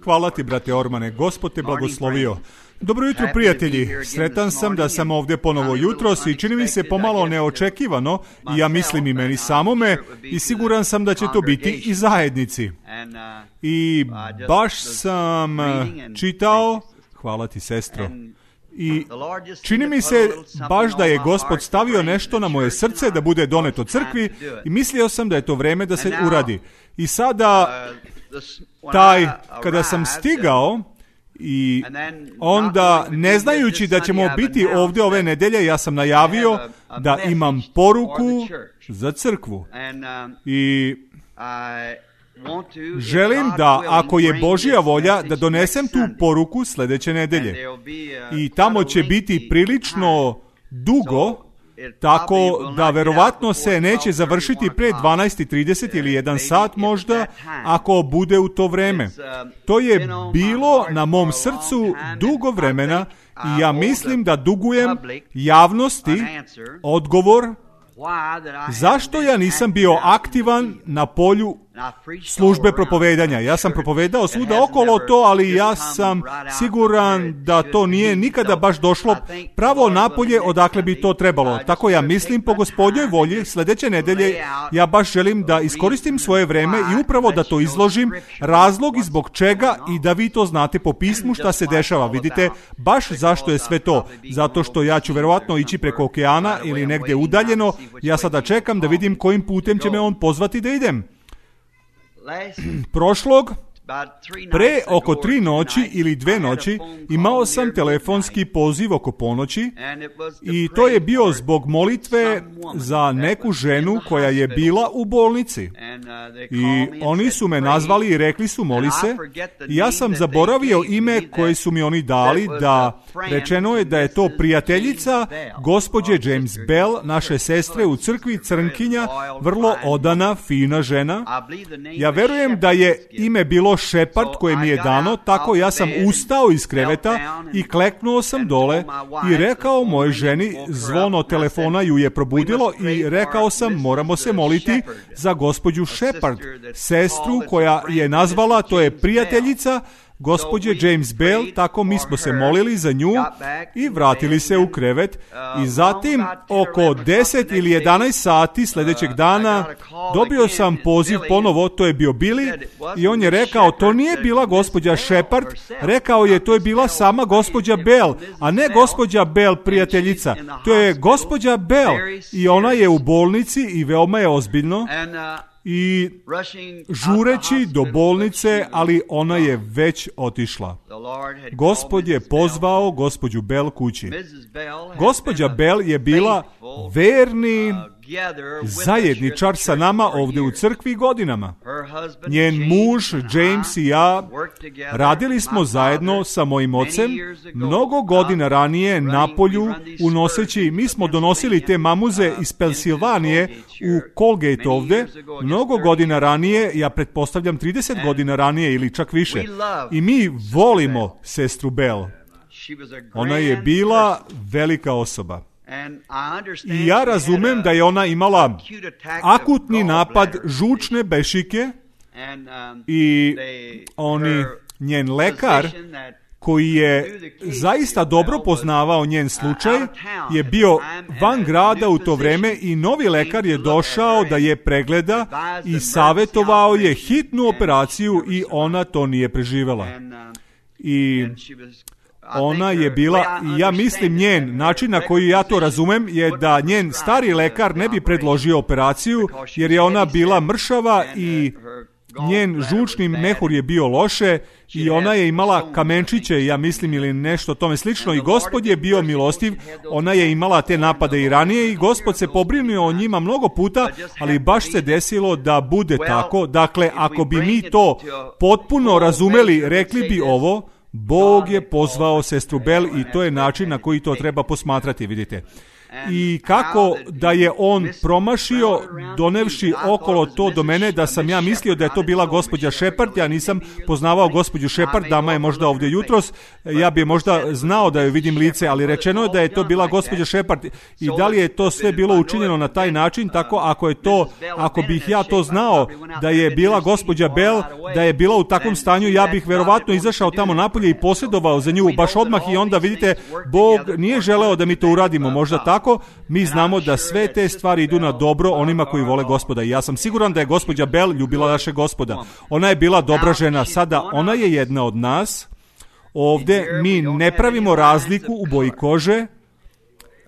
Hvala ti, brate Ormane, Gospod te blagoslovio. Dobro jutro, prijatelji. Sretan sam da sam ovdje ponovo jutros i čini mi se pomalo neočekivano, i ja mislim i meni samome, i siguran sam da će to biti i zajednici. I baš sam čitao, hvala ti, sestro, i čini mi se baš da je Gospod stavio nešto na moje srce da bude doneto crkvi i mislio sam da je to vreme da se uradi. I sada, kada sam stigao, i onda, ne znajući da ćemo biti ovdje ove nedelje, ja sam najavio da imam poruku za crkvu. I želim da, ako je Božja volja, da donesem tu poruku sljedeće nedelje. I tamo će biti prilično dugo, tako da verovatno se neće završiti pre 12:30 ili 1 sat možda, ako bude u to vreme. To je bilo na mom srcu dugo vremena i ja mislim da dugujem javnosti odgovor zašto ja nisam bio aktivan na polju službe propovedanja. Ja sam propovedao svuda okolo to, ali ja sam siguran da to nije nikada baš došlo pravo napolje odakle bi to trebalo. Tako ja mislim, po Gospodnjoj volji, sljedeće nedelje ja baš želim da iskoristim svoje vreme i upravo da to izložim, razlog i zbog čega, i da vi to znate po pismu šta se dešava. Vidite, baš zašto je sve to. Zato što ja ću verovatno ići preko okeana ili negdje udaljeno. Ja sada čekam da vidim kojim putem će me on pozvati da idem. Prošlog, pre oko 3 noći ili 2 noći, imao sam telefonski poziv oko ponoći i to je bio zbog molitve za neku ženu koja je bila u bolnici. I oni su me nazvali i rekli su moli se. I ja sam zaboravio ime koje su mi oni dali, da rečeno je da je to prijateljica gospođe James Bell, naše sestre u crkvi, crnkinja, vrlo odana, fina žena. Ja verujem da je ime bilo Shepard koje mi je dano, tako ja sam ustao iz kreveta i kleknuo sam dole i rekao mojoj ženi, zvono telefona ju je probudilo, i rekao sam moramo se moliti za gospođu Shepard, sestru koja je nazvala, to je prijateljica gospođe James Bell, tako mi smo se molili za nju i vratili se u krevet. I zatim oko 10 ili 11 sati sljedećeg dana dobio sam poziv ponovo, to je bio Billy, i on je rekao to nije bila gospođa Shepard, rekao je to je bila sama gospođa Bell, a ne gospođa Bell prijateljica, to je gospođa Bell i ona je u bolnici i veoma je ozbiljno. I žureći do bolnice, ali ona je već otišla. Gospod je pozvao gospođu Bell kući. Gospođa Bell je bila verni zajedničar sa nama ovdje u crkvi godinama. Njen muž, James i ja radili smo zajedno sa mojim ocem mnogo godina ranije na polju unoseći, mi smo donosili te mamuze iz Pensilvanije u Colgate ovdje, mnogo godina ranije, ja pretpostavljam 30 godina ranije ili čak više. I mi volimo sestru Bell. Ona je bila velika osoba. I ja razumem da je ona imala akutni napad žučne bešike i njen lekar, koji je zaista dobro poznavao njen slučaj, je bio van grada u to vrijeme i novi lekar je došao da je pregleda i savjetovao je hitnu operaciju i ona to nije preživjela. I ona je bila, i ja mislim njen način na koji ja to razumem je da njen stari lekar ne bi predložio operaciju jer je ona bila mršava i njen žučni mehur je bio loše i ona je imala kamenčiće, ja mislim, ili nešto tome slično, i Gospod je bio milostiv. Ona je imala te napade i ranije i Gospod se pobrinuo o njima mnogo puta, ali baš se desilo da bude tako. Dakle, ako bi mi to potpuno razumeli, rekli bi ovo: Bog je pozvao sestru Bell i to je način na koji to treba posmatrati, vidite. i kako da je on promašio donevši okolo to do mene, da sam ja mislio da je to bila gospođa Shepard. Ja nisam poznavao gospođu Shepard, dama je možda ovdje jutros, ja bi možda znao da joj vidim lice, ali rečeno je da je to bila gospođa Shepard. I da li je to sve bilo učinjeno na taj način, tako ako bih ja to znao da je bila gospođa Bell, da je bila u takvom stanju, ja bih verovatno izašao tamo napolje i posjedovao za nju baš odmah, i onda vidite, Bog nije želeo da mi to uradimo, možda tako. Mi znamo da sve te stvari idu na dobro onima koji vole Gospoda, i ja sam siguran da je gospođa Bell ljubila našeg Gospoda. Ona je bila dobra žena, sada ona je jedna od nas. Ovdje mi ne pravimo razliku u boji kože.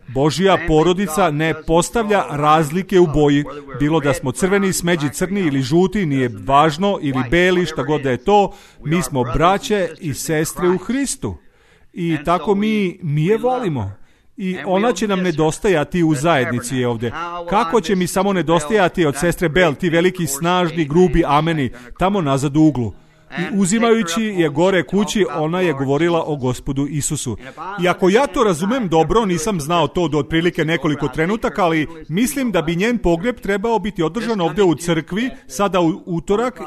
Božja porodica ne postavlja razlike u boji, bilo da smo crveni, smeđi crni ili žuti, nije važno, ili beli, šta god da je to. Mi smo braće i sestre u Hristu i tako mi je volimo. I ona će nam nedostajati u zajednici ovdje. Kako će mi samo nedostajati od sestre Bell, ti veliki, snažni, grubi ameni, tamo nazad u uglu. I uzimajući je gore kući, ona je govorila o Gospodu Isusu. I ako ja to razumem dobro, nisam znao to do otprilike nekoliko trenutaka, ali mislim da bi njen pogreb trebao biti održan ovdje u crkvi, sada u utorak,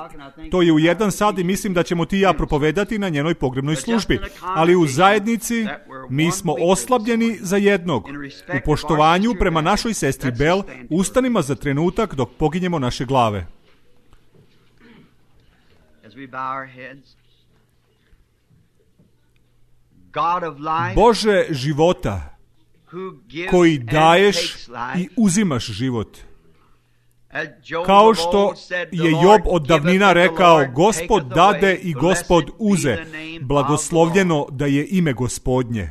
to je u 1 sat, i mislim da ćemo ti i ja propovedati na njenoj pogrebnoj službi. Ali u zajednici mi smo oslabljeni za jednog. U poštovanju prema našoj sestri Bell, ustanimo za trenutak dok poginjemo naše glave. Bože života, koji daješ i uzimaš život. Kao što je Job od davnina rekao, Gospod dade i Gospod uze, blagoslovljeno da je ime Gospodnje.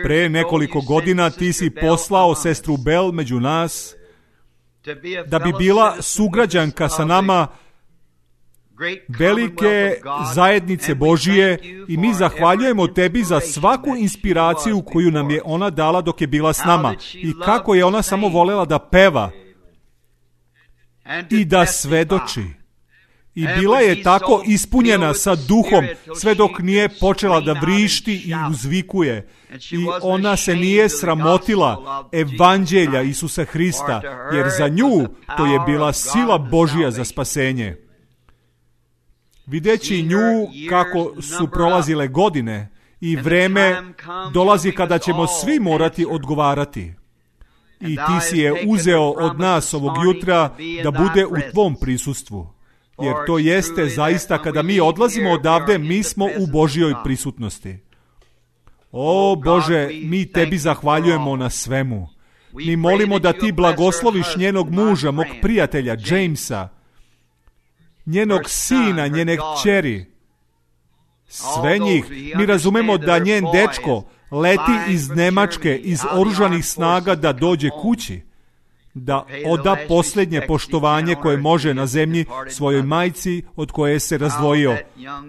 Pre nekoliko godina ti si poslao sestru Bell među nas, da bi bila sugrađanka sa nama velike zajednice Božije, i mi zahvaljujemo tebi za svaku inspiraciju koju nam je ona dala dok je bila s nama, i kako je ona samo volela da peva i da svedoči. I bila je tako ispunjena sa duhom sve dok nije počela da vrišti i uzvikuje. I ona se nije sramotila evanđelja Isusa Hrista, jer za nju to je bila sila Božja za spasenje. Videći nju kako su prolazile godine i vreme dolazi kada ćemo svi morati odgovarati. I ti si je uzeo od nas ovog jutra da bude u tvom prisustvu. Jer to jeste zaista kada mi odlazimo odavde, mi smo u Božjoj prisutnosti. O Bože, mi tebi zahvaljujemo na svemu. Mi molimo da ti blagosloviš njenog muža, mog prijatelja Jamesa, njenog sina, njene kćeri, sve njih. Mi razumemo da njen dečko leti iz Nemačke, iz oružanih snaga da dođe kući, da oda posljednje poštovanje koje može na zemlji svojoj majci od koje se razdvojio.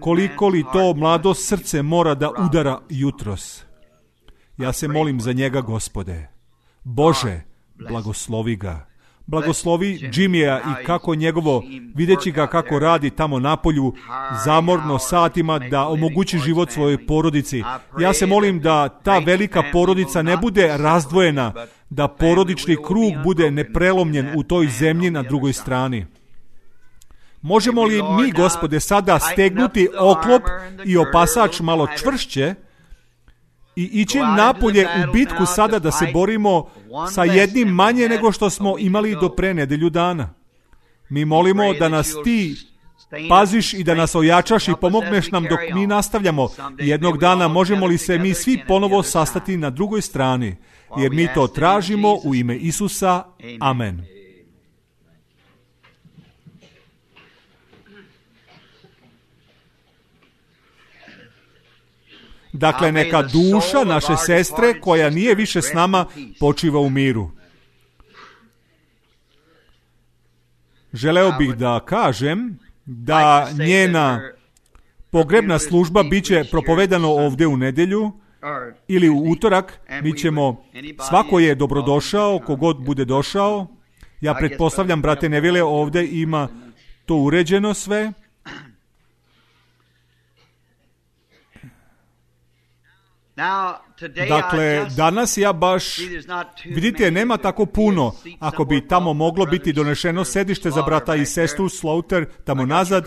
Koliko li to mlado srce mora da udara jutros. Ja se molim za njega, Gospode. Bože, blagoslovi ga. Blagoslovi Jimmya i kako njegovo, videći ga kako radi tamo napolju, zamorno satima, da omogući život svojoj porodici. Ja se molim da ta velika porodica ne bude razdvojena, da porodični krug bude neprelomljen u toj zemlji na drugoj strani. Možemo li mi, Gospode, sada stegnuti oklop i opasač malo čvršće i ići napolje u bitku sada da se borimo sa jednim manje nego što smo imali do pre nedelju dana. Mi molimo da nas ti paziš i da nas ojačaš i pomogneš nam dok mi nastavljamo. Jednog dana možemo li se mi svi ponovo sastati na drugoj strani, jer mi to tražimo u ime Isusa. Amen. Dakle, neka duša naše sestre, koja nije više s nama, počiva u miru. Želeo bih da kažem da njena pogrebna služba bit će propovedano ovdje u nedjelju ili u utorak. Mi ćemo, svako je dobrodošao, kogod bude došao. Ja pretpostavljam, brate Nevile, ovdje ima to uređeno sve. Dakle, danas ja baš, vidite, nema tako puno. Ako bi tamo moglo biti donešeno sedište za brata i sestru Slaughter tamo nazad,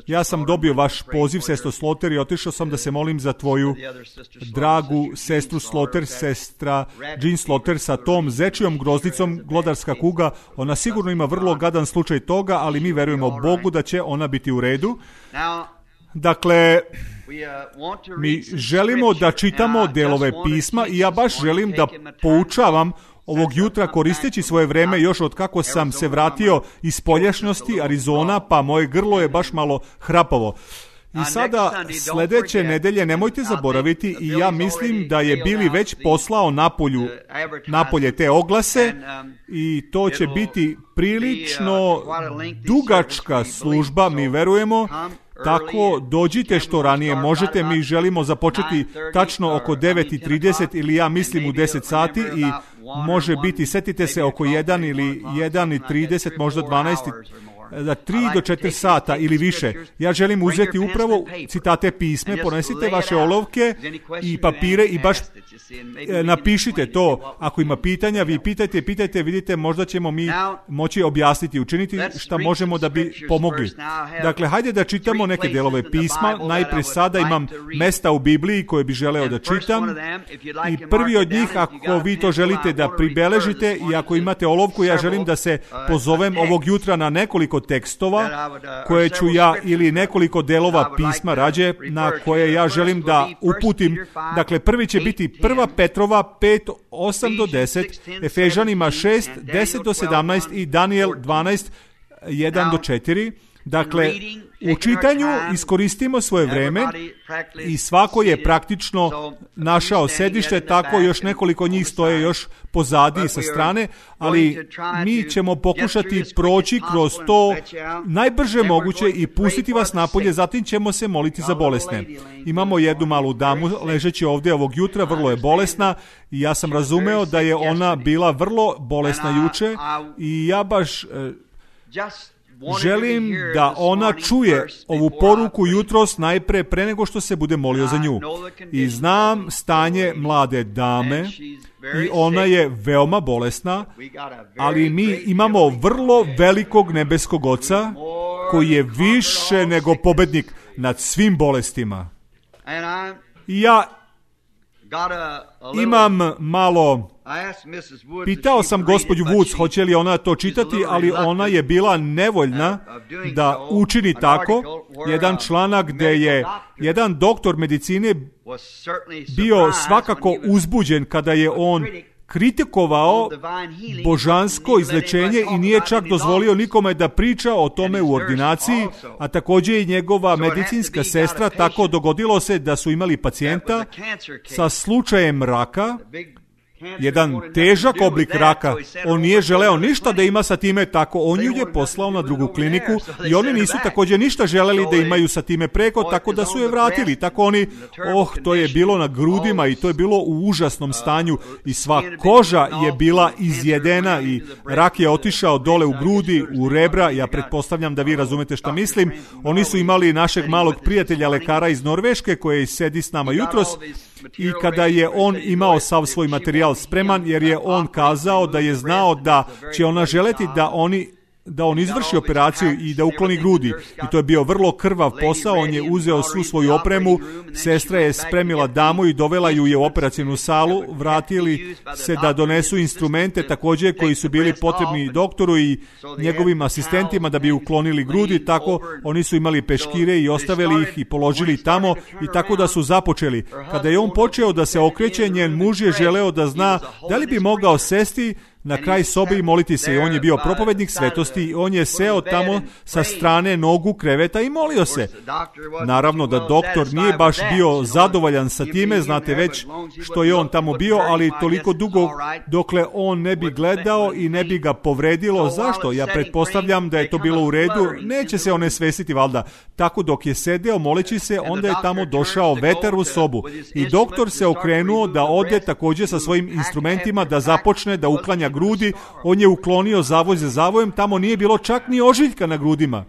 ja sam dobio vaš poziv, sestro Slaughter, i otišao sam da se molim za tvoju dragu sestru Slaughter, sestra Jean Slaughter sa tom zečijom grozdicom, glodarska kuga. Ona sigurno ima vrlo gadan slučaj toga, ali mi verujemo Bogu da će ona biti u redu. Dakle, mi želimo da čitamo delove pisma i ja baš želim da poučavam ovog jutra koristeći svoje vreme još od kako sam se vratio iz spoljašnjosti Arizona, pa moje grlo je baš malo hrapavo. I sada sljedeće nedelje nemojte zaboraviti, i ja mislim da je Billy već poslao napolje te oglase, i to će biti prilično dugačka služba, mi verujemo. Tako, dođite što ranije možete, mi želimo započeti tačno oko 9:30 ili ja mislim u 10 sati i može biti, setite se, oko 1 ili 1:30, možda 12, za 3 do 4 sata ili više. Ja želim uzeti upravo citate pisme, ponesite vaše olovke i papire i baš napišite to. Ako ima pitanja, vi pitajte, vidite, možda ćemo mi moći objasniti, učiniti šta možemo da bi pomogli. Dakle, hajde da čitamo neke delove pisma. Najprije sada imam mesta u Bibliji koje bi želeo da čitam i prvi od njih, ako vi to želite da pribeležite i ako imate olovku, ja želim da se pozovem ovog jutra na nekoliko tekstova koje ću ja, ili nekoliko delova pisma rađe, na koje ja želim da uputim. Dakle, prvi će biti 1. Petrova 5, 8 do 10, Efežanima 6, 10 do 17 i Daniel 12, 1 do 4. Dakle, u čitanju iskoristimo svoje vreme i svako je praktično našao sedište, tako još nekoliko njih stoje još pozadi sa strane, ali mi ćemo pokušati proći kroz to najbrže moguće i pustiti vas napolje, zatim ćemo se moliti za bolesne. Imamo jednu malu damu ležeći ovdje ovog jutra, vrlo je bolesna i ja sam razumeo da je ona bila vrlo bolesna juče i ja baš želim da ona čuje ovu poruku jutros najpre pre nego što se bude molio za nju. I znam stanje mlade dame i ona je veoma bolesna, ali mi imamo vrlo velikog nebeskog Oca koji je više nego pobednik nad svim bolestima. I ja imam malo... Pitao sam gospođu Woods hoće li ona to čitati, ali ona je bila nevoljna da učini tako. Jedan članak gdje je jedan doktor medicine bio svakako uzbuđen kada je on kritikovao božansko izlečenje i nije čak dozvolio nikome da priča o tome u ordinaciji, a također i njegova medicinska sestra. Tako dogodilo se da su imali pacijenta sa slučajem raka, jedan težak oblik raka. On nije želeo ništa da ima sa time, tako on ju je poslao na drugu kliniku i oni nisu također ništa želeli da imaju sa time preko, tako da su je vratili. Tako oni, to je bilo na grudima i to je bilo u užasnom stanju i sva koža je bila izjedena i rak je otišao dole u grudi, u rebra. Ja pretpostavljam da vi razumete šta mislim. Oni su imali našeg malog prijatelja lekara iz Norveške koji sedi s nama jutros. I kada je on imao sav svoj materijal spreman, jer je on kazao da je znao da će ona želeti da on izvrši operaciju i da ukloni grudi. I to je bio vrlo krvav posao, on je uzeo svu svoju opremu, sestra je spremila damu i dovela ju je u operacijnu salu, vratili se da donesu instrumente također koji su bili potrebni doktoru i njegovim asistentima da bi uklonili grudi, tako oni su imali peškire i ostavili ih i položili tamo i tako da su započeli. Kada je on počeo da se okreće, njen muž je želeo da zna da li bi mogao sesti na kraj sobe i moliti se. I on je bio propovednik svetosti i on je seo tamo sa strane nogu kreveta i molio se. Naravno da doktor nije baš bio zadovoljan sa time, znate već što je on tamo bio, ali toliko dugo dokle on ne bi gledao i ne bi ga povredilo. Zašto? Ja pretpostavljam da je to bilo u redu, neće se one svesiti valjda. Tako dok je sedeo moleći se, onda je tamo došao vetar u sobu i doktor se okrenuo da ode također sa svojim instrumentima da započne da uklanja grudi. On je uklonio zavoj za zavojem, tamo nije bilo čak ni ožiljka na grudima.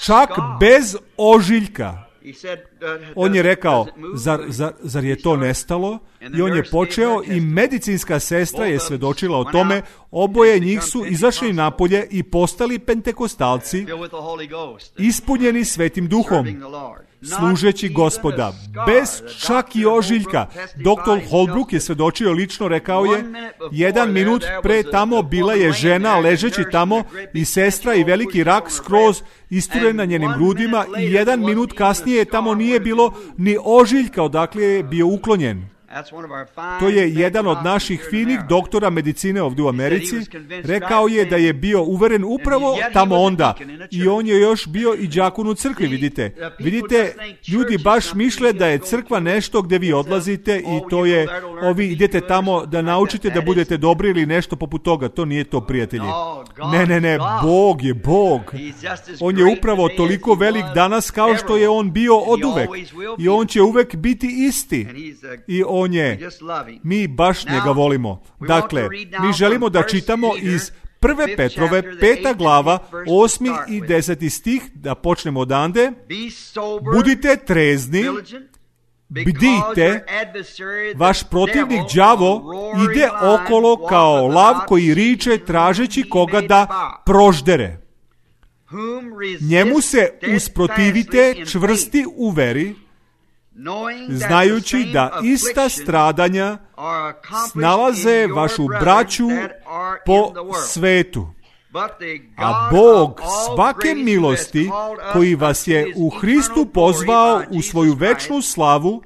Čak bez ožiljka. On je rekao, zar je to nestalo? I on je počeo i medicinska sestra je svedočila o tome. Oboje njih su izašli napolje i postali pentekostalci, ispunjeni Svetim Duhom, služeći Gospoda, bez čak i ožiljka. Dr. Holbrook je svedočio lično, rekao je, 1 minut pre tamo bila je žena ležeći tamo i sestra i veliki rak skroz isturen na njenim grudima i 1 minut kasnije tamo nije bilo ni ožiljka odakle je bio uklonjen. To je jedan od naših finih doktora medicine ovdje u Americi. Rekao je da je bio uveren upravo tamo onda. I on je još bio i đakon u crkvi, vidite. Vidite, ljudi baš misle da je crkva nešto gdje vi odlazite i to je, ovi idete tamo da naučite da budete dobri ili nešto poput toga. To nije to, prijatelji. Ne, Bog je Bog. On je upravo toliko velik danas kao što je on bio oduvek. I on će uvek biti isti. I on je, mi baš njega volimo. Dakle, mi želimo da čitamo iz 1. Petrove 5. glava 8. i 10. stih, da počnemo odande. Budite trezni, bdijte, vaš protivnik đavo ide okolo kao lav koji riče tražeći koga da proždere. Njemu se usprotivite čvrsti u veri, znajući da ista stradanja snalaze vašu braću po svetu. A Bog svake milosti koji vas je u Hristu pozvao u svoju večnu slavu,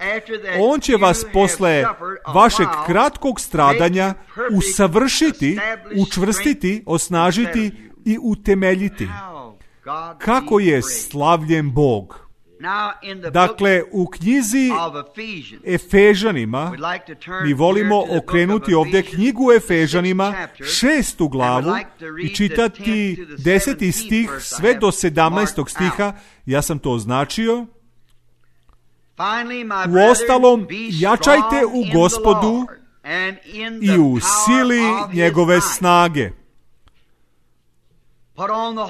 On će vas posle vašeg kratkog stradanja usavršiti, učvrstiti, osnažiti i utemeljiti. Kako je slavljen Bog! Dakle, u knjizi Efežanima, mi volimo okrenuti ovdje knjigu Efežanima, 6. glavu i čitati 10. stih sve do 17. stiha. Ja sam to označio. Uostalom, jačajte u Gospodu i u sili njegove snage.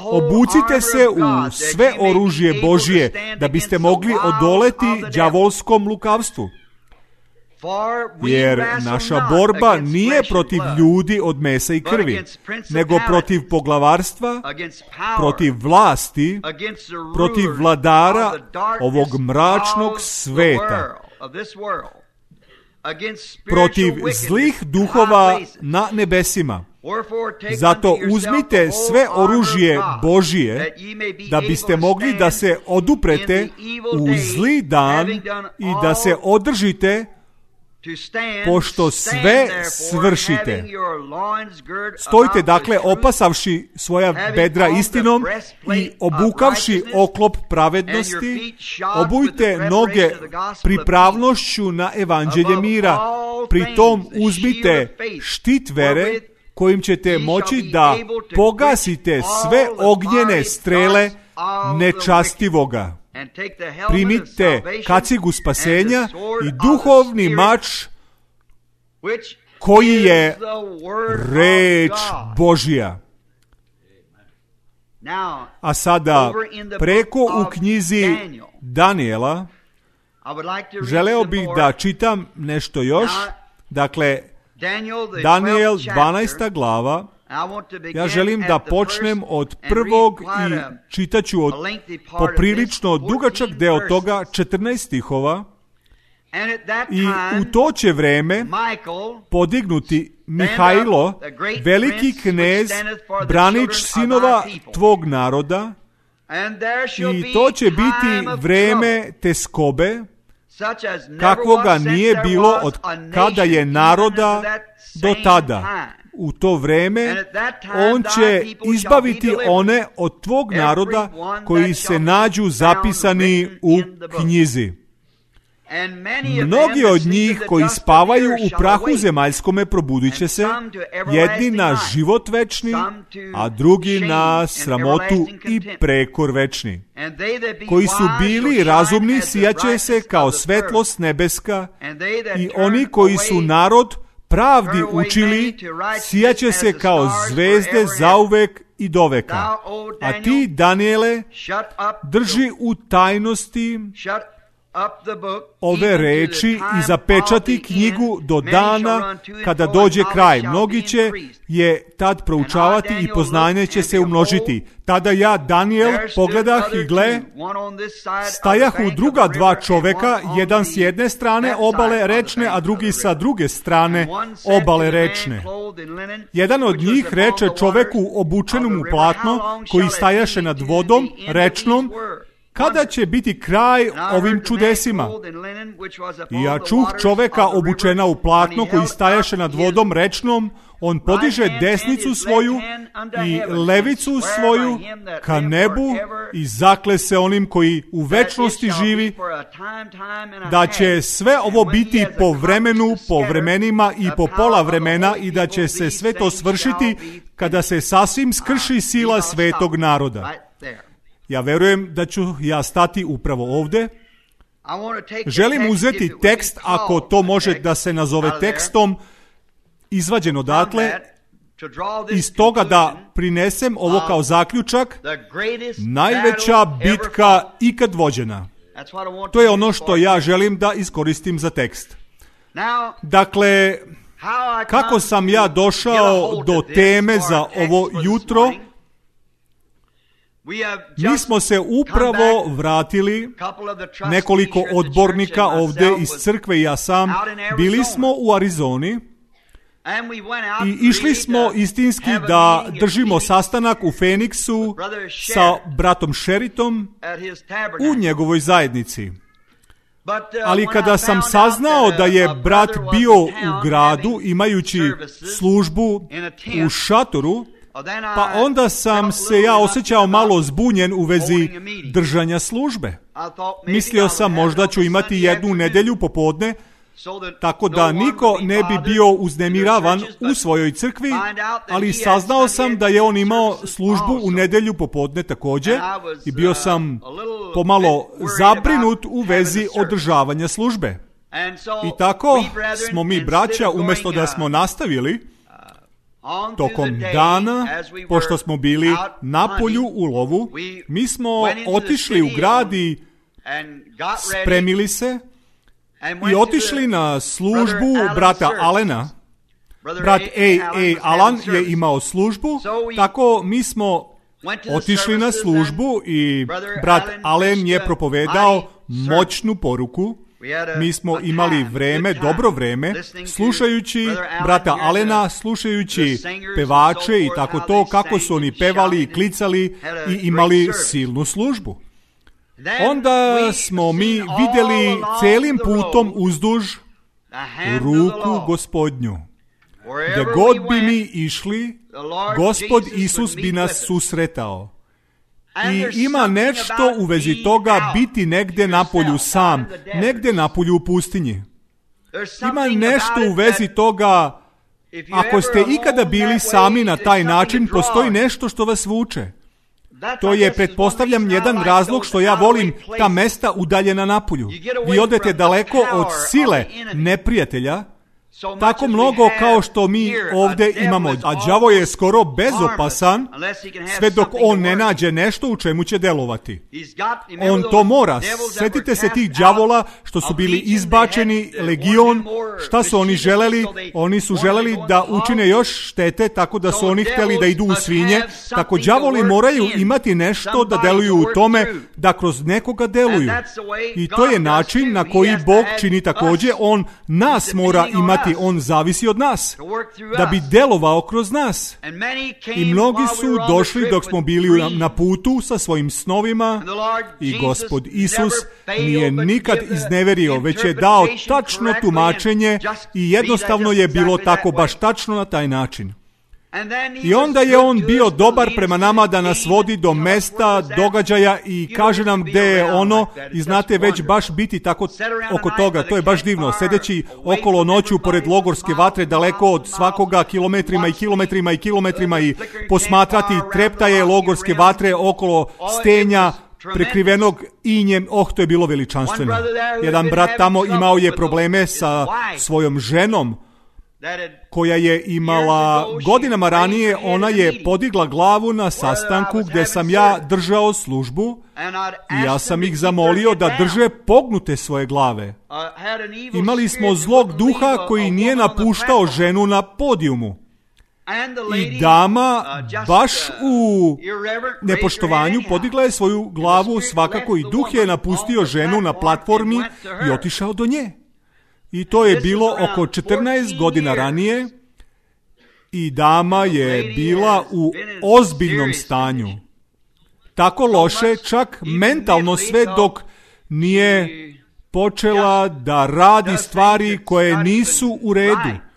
Obucite se u sve oružje Božje, da biste mogli odoleti đavolskom lukavstvu. Jer naša borba nije protiv ljudi od mesa i krvi, nego protiv poglavarstva, protiv vlasti, protiv vladara ovog mračnog sveta, protiv zlih duhova na nebesima. Zato uzmite sve oružje Božije da biste mogli da se oduprete u zli dan i da se održite pošto sve svršite. Stojite dakle opasavši svoja bedra istinom i obukavši oklop pravednosti, obujte noge pripravnošću na evanđelje mira. Pritom uzmite štit vere kojim ćete moći da pogasite sve ognjene strele nečastivoga. Primite kacigu spasenja i duhovni mač koji je reč Božja. A sada preko u knjizi Daniela želeo bih da čitam nešto još. Dakle, Daniel 12. glava. Ja želim da počnem od prvog i čitaću od poprilično dugačak deo toga, 14 stihova. I u to će vreme podignuti Mihajlo, veliki knez, branič sinova tvog naroda, i to će biti vreme teskobe, kakvoga nije bilo od kada je naroda do tada. U to vreme on će izbaviti one od tvog naroda koji se nađu zapisani u knjizi. Mnogi od njih koji spavaju u prahu zemaljskome probudit će se, jedni na život večni, a drugi na sramotu i prekor večni. Koji su bili razumni sijaće se kao svetlost nebeska, i oni koji su narod pravdi učili sijaće se kao zvezde zauvek i doveka. A ti, Daniele, drži u tajnosti ove reči i zapečati knjigu do dana kada dođe kraj. Mnogi će je tad proučavati i poznanje će se umnožiti. Tada ja, Daniel, pogledah i gle, stajahu druga dva čoveka, jedan s jedne strane obale rečne, a drugi sa druge strane obale rečne. Jedan od njih reče čoveku obučenom u platno, koji stajaše nad vodom rečnom, kada će biti kraj ovim čudesima? I ja čuh čoveka obučena u platno koji stajaše nad vodom rečnom, on podiže desnicu svoju i levicu svoju ka nebu i zakle se onim koji u večnosti živi, da će sve ovo biti po vremenu, po vremenima i po pola vremena i da će se sve to svršiti kada se sasvim skrši sila svetog naroda. Ja verujem da ću ja stati upravo ovde. Želim uzeti tekst, ako to može da se nazove tekstom, izvađen odatle, iz toga da prinesem ovo kao zaključak, najveća bitka ikad vođena. To je ono što ja želim da iskoristim za tekst. Dakle, kako sam ja došao do teme za ovo jutro? Mi smo se upravo vratili, nekoliko odbornika ovdje iz crkve i ja sam, bili smo u Arizoni i išli smo istinski da držimo sastanak u Phoenixu sa bratom Sheritom u njegovoj zajednici. Ali kada sam saznao da je brat bio u gradu imajući službu u šatoru, pa onda sam se ja osjećao malo zbunjen u vezi držanja službe. Mislio sam možda ću imati jednu nedjelju popodne, tako da niko ne bi bio uznemiravan u svojoj crkvi, ali saznao sam da je on imao službu u nedjelju popodne također i bio sam pomalo zabrinut u vezi održavanja službe. I tako smo mi, braća, umjesto da smo nastavili tokom dana, pošto smo bili na polju u lovu, mi smo otišli u grad i spremili se i otišli na službu brata Allena. Brat Alan je imao službu, tako mi smo otišli na službu i brat Allen je propovedao moćnu poruku. Mi smo imali vreme, dobro vreme, slušajući brata Allena, slušajući pevače i tako to, kako su oni pevali i klicali i imali silnu službu. Onda smo mi vidjeli celim putom uzduž ruku Gospodnju. Gdje god bi mi išli, Gospod Isus bi nas susretao. I ima nešto u vezi toga biti negdje na polju sam, negdje na polju u pustinji. Ima nešto u vezi toga, ako ste ikada bili sami na taj način, postoji nešto što vas vuče. To je, pretpostavljam, jedan razlog što ja volim ta mesta udaljena napolju. Vi odete daleko od sile neprijatelja, tako mnogo kao što mi ovdje imamo. A đavo je skoro bezopasan, sve dok on ne nađe nešto u čemu će delovati. On to mora. Sjetite se tih đavola što su bili izbačeni, legion, šta su oni želeli? Oni su želeli da učine još štete, tako da su oni htjeli da idu u svinje. Tako đavoli moraju imati nešto da deluju u tome, da kroz nekoga deluju. I to je način na koji Bog čini također. On nas mora imati, on zavisi od nas, da bi delovao kroz nas. I mnogi su došli dok smo bili na putu sa svojim snovima i Gospod Isus nije nikad izneverio, već je dao tačno tumačenje i jednostavno je bilo tako baš tačno na taj način. I onda je on bio dobar prema nama da nas vodi do mesta, događaja i kaže nam gdje je ono i znate već baš biti tako oko toga. To je baš divno. Sedeći okolo noću pored logorske vatre daleko od svakoga kilometrima i kilometrima i kilometrima i posmatrati treptaje logorske vatre okolo stenja prekrivenog injem. To je bilo veličanstveno. Jedan brat tamo imao je probleme sa svojom ženom koja je imala godinama ranije, ona je podigla glavu na sastanku gdje sam ja držao službu i ja sam ih zamolio da drže pognute svoje glave. Imali smo zlog duha koji nije napuštao ženu na podijumu. I dama baš u nepoštovanju podigla je svoju glavu, svakako i duh je napustio ženu na platformi i otišao do nje. I to je bilo oko 14 godina ranije i dama je bila u ozbiljnom stanju. Tako loše, čak mentalno sve dok nije počela da radi stvari koje nisu u redu.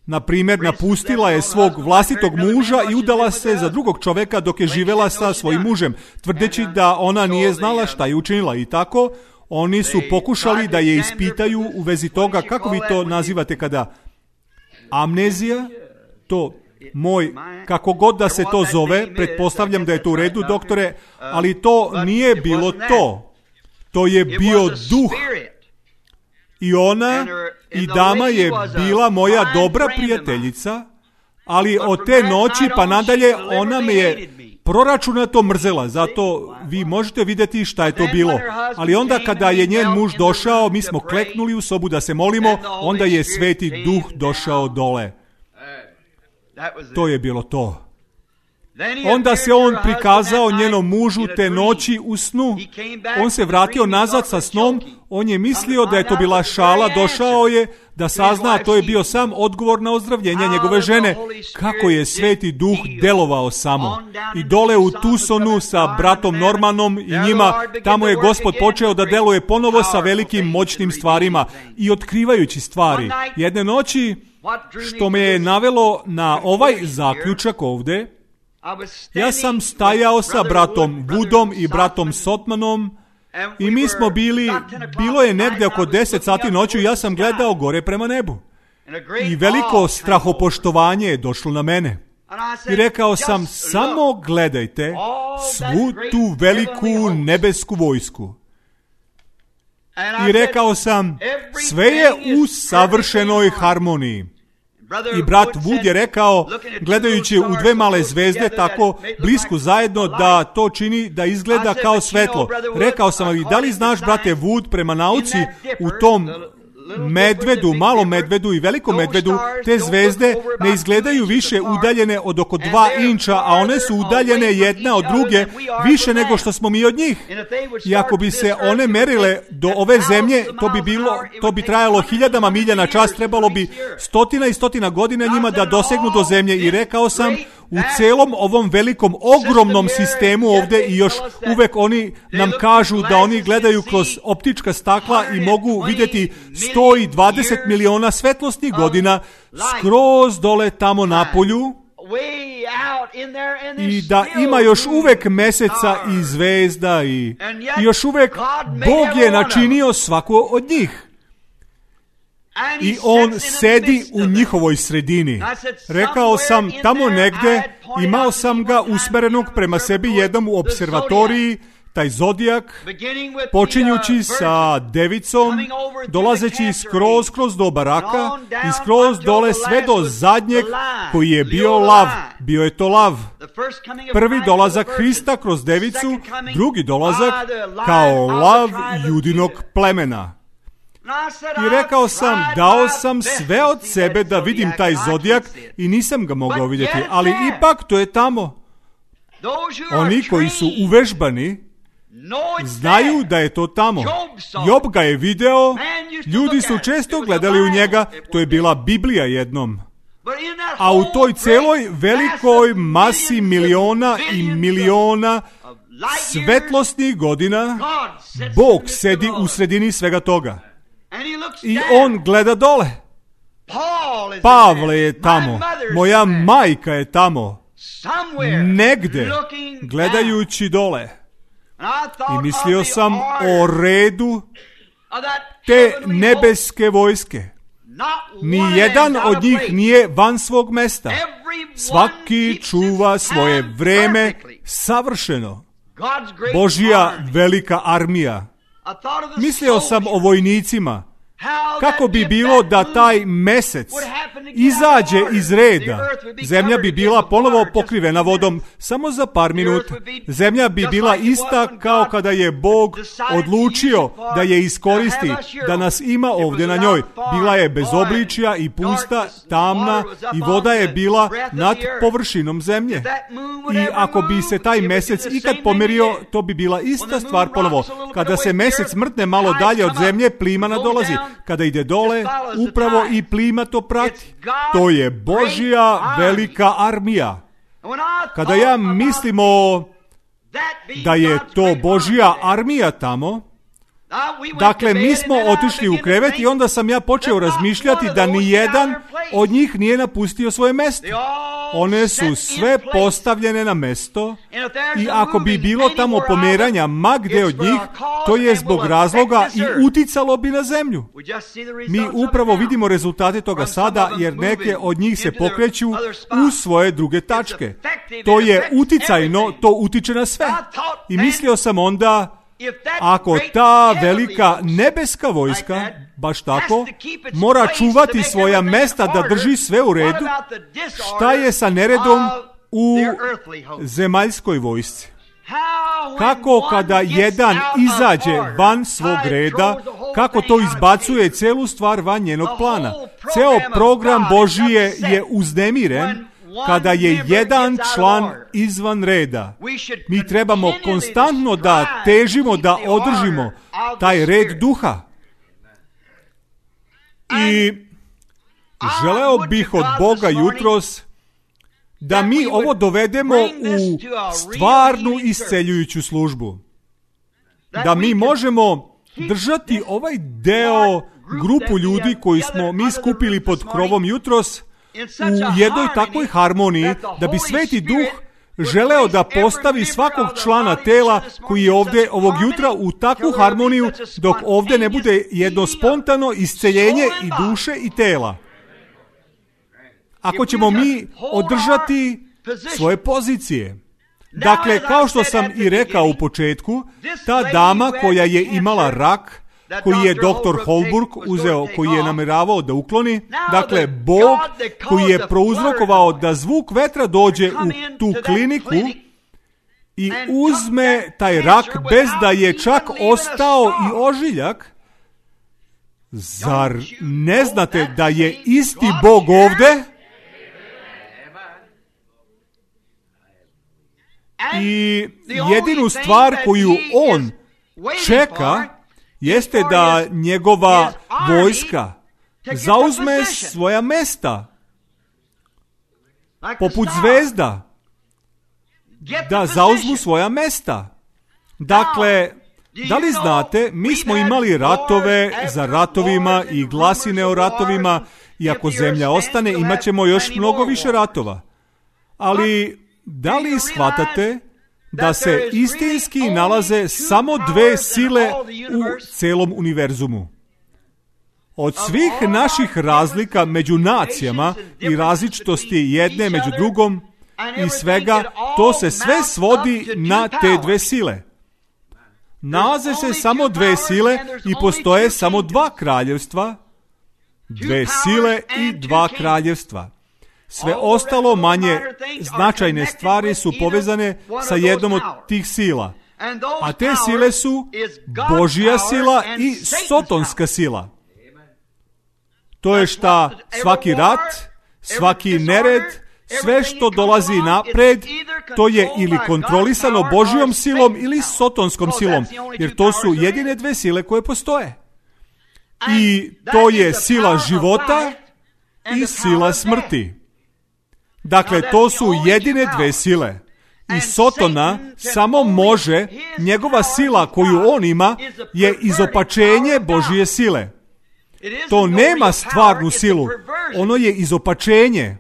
Na primjer, napustila je svog vlastitog muža i udala se za drugog čovjeka dok je živjela sa svojim mužem, tvrdeći da ona nije znala šta je učinila. I tako oni su pokušali da je ispitaju u vezi toga, kako vi to nazivate kada amnezija, to kako god da se to zove, pretpostavljam da je to u redu, doktore, ali to nije bilo to. To je bio duh. I ona i dama je bila moja dobra prijateljica, ali od te noći pa nadalje ona me je proračunato mrzela, zato vi možete vidjeti šta je to bilo. Ali onda kada je njen muž došao, mi smo kleknuli u sobu da se molimo, onda je Sveti Duh došao dole. To je bilo to. Onda se on prikazao njenom mužu te noći u snu. On se vratio nazad sa snom, on je mislio da je to bila šala, došao je da sazna, to je bio sam odgovor na ozdravljenje njegove žene. Kako je Sveti Duh delovao samo. I dole u Tucsonu sa bratom Normanom i njima, tamo je Gospod počeo da deluje ponovo sa velikim moćnim stvarima i otkrivajući stvari. Jedne noći, što me je navelo na ovaj zaključak ovdje, ja sam stajao sa bratom Woodom i bratom Sotmanom i mi smo bilo je negdje oko 10 sati noću i ja sam gledao gore prema nebu. I veliko strahopoštovanje je došlo na mene. I rekao sam, samo gledajte svu tu veliku nebesku vojsku. I rekao sam, sve je u savršenoj harmoniji. I brat Wood je rekao, gledajući u dve male zvezde tako blisku zajedno, da to čini da izgleda kao svetlo. Rekao sam, ali da li znaš, brate Wood, prema nauci u tom medvedu, malom medvedu i velikom medvedu, te zvezde ne izgledaju više udaljene od oko 2 inča, a one su udaljene jedna od druge više nego što smo mi od njih. I ako bi se one merile do ove zemlje, to bi trajalo 1000 milja na čas, trebalo bi 100 i 100 godina njima da dosegnu do zemlje. I rekao sam, u celom ovom velikom, ogromnom sistemu ovdje, i još uvek oni nam kažu da oni gledaju kroz optička stakla i mogu vidjeti 120 miliona svetlosnih godina skroz dole tamo na polju, i da ima još uvek meseca i zvezda i još uvek Bog je načinio svako od njih. I on sedi u njihovoj sredini. Rekao sam, tamo negdje imao sam ga usmerenog prema sebi jednom u observatoriji, taj zodijak, počinjući sa devicom, dolazeći skroz do baraka i skroz dole sve do zadnjeg koji je bio lav. Bio je to lav. Prvi dolazak Hrista kroz devicu, drugi dolazak kao lav judinog plemena. I rekao sam, dao sam sve od sebe da vidim taj zodijak i nisam ga mogao vidjeti, ali ipak to je tamo. Oni koji su uvežbani znaju da je to tamo. Job ga je video, ljudi su često gledali u njega, to je bila Biblija jednom. A u toj celoj velikoj masi miliona i miliona svetlosnih godina, Bog sedi u sredini svega toga. I on gleda dole. Pavle je tamo, moja majka je tamo, negde, gledajući dole. I mislio sam o redu te nebeske vojske. Nijedan od njih nije van svog mesta. Svaki čuva svoje vreme savršeno. Božja velika armija. Mislio sam o vojnicima. Kako bi bilo da taj mesec izađe iz reda? Zemlja bi bila ponovo pokrivena vodom samo za par minuta. Zemlja bi bila ista kao kada je Bog odlučio da je iskoristi, da nas ima ovdje na njoj. Bila je bez obličja i pusta, tamna i voda je bila nad površinom zemlje. I ako bi se taj mesec ikad pomerio, to bi bila ista stvar ponovo. Kada se mesec mrtne malo dalje od zemlje, plima nadolazi. Kada ide dole, upravo i plima to prati. To je Božja velika armija. Kada ja mislimo da je to Božja armija tamo, dakle, mi smo otišli u krevet i onda sam ja počeo razmišljati da nijedan od njih nije napustio svoje mesto. One su sve postavljene na mesto i ako bi bilo tamo pomeranja ma gdje od njih, to je zbog razloga i uticalo bi na zemlju. Mi upravo vidimo rezultate toga sada, jer neke od njih se pokreću u svoje druge tačke. To je uticajno, to utiče na sve. I mislio sam onda, ako ta velika nebeska vojska, baš tako, mora čuvati svoja mesta da drži sve u redu, šta je sa neredom u zemaljskoj vojsci? Kako kada jedan izađe van svog reda, kako to izbacuje celu stvar van njenog plana? Ceo program Božije je uznemiren kada je jedan član izvan reda. Mi trebamo konstantno da težimo, da održimo taj red duha. I želeo bih od Boga jutros da mi ovo dovedemo u stvarnu isceljujuću službu. Da mi možemo držati ovaj deo, grupu ljudi koji smo mi skupili pod krovom jutros, u jednoj takvoj harmoniji, da bi Sveti Duh želeo da postavi svakog člana tela koji je ovdje ovog jutra u takvu harmoniju, dok ovdje ne bude jedno spontano isceljenje i duše i tela. Ako ćemo mi održati svoje pozicije. Dakle, kao što sam i rekao u početku, ta dama koja je imala rak, koji je dr. Holbrook uzeo, koji je namjeravao da ukloni, dakle, Bog koji je prouzrokovao da zvuk vetra dođe u tu kliniku i uzme taj rak bez da je čak ostao i ožiljak. Zar ne znate da je isti Bog ovdje? I jedinu stvar koju on čeka jeste da njegova vojska zauzme svoja mesta, poput zvezda, da zauzmu svoja mesta. Dakle, da li znate, mi smo imali ratove za ratovima i glasine o ratovima, i ako zemlja ostane, imat ćemo još mnogo više ratova. Ali, da li shvatate da se istinski nalaze samo dve sile u celom univerzumu? Od svih naših razlika među nacijama i različitosti jedne među drugom i svega, to se sve svodi na te dve sile. Nalaze se samo dve sile i postoje samo dva kraljevstva, dve sile i dva kraljevstva. Sve ostalo manje značajne stvari su povezane sa jednom od tih sila. A te sile su Božja sila i sotonska sila. To je šta svaki rat, svaki nered, sve što dolazi napred, to je ili kontrolisano Božjom silom ili sotonskom silom, jer to su jedine dve sile koje postoje. I to je sila života i sila smrti. Dakle, to su jedine dve sile. I Sotona samo može, njegova sila koju on ima je izopačenje Božje sile. To nema stvarnu silu, ono je izopačenje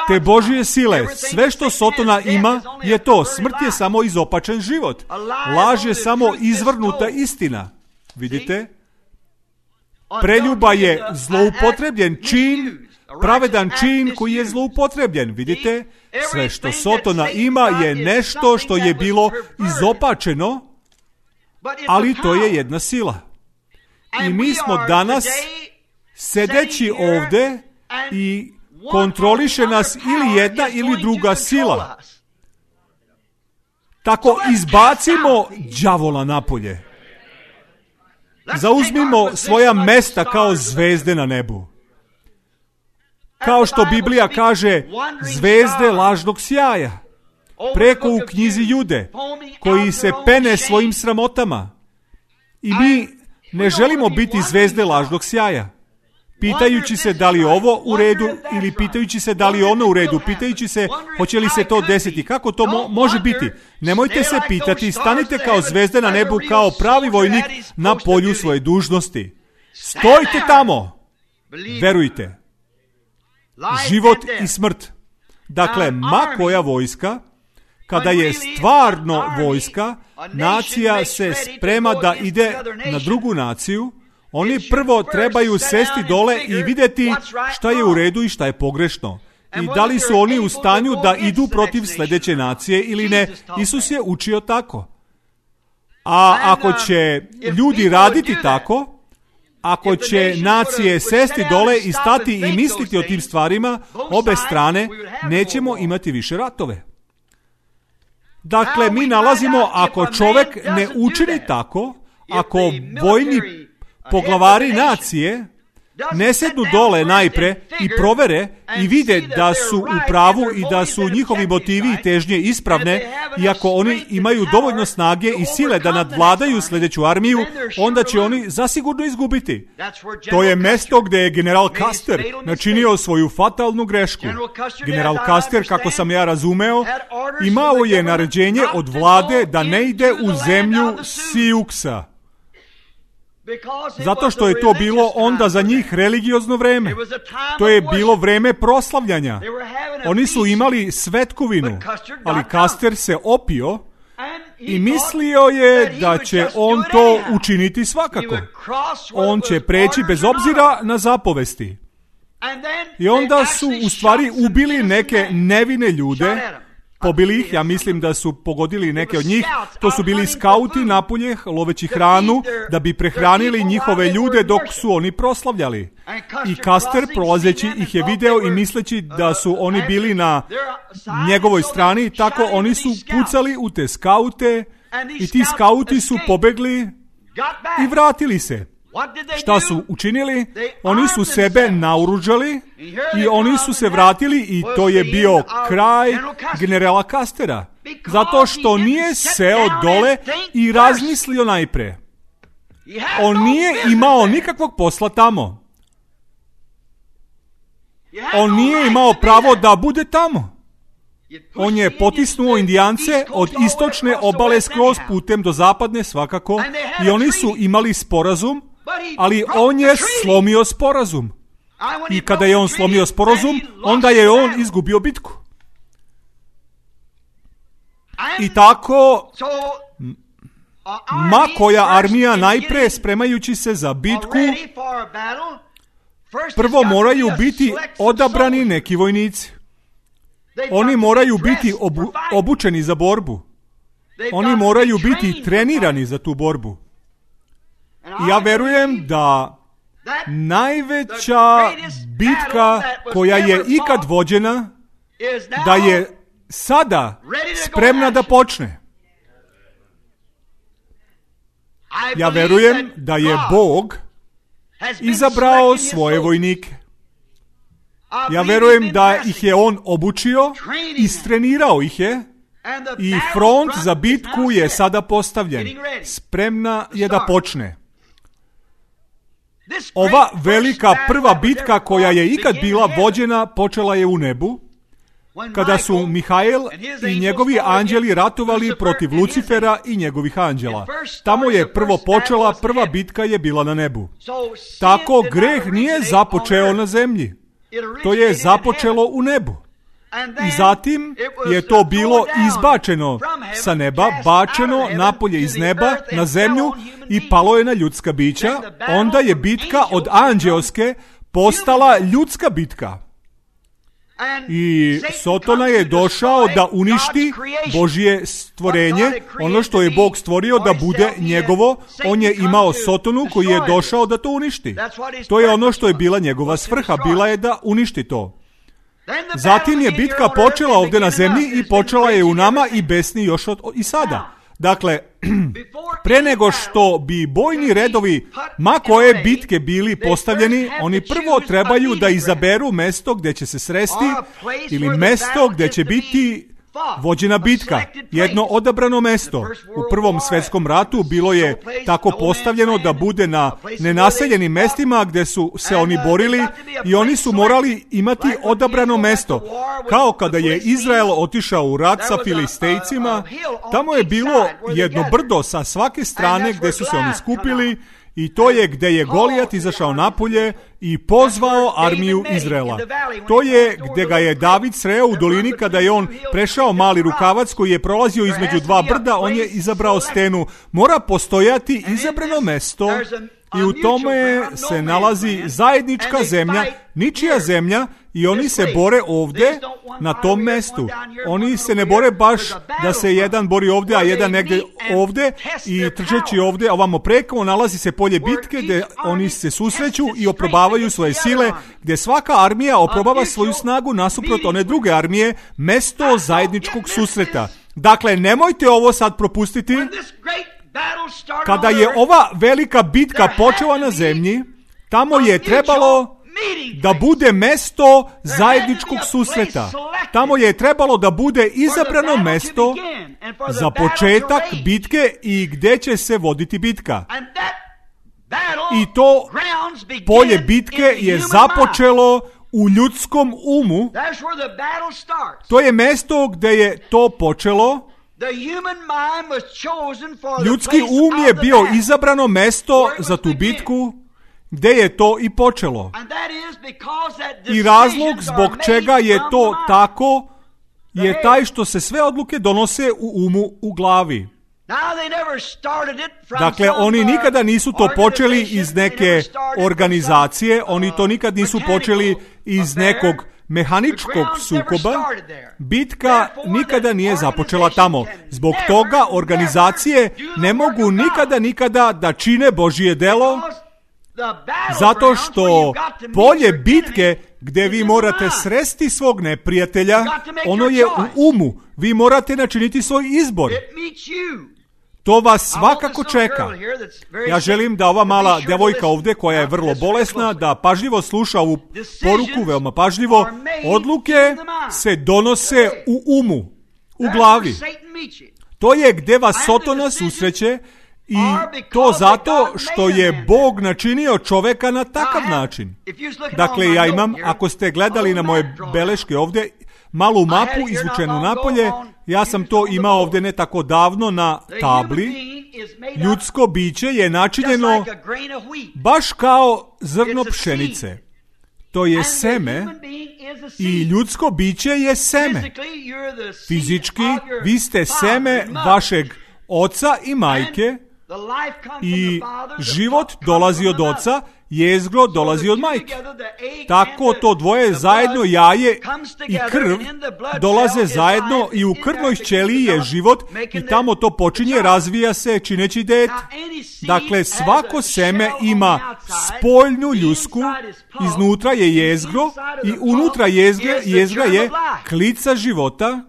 te Božje sile. Sve što Sotona ima je to. Smrt je samo izopačen život. Laž je samo izvrnuta istina. Vidite? Preljuba je zloupotrebljen čin, pravedan čin koji je zloupotrebljen. Vidite? Sve što Sotona ima je nešto što je bilo izopačeno, ali to je jedna sila. I mi smo danas, sedeći ovde, i kontroliše nas ili jedna ili druga sila. Tako izbacimo đavola napolje. Zauzmimo svoja mesta kao zvezde na nebu. Kao što Biblija kaže, zvezde lažnog sjaja. Preko u knjizi Jude, koji se pene svojim sramotama. I mi ne želimo biti zvezde lažnog sjaja. Pitajući se da li je ovo u redu ili pitajući se da li je ono u redu, pitajući se hoće li se to desiti, kako to može biti. Nemojte se pitati, stanite kao zvezde na nebu, kao pravi vojnik na polju svoje dužnosti. Stojite tamo, verujte. Život i smrt. Dakle, ma koja vojska, kada je stvarno vojska, nacija se sprema da ide na drugu naciju, oni prvo trebaju sesti dole i vidjeti šta je u redu i šta je pogrešno. I da li su oni u stanju da idu protiv sljedeće nacije ili ne. Isus je učio tako. A ako će ljudi raditi tako, ako će nacije sesti dole i stati i misliti o tim stvarima, obe strane, nećemo imati više ratove. Dakle, mi nalazimo, ako čovjek ne učini tako, ako vojni poglavari nacije ne sednu dole najpre i provere i vide da su u pravu i da su njihovi motivi i težnje ispravne, i ako oni imaju dovoljno snage i sile da nadvladaju sljedeću armiju, onda će oni zasigurno izgubiti. To je mjesto gdje je general Custer načinio svoju fatalnu grešku. General Custer, kako sam ja razumeo, imao je naređenje od vlade da ne ide u zemlju Siuksa. Zato što je to bilo onda za njih religiozno vreme. To je bilo vreme proslavljanja. Oni su imali svetkovinu, ali Custer se opio i mislio je da će on to učiniti svakako. On će preći bez obzira na zapovesti. I onda su u stvari ubili neke nevine ljude, pobili ih, ja mislim da su pogodili neke od njih. To su bili skauti napolje, loveći hranu, da bi prehranili njihove ljude dok su oni proslavljali. I Custer, prolazeći, ih je video i misleći da su oni bili na njegovoj strani, tako oni su pucali u te skaute i ti skauti su pobegli i vratili se. Šta su učinili? Oni su sebe naoružali i oni su se vratili, i to je bio kraj generala Custera. Zato što nije seo dole i razmislio najpre. On nije imao nikakvog posla tamo. On nije imao pravo da bude tamo. On je potisnuo Indijance od istočne obale skroz putem do zapadne svakako, i oni su imali sporazum, ali on je slomio sporazum. I kada je on slomio sporazum, onda je on izgubio bitku. I tako, ma koja armija najpre spremajući se za bitku, prvo moraju biti odabrani neki vojnici. Oni moraju biti obučeni za borbu. Oni moraju biti trenirani za tu borbu. I ja verujem da najveća bitka koja je ikad vođena, da je sada spremna da počne. Ja verujem da je Bog izabrao svoje vojnike. Ja verujem da ih je on obučio, istrenirao ih je, i front za bitku je sada postavljen. Spremna je da počne. Ova velika prva bitka koja je ikad bila vođena počela je u nebu, kada su Mihael i njegovi anđeli ratovali protiv Lucifera i njegovih anđela. Tamo je prvo počela, prva bitka je bila na nebu. Tako greh nije započeo na zemlji. To je započelo u nebu. I zatim je to bilo izbačeno sa neba, bačeno napolje iz neba na zemlju i palo je na ljudska bića. Onda je bitka od anđeoske postala ljudska bitka. I Sotona je došao da uništi Božje stvorenje, ono što je Bog stvorio da bude njegovo. On je imao Sotonu koji je došao da to uništi. To je ono što je bila njegova svrha, bila je da uništi to. Zatim je bitka počela ovdje na zemlji i počela je u nama i besni još i sada. Dakle, pre nego što bi bojni redovi ma koje bitke bili postavljeni, oni prvo trebaju da izaberu mesto gdje će se sresti ili mesto gdje će biti vođena bitka, jedno odabrano mesto. U Prvom svjetskom ratu bilo je tako postavljeno da bude na nenaseljenim mestima gdje su se oni borili i oni su morali imati odabrano mesto. Kao kada je Izrael otišao u rat sa Filistejcima, tamo je bilo jedno brdo sa svake strane gdje su se oni skupili i to je gdje je Golijat izašao napolje i pozvao armiju Izraela. To je gdje ga je David sreo u dolini kada je on prešao mali rukavac koji je prolazio između dva brda, on je izabrao stenu. Mora postojati izabrano mesto i u tome se nalazi zajednička zemlja, ničija zemlja, i oni se bore ovdje na tom mestu. Oni se ne bore baš da se jedan bori ovdje, a jedan negdje ovdje i trčeći ovdje, a ovamo preko nalazi se polje bitke gdje oni se susreću i oprobavaju svoje sile, gdje svaka armija oprobava svoju snagu nasuprot one druge armije, mesto zajedničkog susreta. Dakle, nemojte ovo sad propustiti. Kada je ova velika bitka počela na zemlji, tamo je trebalo da bude mesto zajedničkog susreta. Tamo je trebalo da bude izabrano mesto za početak bitke i gdje će se voditi bitka. I to polje bitke je započelo u ljudskom umu. To je mesto gdje je to počelo. Ljudski um je bio izabrano mesto za tu bitku, gdje je to i počelo. I razlog zbog čega je to tako je taj što se sve odluke donose u umu, u glavi. Dakle, oni nikada nisu to počeli iz neke organizacije, oni to nikad nisu počeli iz nekog mehaničkog sukoba. Bitka nikada nije započela tamo. Zbog toga organizacije ne mogu nikada da čine Božje delo, zato što polje bitke gdje vi morate sresti svog neprijatelja, ono je u umu. Vi morate načiniti svoj izbor. To vas svakako čeka. Ja želim da ova mala devojka ovdje, koja je vrlo bolesna, da pažljivo sluša ovu poruku, veoma pažljivo. Odluke se donose u umu, u glavi. To je gdje vas Sotona susreće i to zato što je Bog načinio čoveka na takav način. Dakle, ja imam, ako ste gledali na moje beleške ovdje, malu mapu izvučenu napolje, ja sam to imao ovdje ne tako davno na tabli. Ljudsko biće je načinjeno baš kao zrno pšenice. To je seme i ljudsko biće je seme. Fizički, vi ste seme vašeg oca i majke i život dolazi od oca, jezgro dolazi od majke. Tako to dvoje zajedno, jaje i krv, dolaze zajedno i u krvnoj ćeliji je život i tamo to počinje, razvija se čineći dete. Dakle, svako seme ima spoljnu ljusku, iznutra je jezgro i unutra jezgra je klica života.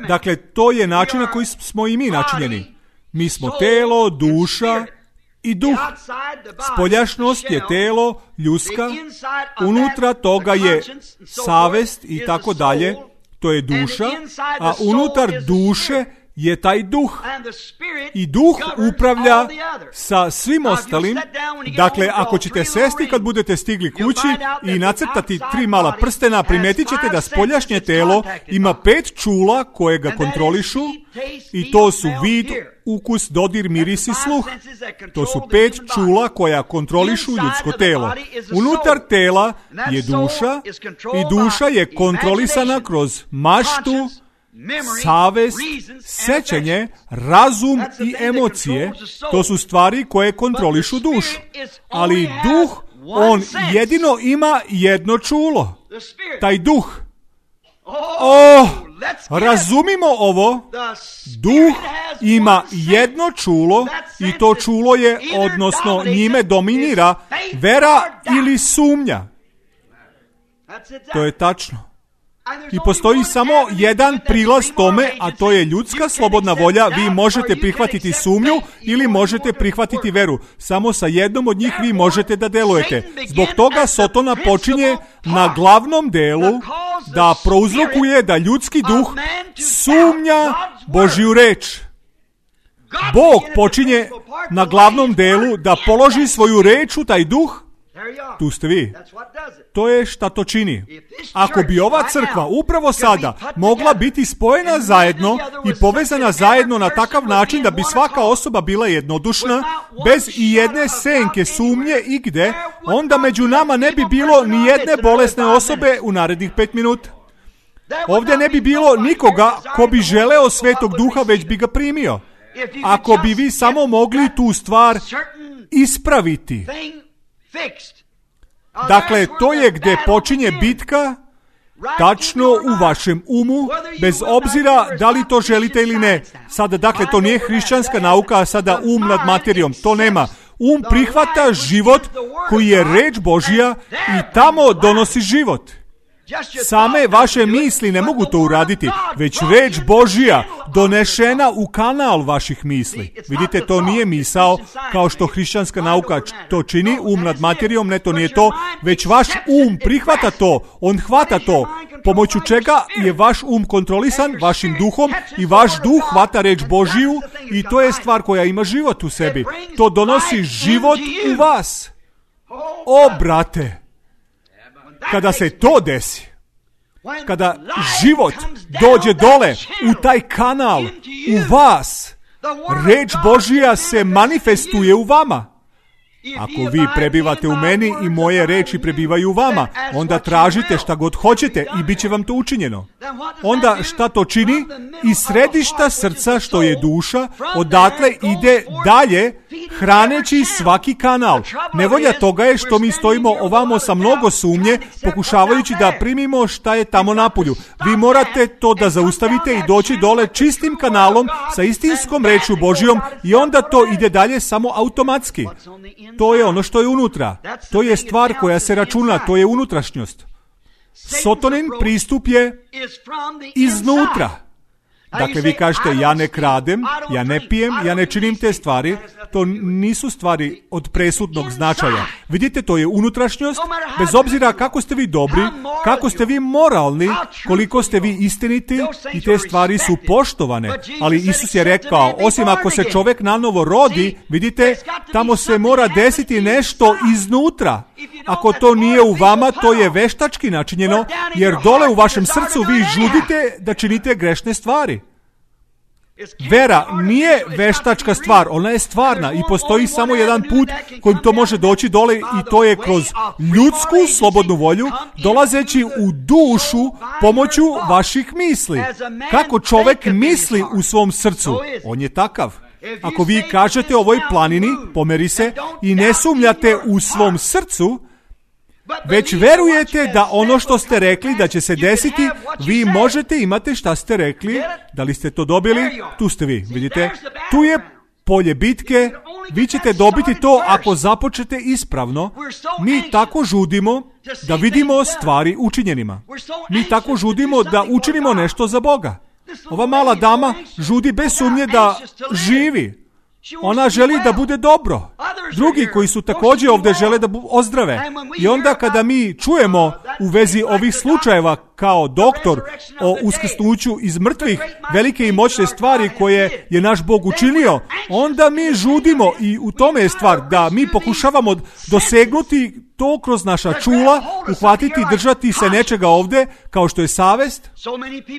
Dakle, to je način na koji smo i mi načinjeni. Mi smo telo, duša i duh. Spoljašnost je telo, ljuska, unutra toga je savest i tako dalje, to je duša, a unutar duše je taj duh. I duh upravlja sa svim ostalim. Dakle, ako ćete sesti kad budete stigli kući i nacrtati 3 mala prstena, primetit ćete da spoljašnje telo ima 5 čula koje ga kontrolišu i to su vid, ukus, dodir, miris i sluh. To su 5 čula koja kontrolišu ljudsko telo. Unutar tela je duša i duša je kontrolisana kroz maštu, savest, sećanje, razum i emocije. To su stvari koje kontrolišu dušu. Ali duh, on jedino ima jedno čulo. Taj duh, Razumimo ovo. Duh ima jedno čulo i to čulo je, odnosno njime dominira vera ili sumnja. To je tačno. I postoji samo jedan prilaz tome, a to je ljudska slobodna volja. Vi možete prihvatiti sumnju ili možete prihvatiti veru. Samo sa jednom od njih vi možete da delujete. Zbog toga Sotona počinje na glavnom delu da prouzrokuje da ljudski duh sumnja Božju reč. Bog počinje na glavnom delu da položi svoju reč u taj duh. Tu ste vi. To je šta to čini. Ako bi ova crkva upravo sada mogla biti spojena zajedno i povezana zajedno na takav način da bi svaka osoba bila jednodušna, bez i jedne senke sumnje igde, onda među nama ne bi bilo ni jedne bolesne osobe u narednih 5 minuta. Ovdje ne bi bilo nikoga ko bi želeo Svetog Duha, već bi ga primio. Ako bi vi samo mogli tu stvar ispraviti. Dakle, to je gdje počinje bitka, tačno u vašem umu, bez obzira da li to želite ili ne. Sada, dakle, to nije hrišćanska nauka, a sada nad materijom, to nema. Prihvata život koji je reč Božja i tamo donosi život. Same vaše misli ne mogu to uraditi, već reč Božja donešena u kanal vaših misli. Vidite, to nije misao kao što hrišćanska nauka to čini, nad materijom, ne, to nije to, već vaš prihvata to, on hvata to, pomoću čega je vaš kontrolisan vašim duhom i vaš duh hvata reč Božju i to je stvar koja ima život u sebi. To donosi život u vas. O, brate! Kada se to desi, kada život dođe dole u taj kanal, u vas, reč Božja se manifestuje u vama. Ako vi prebivate u meni i moje reči prebivaju u vama, onda tražite šta god hoćete i bit će vam to učinjeno. Onda šta to čini? Iz središta srca, što je duša, odatle ide dalje, hraneći svaki kanal. Nevolja toga je što mi stojimo ovamo sa mnogo sumnje, pokušavajući da primimo šta je tamo napolju. Vi morate to da zaustavite i doći dole čistim kanalom sa istinskom rečju Božjom i onda to ide dalje samo automatski. To je ono što je unutra. To je stvar koja se računa, to je unutrašnjost. Sotonin pristup je iznutra. Dakle, vi kažete, ja ne kradem, ja ne pijem, ja ne činim te stvari. To nisu stvari od presudnog značaja. Vidite, to je unutrašnjost, bez obzira kako ste vi dobri, kako ste vi moralni, koliko ste vi istiniti i te stvari su poštovane. Ali Isus je rekao, osim ako se čovjek nanovo rodi, vidite, tamo se mora desiti nešto iznutra. Ako to nije u vama, to je veštački načinjeno, jer dole u vašem srcu vi žudite da činite grešne stvari. Vera nije veštačka stvar, ona je stvarna i postoji samo jedan put kojim to može doći dole i to je kroz ljudsku slobodnu volju, dolazeći u dušu pomoću vaših misli. Kako čovjek misli u svom srcu, on je takav. Ako vi kažete ovoj planini, pomeri se, i ne sumnjate u svom srcu, već verujete da ono što ste rekli da će se desiti, vi možete imati šta ste rekli. Da li ste to dobili? Tu ste vi, vidite. Tu je polje bitke, vi ćete dobiti to ako započete ispravno. Mi tako žudimo da vidimo stvari učinjenima. Mi tako žudimo da učinimo nešto za Boga. Ova mala dama žudi bez sumnje da živi. Ona želi da bude dobro. Drugi koji su također ovdje žele da ozdrave. I onda kada mi čujemo u vezi ovih slučajeva kao doktor o uskrsnuću iz mrtvih, velike i moćne stvari koje je naš Bog učinio, onda mi žudimo i u tome je stvar da mi pokušavamo dosegnuti to kroz naša čula, uhvatiti, držati se nečega ovdje, kao što je savest.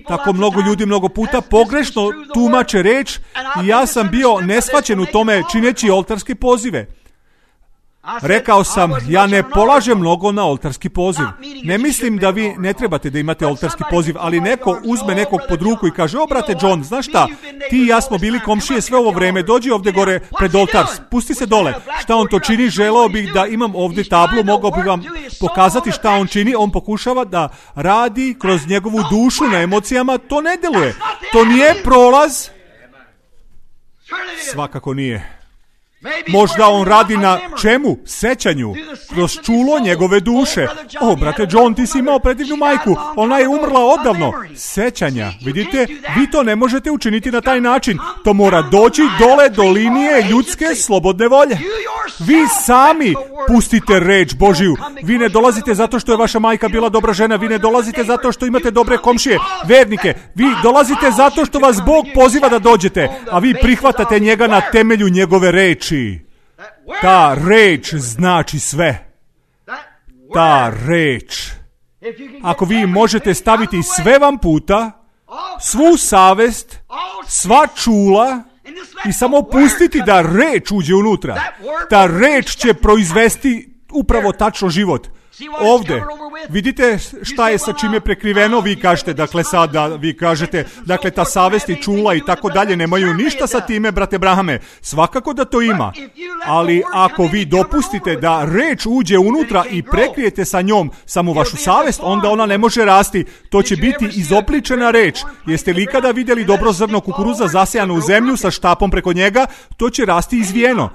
Tako mnogo ljudi mnogo puta pogrešno tumače reč i ja sam bio neshvaćen u tome čineći oltarske pozive. Rekao sam, ja ne polažem mnogo na oltarski poziv. Ne mislim da vi ne trebate da imate oltarski poziv, ali neko uzme nekog pod ruku i kaže, brate John, znaš šta, ti i ja smo bili komšije sve ovo vreme, dođi ovdje gore pred oltar, spusti se dole. Šta on to čini? Želeo bih da imam ovdje tablu, mogao bih vam pokazati šta on čini. On pokušava da radi kroz njegovu dušu na emocijama, to ne deluje. To nije prolaz. Svakako nije. Možda on radi na čemu? Sećanju. Kroz čulo njegove duše. Brate John, ti si imao predivnu majku. Ona je umrla odavno. Sećanja. Vidite, vi to ne možete učiniti na taj način. To mora doći dole do linije ljudske slobodne volje. Vi sami pustite reč Božiju. Vi ne dolazite zato što je vaša majka bila dobra žena. Vi ne dolazite zato što imate dobre komšije, vernike. Vi dolazite zato što vas Bog poziva da dođete, a vi prihvatate njega na temelju njegove reči. Ta reč znači sve. Ta reč. Ako vi možete staviti sve vam puta, svu savest, sva čula i samo pustiti da reč uđe unutra, ta reč će proizvesti upravo tačno život. Ovdje, vidite šta je sa čim je prekriveno, vi kažete, dakle sada, vi kažete, dakle ta savest i čula i tako dalje nemaju ništa sa time, brate Brahame, svakako da to ima, ali ako vi dopustite da reč uđe unutra i prekrijete sa njom samo vašu savest, onda ona ne može rasti, to će biti izopličena reč. Jeste li ikada vidjeli dobro zrno kukuruza zasejano u zemlju sa štapom preko njega? To će rasti izvijeno.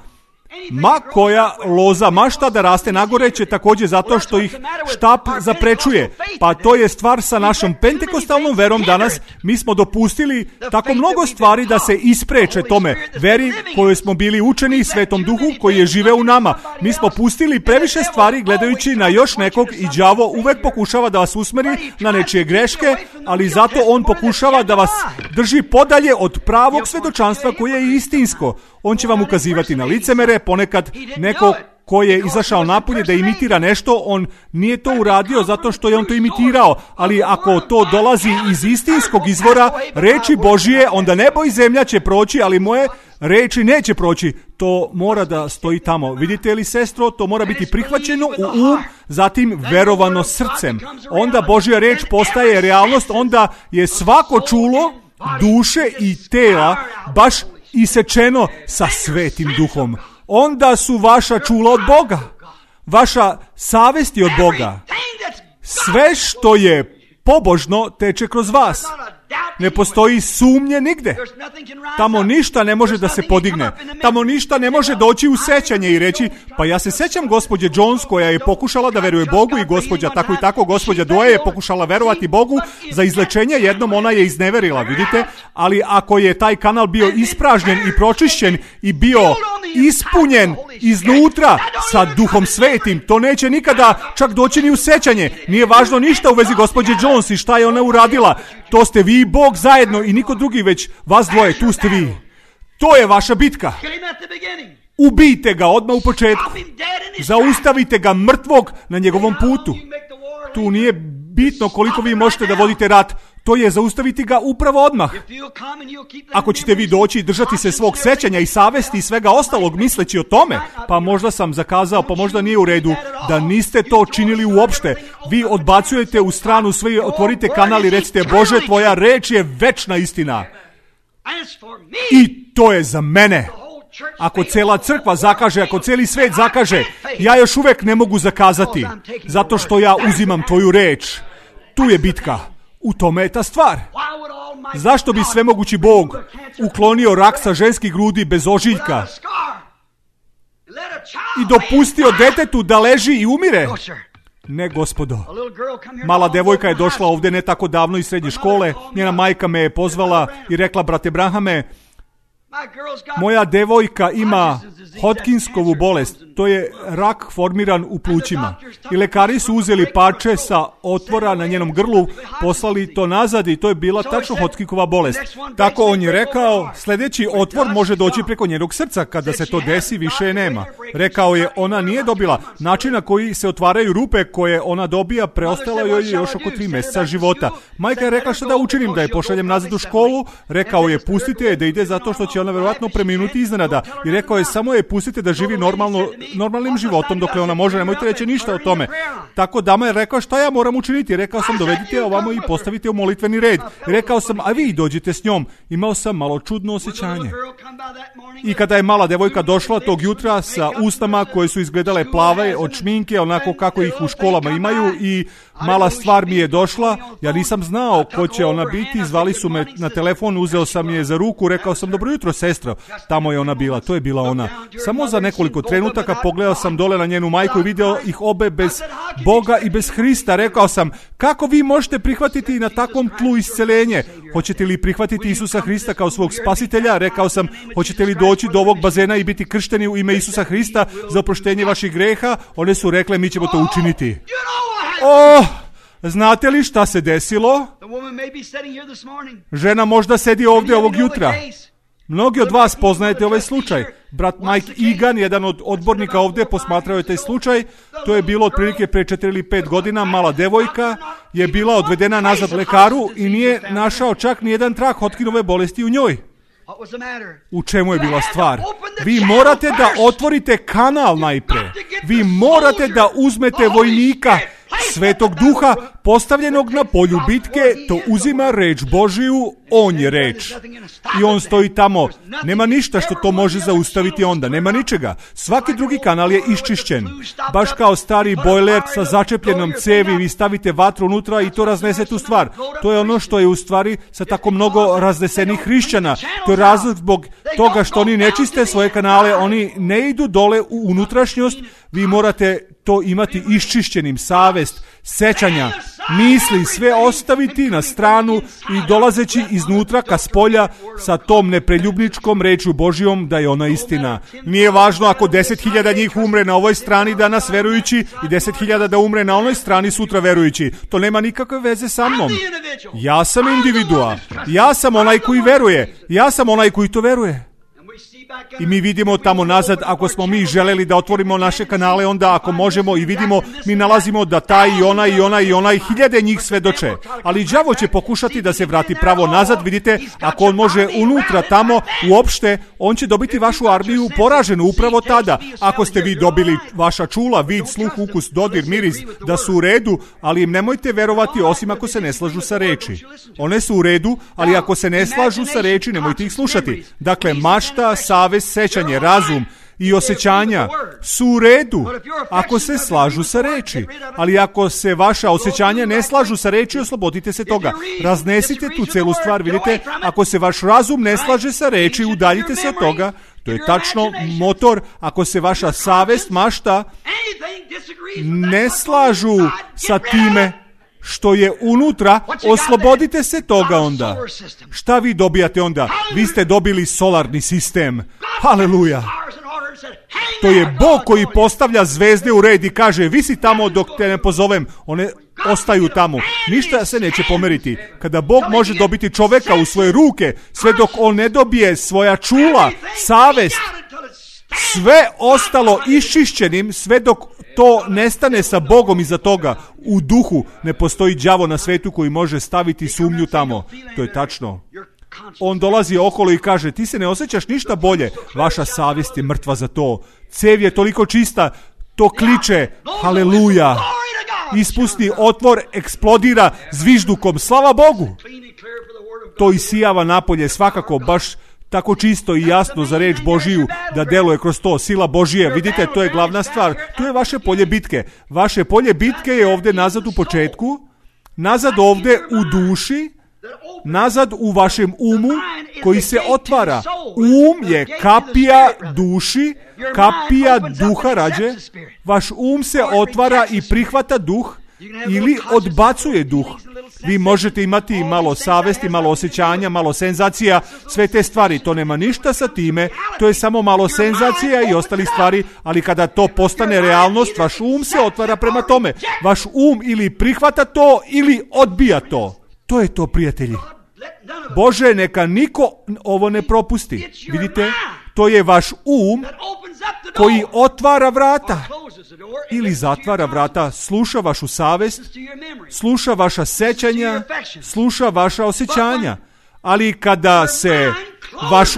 Ma koja loza mašta da raste nagore će također zato što ih štap zaprečuje. Pa to je stvar sa našom pentekostalnom verom danas. Mi smo dopustili tako mnogo stvari da se ispreče tome. Veri kojoj smo bili učeni, Svetom Duhu koji je živeo u nama. Mi smo pustili previše stvari gledajući na još nekog i đavo uvek pokušava da vas usmeri na nečije greške, ali zato on pokušava da vas drži podalje od pravog svedočanstva koje je istinsko. On će vam ukazivati na licemere, ponekad neko ko je izašao napolje da imitira nešto, on nije to uradio zato što je on to imitirao, ali ako to dolazi iz istinskog izvora, reči Božije, onda nebo i zemlja će proći, ali moje reči neće proći. To mora da stoji tamo. Vidite li, sestro, to mora biti prihvaćeno u zatim verovano srcem. Onda Božja reč postaje realnost, onda je svako čulo duše i tela baš isečeno sa Svetim Duhom. Onda su vaša čula od Boga. Vaša savest je od Boga. Sve što je pobožno teče kroz vas. Ne postoji sumnje nigde. Tamo ništa ne može da se podigne. Tamo ništa ne može doći u sećanje i reći, pa ja se sećam gospođe Jones koja je pokušala da veruje Bogu i gospođa tako i tako, gospođa Doe je pokušala verovati Bogu za izlečenje, jednom ona je izneverila, vidite, ali ako je taj kanal bio ispražnjen i pročišćen i bio ispunjen iznutra sa Duhom Svetim, to neće nikada čak doći ni u sećanje. Nije važno ništa u vezi gospođe Jones i šta je ona uradila. To ste vi i Bog zajedno i niko drugi, već vas dvoje, tu ste vi. To je vaša bitka. Ubijte ga odmah u početku. Zaustavite ga mrtvog na njegovom putu. Tu nije bitno koliko vi možete da vodite rat. To je zaustaviti ga upravo odmah. Ako ćete vi doći i držati se svog sećanja i savesti i svega ostalog misleći o tome, pa možda sam zakazao, pa možda nije u redu, da niste to činili uopšte. Vi odbacujete u stranu sve, otvorite kanal i recite, Bože, tvoja reč je večna istina. I to je za mene. Ako cela crkva zakaže, ako cijeli svet zakaže, ja još uvek ne mogu zakazati, zato što ja uzimam tvoju reč. Tu je bitka. U tome je ta stvar. Zašto bi svemogući Bog uklonio rak sa ženskih grudi bez ožiljka i dopustio detetu da leži i umire? Ne, gospodo. Mala devojka je došla ovdje ne tako davno iz srednje škole. Njena majka me je pozvala i rekla, brate Brahame, moja devojka ima Hodgkinskovu bolest, to je rak formiran u plućima. I lekari su uzeli parče sa otvora na njenom grlu, poslali to nazad i to je bila tačno Hodgkinkova bolest. Tako on je rekao, sljedeći otvor može doći preko njenog srca, kada se to desi više je nema. Rekao je, ona nije dobila. Način na koji se otvaraju rupe koje ona dobija, preostalo joj je još oko 3 mjeseca života. Majka je rekla šta da učinim, da je pošaljem nazad u školu. Rekao je, pustite je da ide zato što će ona vjerojatno preminuti iznenada. I rekao je, samo je pustite da živi normalnim životom dokle ona može, nemojte reći ništa o tome. Tako dama je rekao, šta ja moram učiniti? Rekao sam, dovedite je ovamo i postavite u molitveni red. Rekao sam, a vi dođite s njom. Imao sam malo čudno osjećanje. I kada je mala devojka došla tog jutra sa usnama koje su izgledale plave od šminke, onako kako ih u školama imaju, i mala stvar mi je došla, ja nisam znao ko će ona biti, zvali su me na telefon, uzeo sam je za ruku, rekao sam, dobro jutro sestro, tamo je ona bila, to je bila ona. Samo za nekoliko trenutaka pogledao sam dole na njenu majku i video ih obe bez Boga i bez Hrista. Rekao sam, kako vi možete prihvatiti na takvom tlu isceljenje? Hoćete li prihvatiti Isusa Hrista kao svog spasitelja? Rekao sam, hoćete li doći do ovog bazena i biti kršteni u ime Isusa Hrista za oproštenje vaših greha? One su rekle, mi ćemo to učiniti. Znate li šta se desilo? Žena možda sedi ovdje ovog jutra. Mnogi od vas poznajete ovaj slučaj. Brat Mike Egan, jedan od odbornika ovdje, posmatrao je taj slučaj. To je bilo otprilike pre 4 ili 5 godina. Mala devojka je bila odvedena nazad lekaru i nije našao čak nijedan trag Hodgkinove bolesti u njoj. U čemu je bila stvar? Vi morate da otvorite kanal najpre. Vi morate da uzmete vojnika Svetog Duha postavljenog na polju bitke, to uzima reč Božiju, on je reč. I on stoji tamo. Nema ništa što to može zaustaviti onda. Nema ničega. Svaki drugi kanal je iščišćen. Baš kao stari bojler sa začepljenom cevi, vi stavite vatru unutra i to raznese tu stvar. To je ono što je u stvari sa tako mnogo raznesenih hrišćana. To je razlog zbog toga što oni ne čiste svoje kanale, oni ne idu dole u unutrašnjost. Vi morate to imati iščišćenim, savest, sećanja, misli, sve ostaviti na stranu i dolazeći iznutra ka spolja sa tom nepreljubničkom rečju Božijom da je ona istina. Nije važno ako 10.000 njih umre na ovoj strani danas verujući i 10.000 da umre na onoj strani sutra verujući. To nema nikakve veze sa mnom. Ja sam individua. Ja sam onaj koji veruje. Ja sam onaj koji to veruje. I mi vidimo tamo nazad, ako smo mi želeli da otvorimo naše kanale, onda ako možemo i vidimo, mi nalazimo da taj i ona i hiljade njih svedoče. Ali đavo će pokušati da se vrati pravo nazad, vidite, ako on može unutra tamo, uopšte, on će dobiti vašu armiju poraženu upravo tada. Ako ste vi dobili vaša čula, vid, sluh, ukus, dodir, miris, da su u redu, ali im nemojte verovati osim ako se ne slažu sa reči. One su u redu, ali ako se ne slažu sa reči, nemojte ih slušati. Dakle, mašta, savest, sećanje, razum i osjećanja su u redu ako se slažu sa reči. Ali ako se vaša osjećanja ne slažu sa reči, oslobodite se toga. Raznesite tu celu stvar, vidite. Ako se vaš razum ne slaže sa reči, udaljite se od toga. To je tačno motor. Ako se vaša savest, mašta ne slažu sa time što je unutra, oslobodite se toga onda. Šta vi dobijate onda? Vi ste dobili solarni sistem. Haleluja. To je Bog koji postavlja zvezde u red i kaže, vi si tamo dok te ne pozovem. One ostaju tamo. Ništa se neće pomeriti. Kada Bog može dobiti čoveka u svoje ruke, sve dok on ne dobije svoja čula, savest, sve ostalo iščišćenim, sve dok to nestane sa Bogom iza toga, u duhu, ne postoji đavo na svetu koji može staviti sumnju tamo. To je tačno. On dolazi okolo i kaže, ti se ne osjećaš ništa bolje. Vaša savjest je mrtva za to. Cev je toliko čista, to kliče, haleluja. Ispusti otvor, eksplodira zviždukom, slava Bogu. To isijava napolje, svakako, baš tako čisto i jasno za reč Božiju da deluje kroz to. Sila Božije, vidite, to je glavna stvar. Tu je vaše polje bitke. Vaše polje bitke je ovdje nazad u početku, nazad ovdje u duši, nazad u vašem umu koji se otvara. Um je kapija duši, kapija duha rađe. Vaš um se otvara i prihvata duh ili odbacuje duh. Vi možete imati malo savesti, malo osjećanja, malo senzacija, sve te stvari. To nema ništa sa time, to je samo malo senzacija i ostalih stvari, ali kada to postane realnost, vaš um se otvara prema tome. Vaš um ili prihvata to ili odbija to. To je to, prijatelji. Bože, neka niko ovo ne propusti. Vidite, To je vaš koji otvara vrata ili zatvara vrata, sluša vašu savest, sluša vaša sećanja, sluša vaša osjećanja. Ali kada se vaš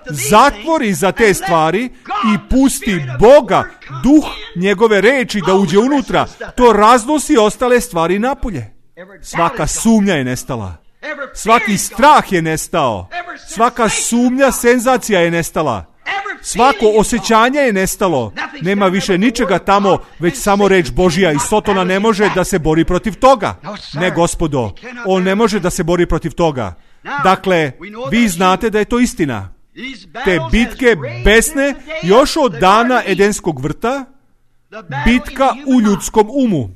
zatvori za te stvari i pusti Boga, duh njegove reči da uđe unutra, to raznosi ostale stvari napolje. Svaka sumnja je nestala. Svaki strah je nestao. Svaka sumnja, senzacija je nestala. Svako osjećanje je nestalo. Nema više ničega tamo, već samo reč Božja i Sotona ne može da se bori protiv toga. Ne, gospodo, on ne može da se bori protiv toga. Dakle, vi znate da je to istina. Te bitke besne još od dana Edenskog vrta, bitka u ljudskom umu.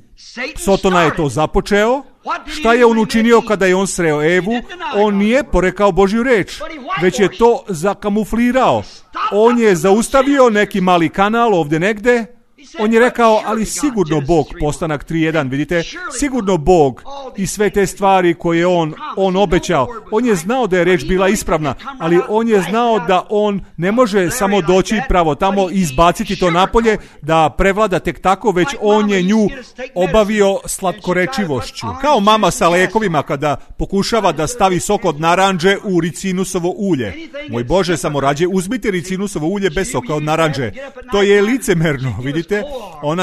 Sotona je to započeo. Šta je on učinio kada je on sreo Evu? On nije porekao Božju reč, već je to zakamuflirao. On je zaustavio neki mali kanal ovdje negde. On je rekao, ali sigurno Bog, Postanak 3.1, vidite, sigurno Bog i sve te stvari koje on obećao. On je znao da je reč bila ispravna, ali on je znao da on ne može samo doći pravo tamo i izbaciti to napolje, da prevlada tek tako, već on je nju obavio slatkorečivošću. Kao mama sa lekovima kada pokušava da stavi sok od naranđe u ricinusovo ulje. Moj Bože, samo rađe uzmite ricinusovo ulje bez soka od naranđe. To je licemerno, vidite.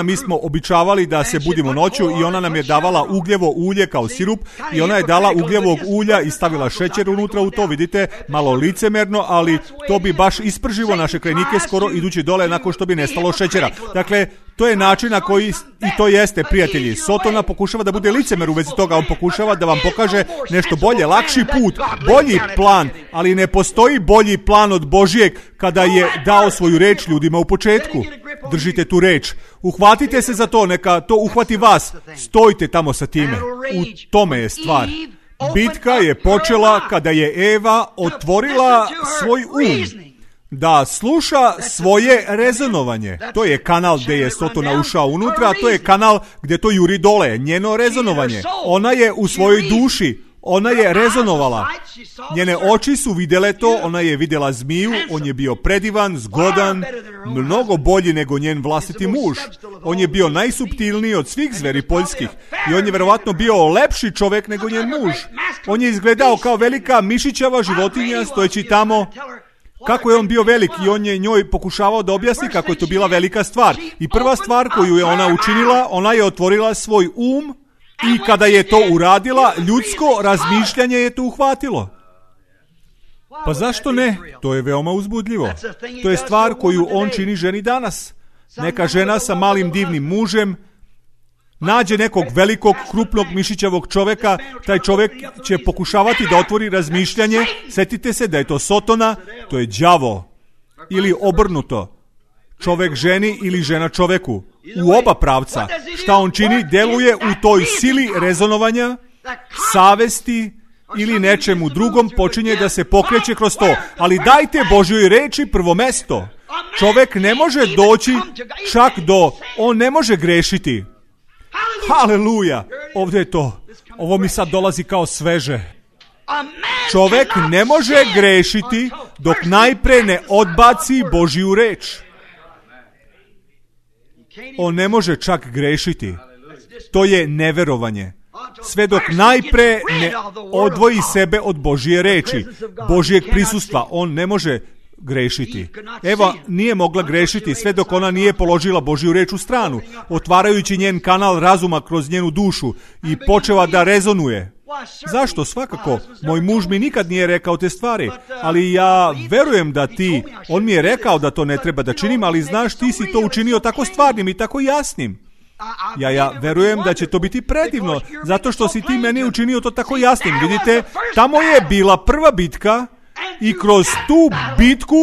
Mi smo običavali da se budimo noću i ona nam je davala ugljevo ulje kao sirup i ona je dala ugljevog ulja i stavila šećer unutra u to, vidite, malo licemerno, ali to bi baš isprživo naše krajnike skoro idući dole nakon što bi nestalo šećera. Dakle, to je način na koji, i to jeste, prijatelji, Sotona pokušava da bude licemer u vezi toga, on pokušava da vam pokaže nešto bolje, lakši put, bolji plan, ali ne postoji bolji plan od Božijeg kada je dao svoju reč ljudima u početku. Držite tu reč, uhvatite se za to, neka to uhvati vas, stojite tamo sa time, u tome je stvar. Bitka je počela kada je Eva otvorila svoj da sluša svoje rezonovanje. To je kanal gdje je Sotona ušao unutra, a to je kanal gdje to juri dole, njeno rezonovanje. Ona je u svojoj duši, ona je rezonovala. Njene oči su vidjele to, ona je vidjela zmiju, on je bio predivan, zgodan, mnogo bolji nego njen vlastiti muž. On je bio najsuptilniji od svih zveri poljskih i on je verovatno bio lepši čovjek nego njen muž. On je izgledao kao velika mišićava životinja stojeći tamo. Kako je on bio velik i on je njoj pokušavao da objasni kako je to bila velika stvar. I prva stvar koju je ona učinila, ona je otvorila svoj i kada je to uradila, ljudsko razmišljanje je to uhvatilo. Pa zašto ne? To je veoma uzbudljivo. To je stvar koju on čini ženi danas. Neka žena sa malim divnim mužem nađe nekog velikog, krupnog, mišićavog čovjeka, taj čovjek će pokušavati da otvori razmišljanje. Sjetite se da je to Sotona, to je đavo. Ili obrnuto. Čovjek ženi ili žena čovjeku. U oba pravca. Šta on čini? Deluje u toj sili rezonovanja, savesti ili nečemu drugom, počinje da se pokreće kroz to. Ali dajte Božjoj reči prvo mesto. Čovjek ne može doći čak on ne može grešiti. Haleluja! Ovdje je to. Ovo mi sad dolazi kao sveže. Čovjek ne može grešiti dok najpre ne odbaci Božju reč. On ne može čak grešiti. To je neverovanje. Sve dok najpre ne odvoji sebe od Božje reči, Božjeg prisustva, on ne može grešiti. Eva nije mogla grešiti sve dok ona nije položila Božju reč u stranu, otvarajući njen kanal razuma kroz njenu dušu i počela da rezonuje. Zašto? Svakako. Moj muž mi nikad nije rekao te stvari, ali ja verujem da on mi je rekao da to ne treba da činim, ali znaš, ti si to učinio tako stvarnim i tako jasnim. Ja verujem da će to biti predivno, zato što si ti meni učinio to tako jasnim. Vidite, tamo je bila prva bitka i kroz tu bitku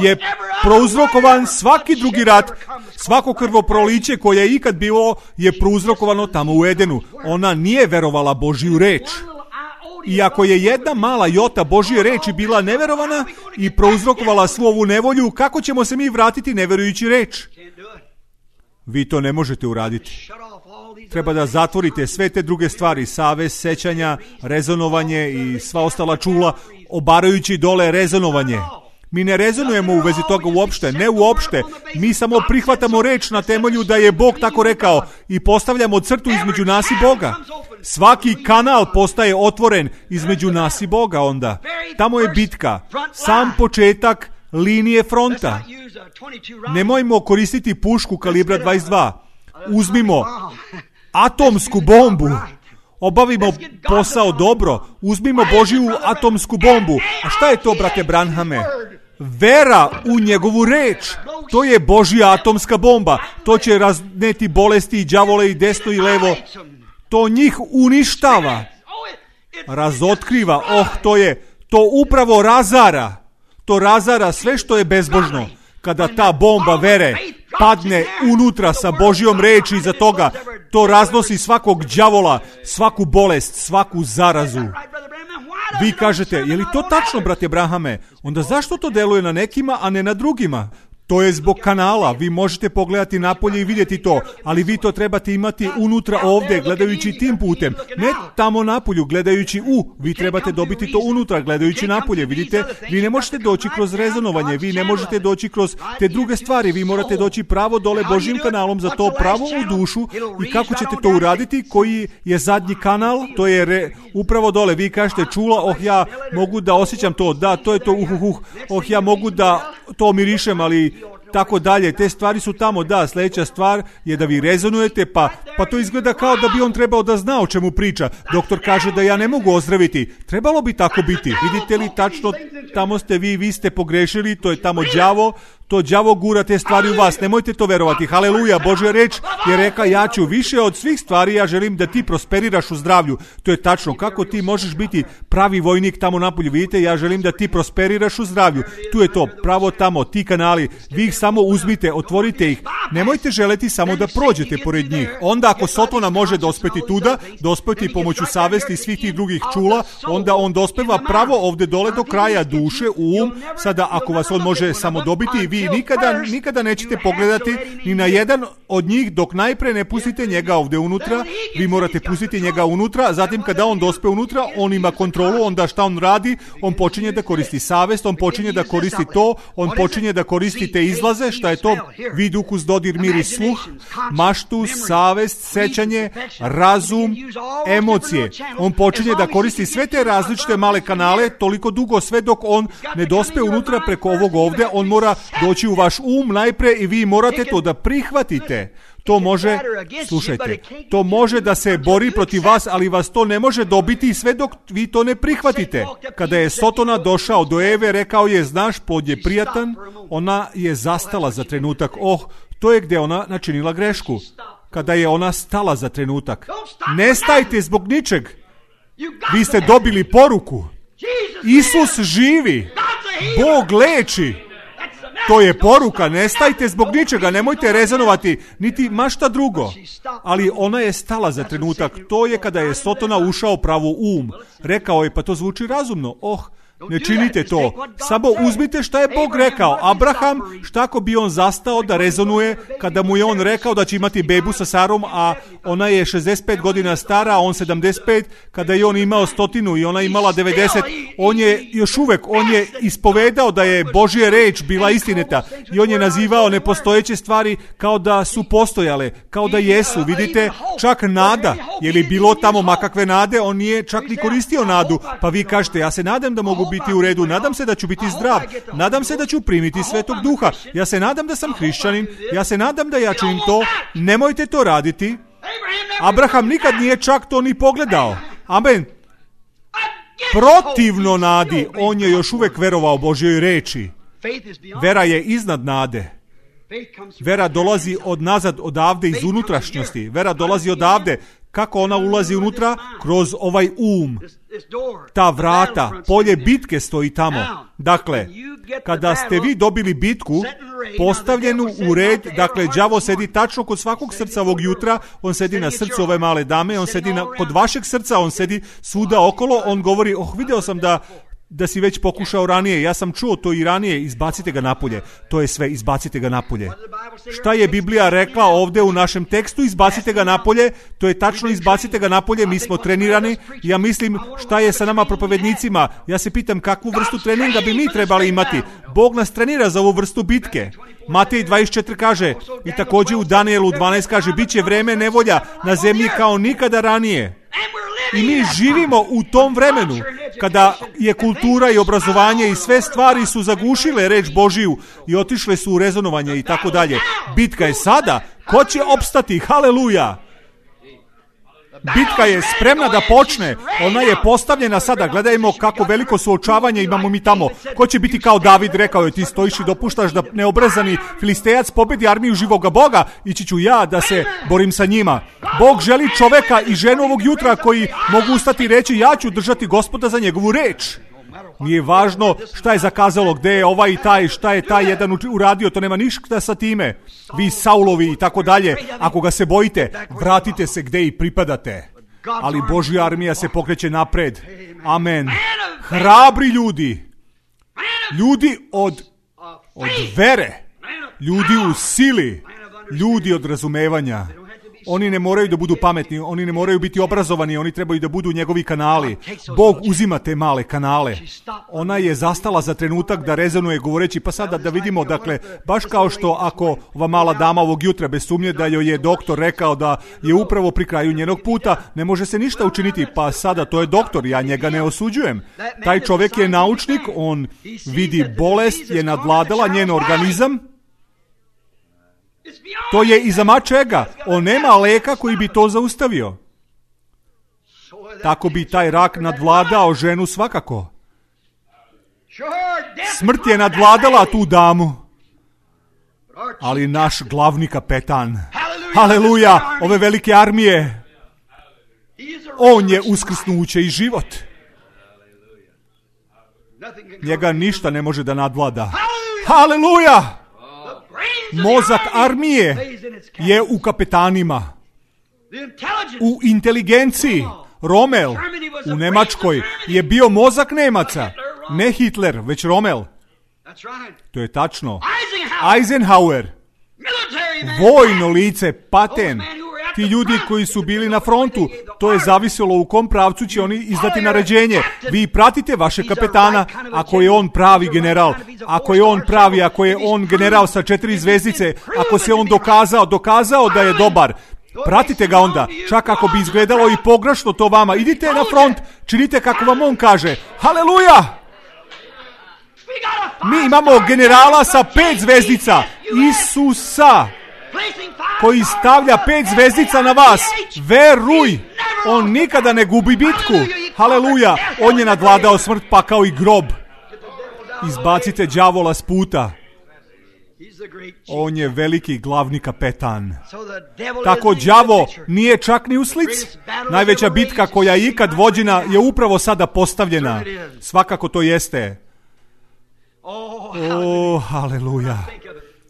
je prouzrokovan svaki drugi rat. Svako krvoproliće koje je ikad bilo je prouzrokovano tamo u Edenu. Ona nije verovala Božju reč. I ako je jedna mala jota Božje reči bila neverovana i prouzrokovala svu ovu nevolju, kako ćemo se mi vratiti neverujući reč? Vi to ne možete uraditi. Treba da zatvorite sve te druge stvari, savest, sećanja, rezonovanje i sva ostala čula, obarajući dole rezonovanje. Mi ne rezonujemo u vezi toga uopšte, ne uopšte. Mi samo prihvatamo reč na temelju da je Bog tako rekao i postavljamo crtu između nas i Boga. Svaki kanal postaje otvoren između nas i Boga onda. Tamo je bitka, sam početak linije fronta. Nemojmo koristiti pušku kalibra 22. Uzmimo atomsku bombu. Obavimo posao dobro. Uzmimo Božju atomsku bombu. A šta je to, brate Branhame? Vera u njegovu reč. To je Božja atomska bomba. To će razneti bolesti i đavole i desno i levo. To njih uništava. Razotkriva. To upravo razara. To razara sve što je bezbožno. Kada ta bomba vere padne unutra sa Božjom reči iza toga, to raznosi svakog đavola, svaku bolest, svaku zarazu. Vi kažete, je li to tačno, brate Brahame? Onda zašto to deluje na nekima, a ne na drugima? To je zbog kanala, vi možete pogledati napolje i vidjeti to, ali vi to trebate imati unutra ovdje, gledajući tim putem. Ne tamo napolju, gledajući vi trebate dobiti to unutra, gledajući napolje. Vidite, vi ne možete doći kroz rezonovanje, vi ne možete doći kroz te druge stvari, vi morate doći pravo dole Božjim kanalom za to pravo u dušu. I kako ćete to uraditi? Koji je zadnji kanal? To je upravo dole. Vi kažete, čula, ja mogu da osjećam to, da, to je to, ja mogu da to mirišem, ali tako dalje, te stvari su tamo. Da, sljedeća stvar je da vi rezonujete, pa to izgleda kao da bi on trebao da zna o čemu priča. Doktor kaže da ja ne mogu ozdraviti. Trebalo bi tako biti. Vidite li tačno, tamo ste vi ste pogrešili, to je tamo đavo. To đavo gura te stvari u vas. Nemojte to verovati. Haleluja, Božja reč je reka, ja ću više od svih stvari, ja želim da ti prosperiraš u zdravlju. To je tačno. Kako ti možeš biti pravi vojnik tamo napolju? Vidite, ja želim da ti prosperiraš u zdravlju. Tu je to, pravo tamo, ti kanali. Vi ih samo uzmite, otvorite ih. Nemojte želeti samo da prođete pored njih. Onda ako Sotona može dospeti tuda, dospeti pomoću savesti i svih tih drugih čula, onda on dospeva pravo ovdje dole do kraja duše, Sada ako vas on može samo dobiti, vi nikada nećete pogledati ni na jedan od njih dok najpre ne pustite njega ovdje unutra. Vi morate pustiti njega unutra, zatim kada on dospe unutra, on ima kontrolu, onda šta on radi? On počinje da koristi savest, on počinje da koristi to, on počinje da koristi te izlaze. Šta je to? Vid, ukus, dodir, miris, sluh, maštu, savest, sećanje, razum, emocije. On počinje da koristi sve te različite male kanale toliko dugo, sve dok on ne dospe unutra preko ovog ovdje. On mora doći u vaš najpre i vi morate to da prihvatite. To može, slušajte, to može da se bori protiv vas, ali vas to ne može dobiti sve dok vi to ne prihvatite. Kada je Sotona došao do Eve, rekao je, znaš, plod je prijatan, ona je zastala za trenutak. To je gdje ona načinila grešku. Kada je ona stala za trenutak. Ne stajte zbog ničeg. Vi ste dobili poruku. Isus živi. Bog leči. To je poruka, ne stajte zbog ničega, nemojte rezonovati, niti mašta drugo. Ali ona je stala za trenutak, to je kada je Sotona ušao pravo Rekao je, pa to zvuči razumno, ne činite to. Samo uzmite šta je Bog rekao. Abraham, šta ako bi on zastao da rezonuje kada mu je on rekao da će imati bebu sa Sarom, a ona je 65 godina stara, a on 75, kada je on imao 100 i ona imala 90, on je još uvek, on je ispovedao da je Božja reč bila istinita i on je nazivao nepostojeće stvari kao da su postojale, kao da jesu. Vidite, čak nada, je li bilo tamo makakve nade, on nije čak ni koristio nadu, pa vi kažete, ja se nadam da mogu biti u redu, nadam se da ću biti zdrav, nadam se da ću primiti Svetog Duha, ja se nadam da sam hrišćanin, ja se nadam da ja činim to. Nemojte to raditi. Abraham nikad nije čak to ni pogledao. Amen. Protivno nadi, on je još uvek verovao Božjoj reči. Vera je iznad nade. Vera dolazi odavde iz unutrašnjosti. Vera dolazi odavde. Kako ona ulazi unutra? Kroz ovaj Ta vrata, polje bitke stoji tamo. Dakle, kada ste vi dobili bitku postavljenu u red, dakle, đavo sedi tačno kod svakog srca ovog jutra, on sedi na srcu ove male dame, on sedi kod vašeg srca, on sedi svuda okolo, on govori, video sam da da si već pokušao ranije. Ja sam čuo to i ranije. Izbacite ga napolje. To je sve. Izbacite ga napolje. Šta je Biblija rekla ovdje u našem tekstu? Izbacite ga napolje. To je tačno. Izbacite ga napolje. Mi smo trenirani. Ja mislim šta je sa nama propovednicima. Ja se pitam kakvu vrstu treninga bi mi trebali imati. Bog nas trenira za ovu vrstu bitke. Matej 24 kaže i također u Danielu 12 kaže bit će vreme nevolja na zemlji kao nikada ranije. I mi živimo u tom vremenu kada je kultura i obrazovanje i sve stvari su zagušile reč Božiju i otišle su u rezonovanje i tako dalje. Bitka je sada. Ko će opstati? Haleluja! Bitka je spremna da počne. Ona je postavljena sada. Gledajmo kako veliko suočavanje imamo mi tamo. Ko će biti kao David, rekao je, ti stojiš i dopuštaš da neobrezani Filistejac pobedi armiju živoga Boga, ići ću ja da se borim sa njima. Bog želi čoveka i ženu ovog jutra koji mogu ustati i reći ja ću držati Gospoda za njegovu reč. Nije važno šta je zakazalo, gde je ovaj i taj, šta je taj jedan uradio, to nema ništa sa time. Vi Saulovi i tako dalje, ako ga se bojite, vratite se gde i pripadate. Ali Božja armija se pokreće napred. Amen. Hrabri ljudi. Ljudi od vere. Ljudi u sili. Ljudi od razumevanja. Oni ne moraju da budu pametni, oni ne moraju biti obrazovani, oni trebaju da budu njegovi kanali. Bog uzima te male kanale. Ona je zastala za trenutak da rezonuje govoreći, pa sada da vidimo, dakle, baš kao što ako ova mala dama ovog jutra bez sumnje da joj je doktor rekao da je upravo pri kraju njenog puta, ne može se ništa učiniti, pa sada to je doktor, ja njega ne osuđujem. Taj čovjek je naučnik, on vidi bolest, je nadvladala njen organizam. To je iza mačega. On nema leka koji bi to zaustavio. Tako bi taj rak nadvladao ženu svakako. Smrt je nadvladala tu damu. Ali naš glavni kapetan, haleluja, ove velike armije, on je uskrsnuće i život. Njega ništa ne može da nadvlada. Haleluja! Mozak armije je u kapetanima, u inteligenciji. Rommel u Nemačkoj je bio mozak Nemaca, ne Hitler, već Rommel. To je tačno. Eisenhower, vojno lice, Paten. Ti ljudi koji su bili na frontu, to je zavisilo u kom pravcu će oni izdati naređenje. Vi pratite vaše kapetana, ako je on pravi general, ako je on pravi, ako je on general sa 4 zvezdice, ako se on dokazao da je dobar, pratite ga onda, čak ako bi izgledalo i pogrešno to vama. Idite na front, činite kako vam on kaže. Haleluja! Mi imamo generala sa 5 zvezdica, Isusa, koji stavlja 5 zvezdica na vas. Veruj, on nikada ne gubi bitku. Haleluja, on je nadvladao smrt, pakao i grob. Izbacite đavola s puta. On je veliki glavni kapetan. Tako đavo nije čak ni u slici. Najveća bitka koja je ikad vođena je upravo sada postavljena. Svakako to jeste. Haleluja.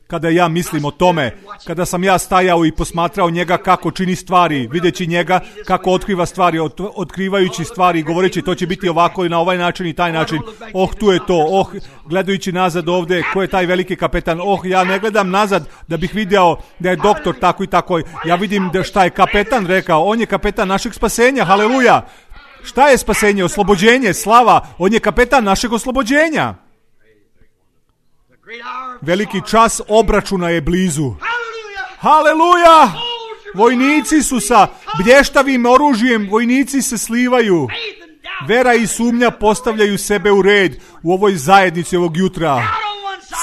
Kada ja mislim o tome, kada sam ja stajao i posmatrao njega kako čini stvari, videći njega kako otkriva stvari, otkrivajući stvari, govoreći to će biti ovako i na ovaj način i taj način, tu je to, gledajući nazad ovdje, ko je taj veliki kapetan, ja ne gledam nazad da bih video da je doktor tako i tako, ja vidim da šta je kapetan rekao, on je kapetan našeg spasenja, haleluja. Šta je spasenje? Oslobođenje, slava, on je kapetan našeg oslobođenja. Veliki čas obračuna je blizu. Haleluja! Vojnici su sa blještavim oružjem, vojnici se slivaju. Vera i sumnja postavljaju sebe u red u ovoj zajednici ovog jutra.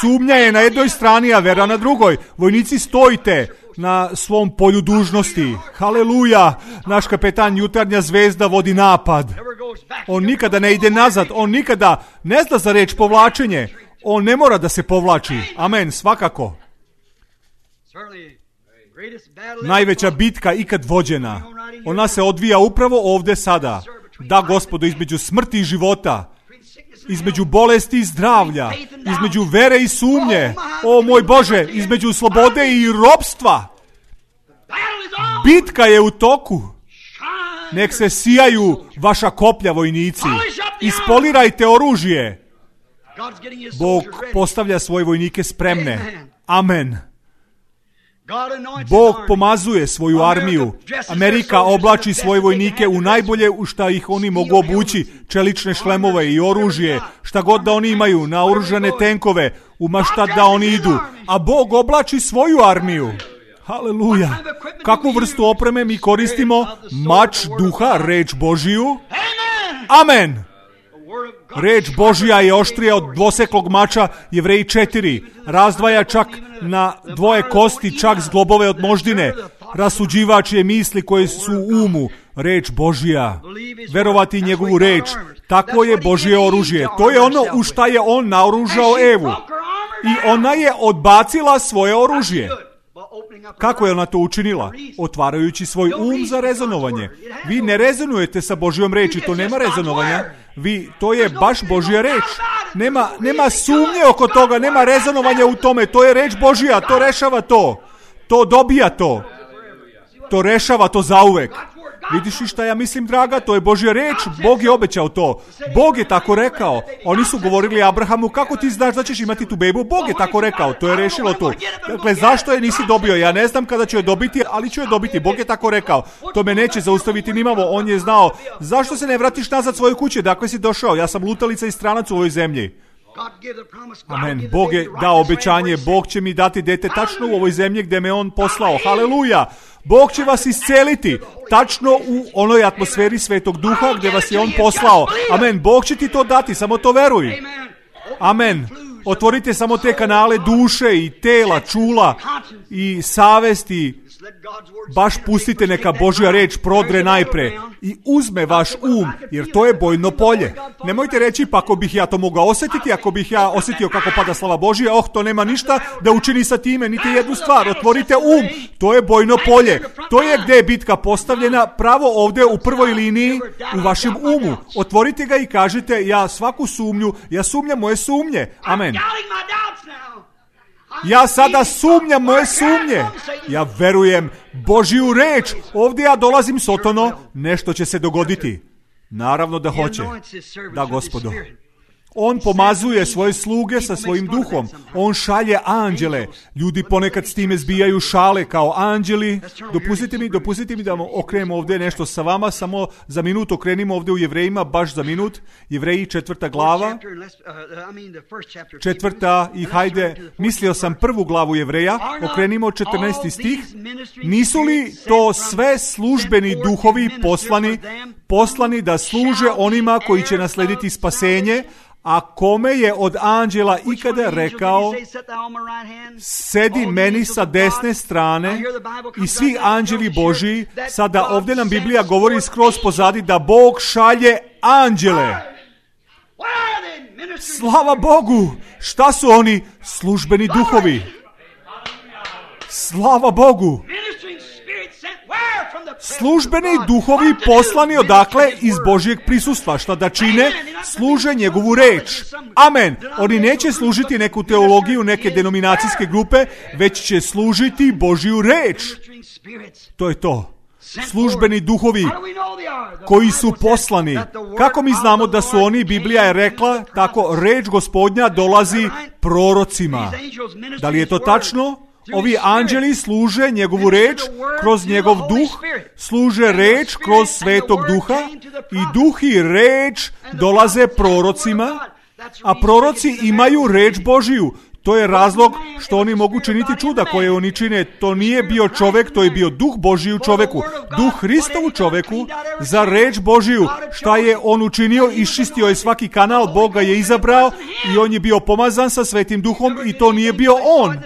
Sumnja je na jednoj strani, a vera na drugoj. Vojnici, stojite na svom polju dužnosti. Haleluja! Naš kapetan Jutarnja zvezda vodi napad. On nikada ne ide nazad, on nikada ne zna za reč povlačenje. On ne mora da se povlači. Amen, svakako. Najveća bitka ikad vođena. Ona se odvija upravo ovdje sada. Da, Gospodo, između smrti i života. Između bolesti i zdravlja. Između vere i sumnje. O moj Bože, između slobode i ropstva. Bitka je u toku. Nek se sijaju vaša koplja, vojnici. Ispolirajte oružje. Bog postavlja svoje vojnike spremne. Amen. Bog pomazuje svoju armiju. Amerika oblači svoje vojnike u najbolje u šta ih oni mogu obući, čelične šlemove i oružje, šta god da oni imaju, naoružane tenkove, u ma šta da oni idu. A Bog oblači svoju armiju. Haleluja. Kakvu vrstu opreme mi koristimo? Mač duha, reč Božiju. Amen. Reč Božja je oštrija od dvoseklog mača, Jevreji 4. Razdvaja čak na dvoje kosti, čak zglobove od moždine. Rasuđivač je misli koje su u umu. Reč Božja. Verovati njegovu reč. Takvo je Božje oružje. To je ono u šta je on naoružao Evu. I ona je odbacila svoje oružje. Kako je ona to učinila? Otvarajući svoj za rezonovanje. Vi ne rezonujete sa Božjom reči, to nema rezonovanja. To je baš Božja reč. Nema sumnje oko toga, nema rezonovanja u tome. To je reč Božja, to rešava to. To dobija to. To rešava to zauvek. Vidiš li šta ja mislim, draga? To je Božja reč. Bog je obećao to. Bog je tako rekao. Oni su govorili Abrahamu, kako ti znaš da ćeš imati tu bebu? Bog je tako rekao. To je rešilo to. Dakle, zašto je nisi dobio? Ja ne znam kada ću je dobiti, ali ću je dobiti. Bog je tako rekao. To me neće zaustaviti nimalo. On je znao. Zašto se ne vratiš nazad svoje kuće? Dakle si došao. Ja sam lutalica i stranac u ovoj zemlji. Amen. Bog je dao obećanje. Bog će mi dati dete tačno u ovoj zemlji gdje me on poslao. Haleluja. Bog će vas isceliti tačno u onoj atmosferi Svetog Duha gdje vas je on poslao. Amen. Bog će ti to dati, samo to veruj. Amen. Otvorite samo te kanale duše i tela, čula i savesti. Baš pustite neka Božja reč prodre najpre i uzme vaš jer to je bojno polje. Nemojte reći, pa ako bih ja to mogao osjetiti, ako bih ja osjetio kako pada slava Božja, to nema ništa da učini sa time, niti jednu stvar. Otvorite to je bojno polje. To je gdje je bitka postavljena, pravo ovdje u prvoj liniji u vašem umu. Otvorite ga i kažete, ja svaku sumnju, ja sumnjam moje sumnje. Amen. Ja sada sumnjam moje sumnje. Ja verujem Božju reč. Ovdje ja dolazim sotono, nešto će se dogoditi. Naravno da hoće. Da, Gospodo. On pomazuje svoje sluge sa svojim duhom. On šalje anđele. Ljudi ponekad s time zbijaju šale kao anđeli. Dopustite mi da okrenemo ovdje nešto sa vama. Samo za minut okrenimo ovdje u Jevrejima, baš za minut. Jevreji 4. glava. 4. i hajde, mislio sam 1. glavu Jevreja. Okrenimo 14. stih. Nisu li to sve službeni duhovi poslani da služe onima koji će naslediti spasenje? A kome je od anđela ikada rekao, sedi meni sa desne strane, i svi anđeli Božiji, sada ovdje nam Biblija govori skroz pozadi da Bog šalje anđele. Slava Bogu! Šta su oni? Službeni duhovi. Slava Bogu! Službeni duhovi poslani odakle? Iz Božjeg prisustva. Šta da čine? Služe njegovu reč. Amen. Oni neće služiti neku teologiju, neke denominacijske grupe, već će služiti Božju reč. To je to. Službeni duhovi koji su poslani. Kako mi znamo da su oni? Biblija je rekla, tako reč Gospodnja dolazi prorocima. Da li je to tačno? Ovi anđeli služe njegovu reč kroz njegov duh, služe reč kroz Svetog Duha i duh i reč dolaze prorocima, a proroci imaju reč Božiju. To je razlog što oni mogu činiti čuda koje oni čine. To nije bio čovjek, to je bio duh Božji u čovjeku. Duh Hristov u čovjeku za reč Božiju. Šta je on učinio? Iščistio je svaki kanal, Bog ga je izabrao i on je bio pomazan sa Svetim Duhom i to nije bio on.